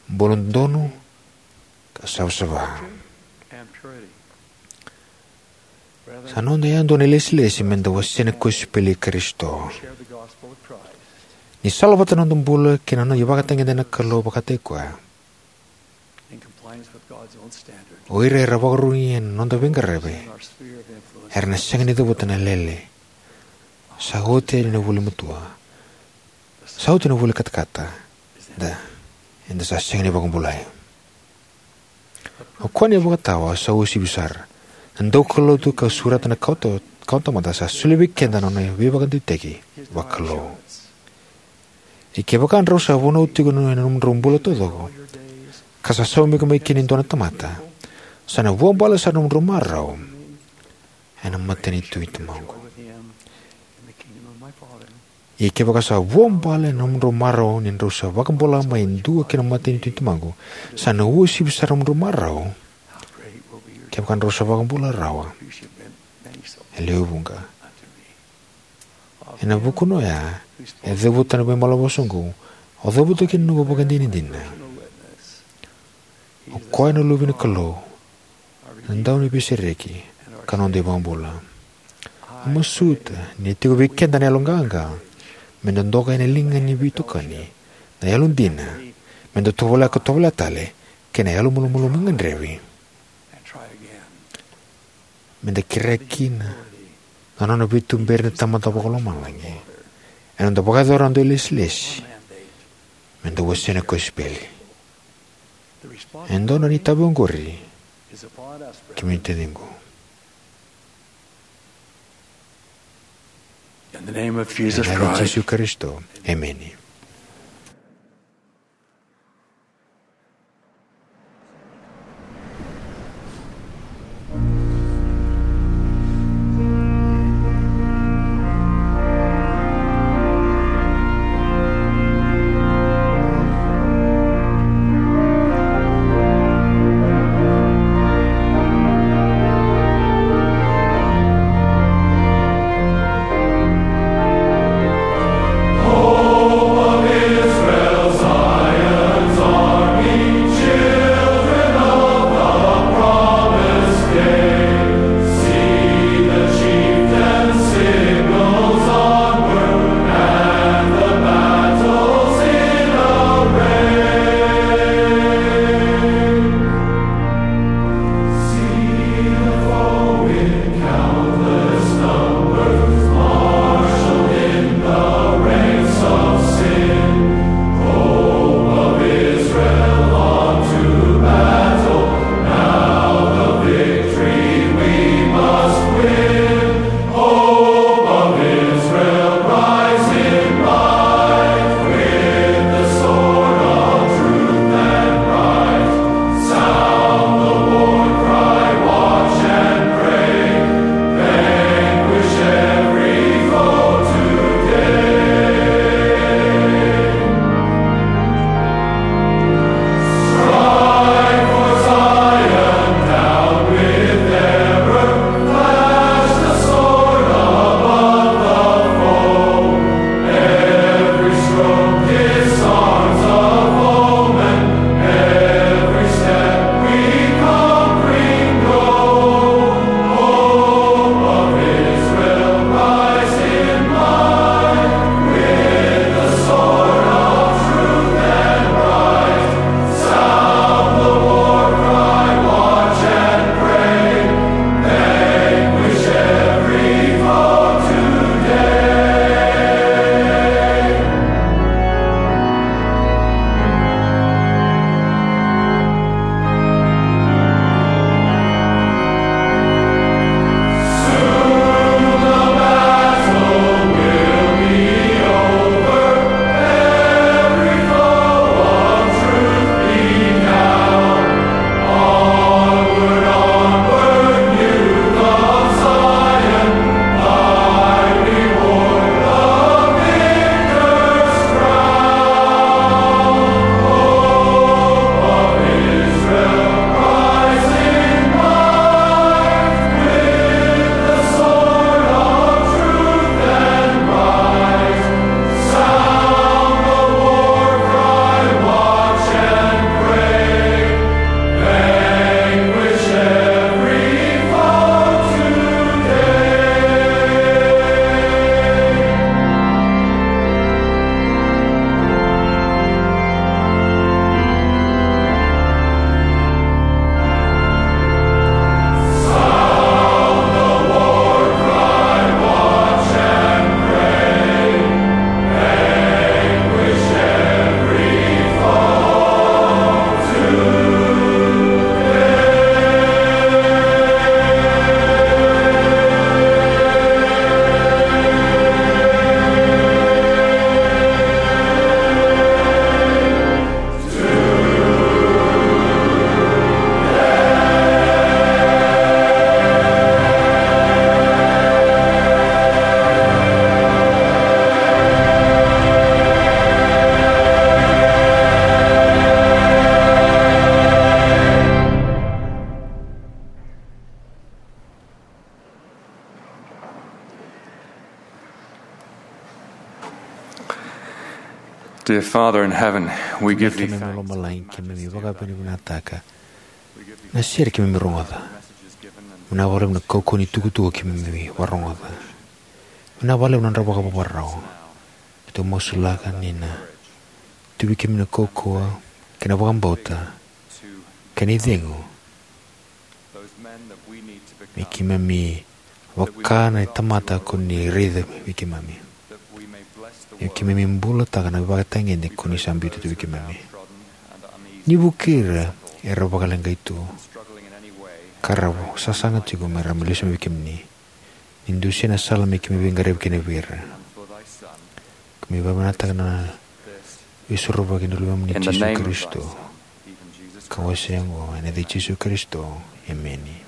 bula dodonu, ka savasava. Sa noda yadua na ilesilesi me da wasea na kosipeli i Karisito. Ni salavata na noda bula kei na noda ivakatagedegede na Kalou vakataki koya, o ira era vakarurugi ena noda veiqaravi era na sega ni cavuta na lele. Sa oti yani na vuli matua. Sa oti na vuli katakata. Da, eda sa sega ni vakabulai. O koya na ivakatawa sa uasivi sara. Na daukaulotu ka sureta na kawa, kawatamata sa solia vei keda na nona veivakadeitaki vakalou. Ia kevaka drau sa vunau tiko ena nomudrau bula taucoko, ka sa saumaki mai kina e dua na tamata, sa na vuabale sara na nomudrau marau ena matanitu i Tamaqu. Ia kevaka sa vuabale na nomudrau marau ni drau sa vakabula mai e dua ki na matanitu i Tamaqu, sa na uasivi sara na nomudrau marau kevaka drau sa vakabula rawa e lewe vuqa. Ena vukuna oya e cavuta na veimalavosa oqo, au cavuta kina na noqu ivakadinadina. O koya na Luve ni Kalou, na Dauniveisereki, ka noda iVakabula. Au masuta ni tiko vei keda na yaloqaqa me da doka ena liga ni veitokani, na yalodina me da tovolea ka tovolea tale, kei na yalomalumalumu e gadrevi me da kerea kina na nona veituberi na Tamada Vakalomalagi ena noda vakayacora na noda ilesilesi me da wasea na kosipeli. E dodonu na itavi oqori, kemuni taciqu. Ena yaca i Jisu Karisito, emeni. Dear Father in heaven, we give thee thanks. Keimami lomalagi, keimami vakavinavinakataka na sere keimami rogoca. Vinaka vakalevu na kaukauwa ni tukutuku keimami varogoca. Vinaka vakalevu na nodra vakavakarau. Keitou masulaka ni na tu vei keimami na kaukauwa kei na vakabauta kei na icegu me keimami vaka na tamata ko ni raica vei keimami. Me keimami bulataka na ivakatagede ko ni sa biuta tu vei keimami. Ni vukei ira era vakaleqai tu ka ra sasaga tiko me ra mai lesu mai vei kemuni. Ni dusia na sala me keimami veiqaravi kina vei ira. Keimami vakavinavinakataka na veisorovaki ni Luvemuni Jisu Karisito. Ka wasea oqo ena yaca i Jisu Karisito. Emeni.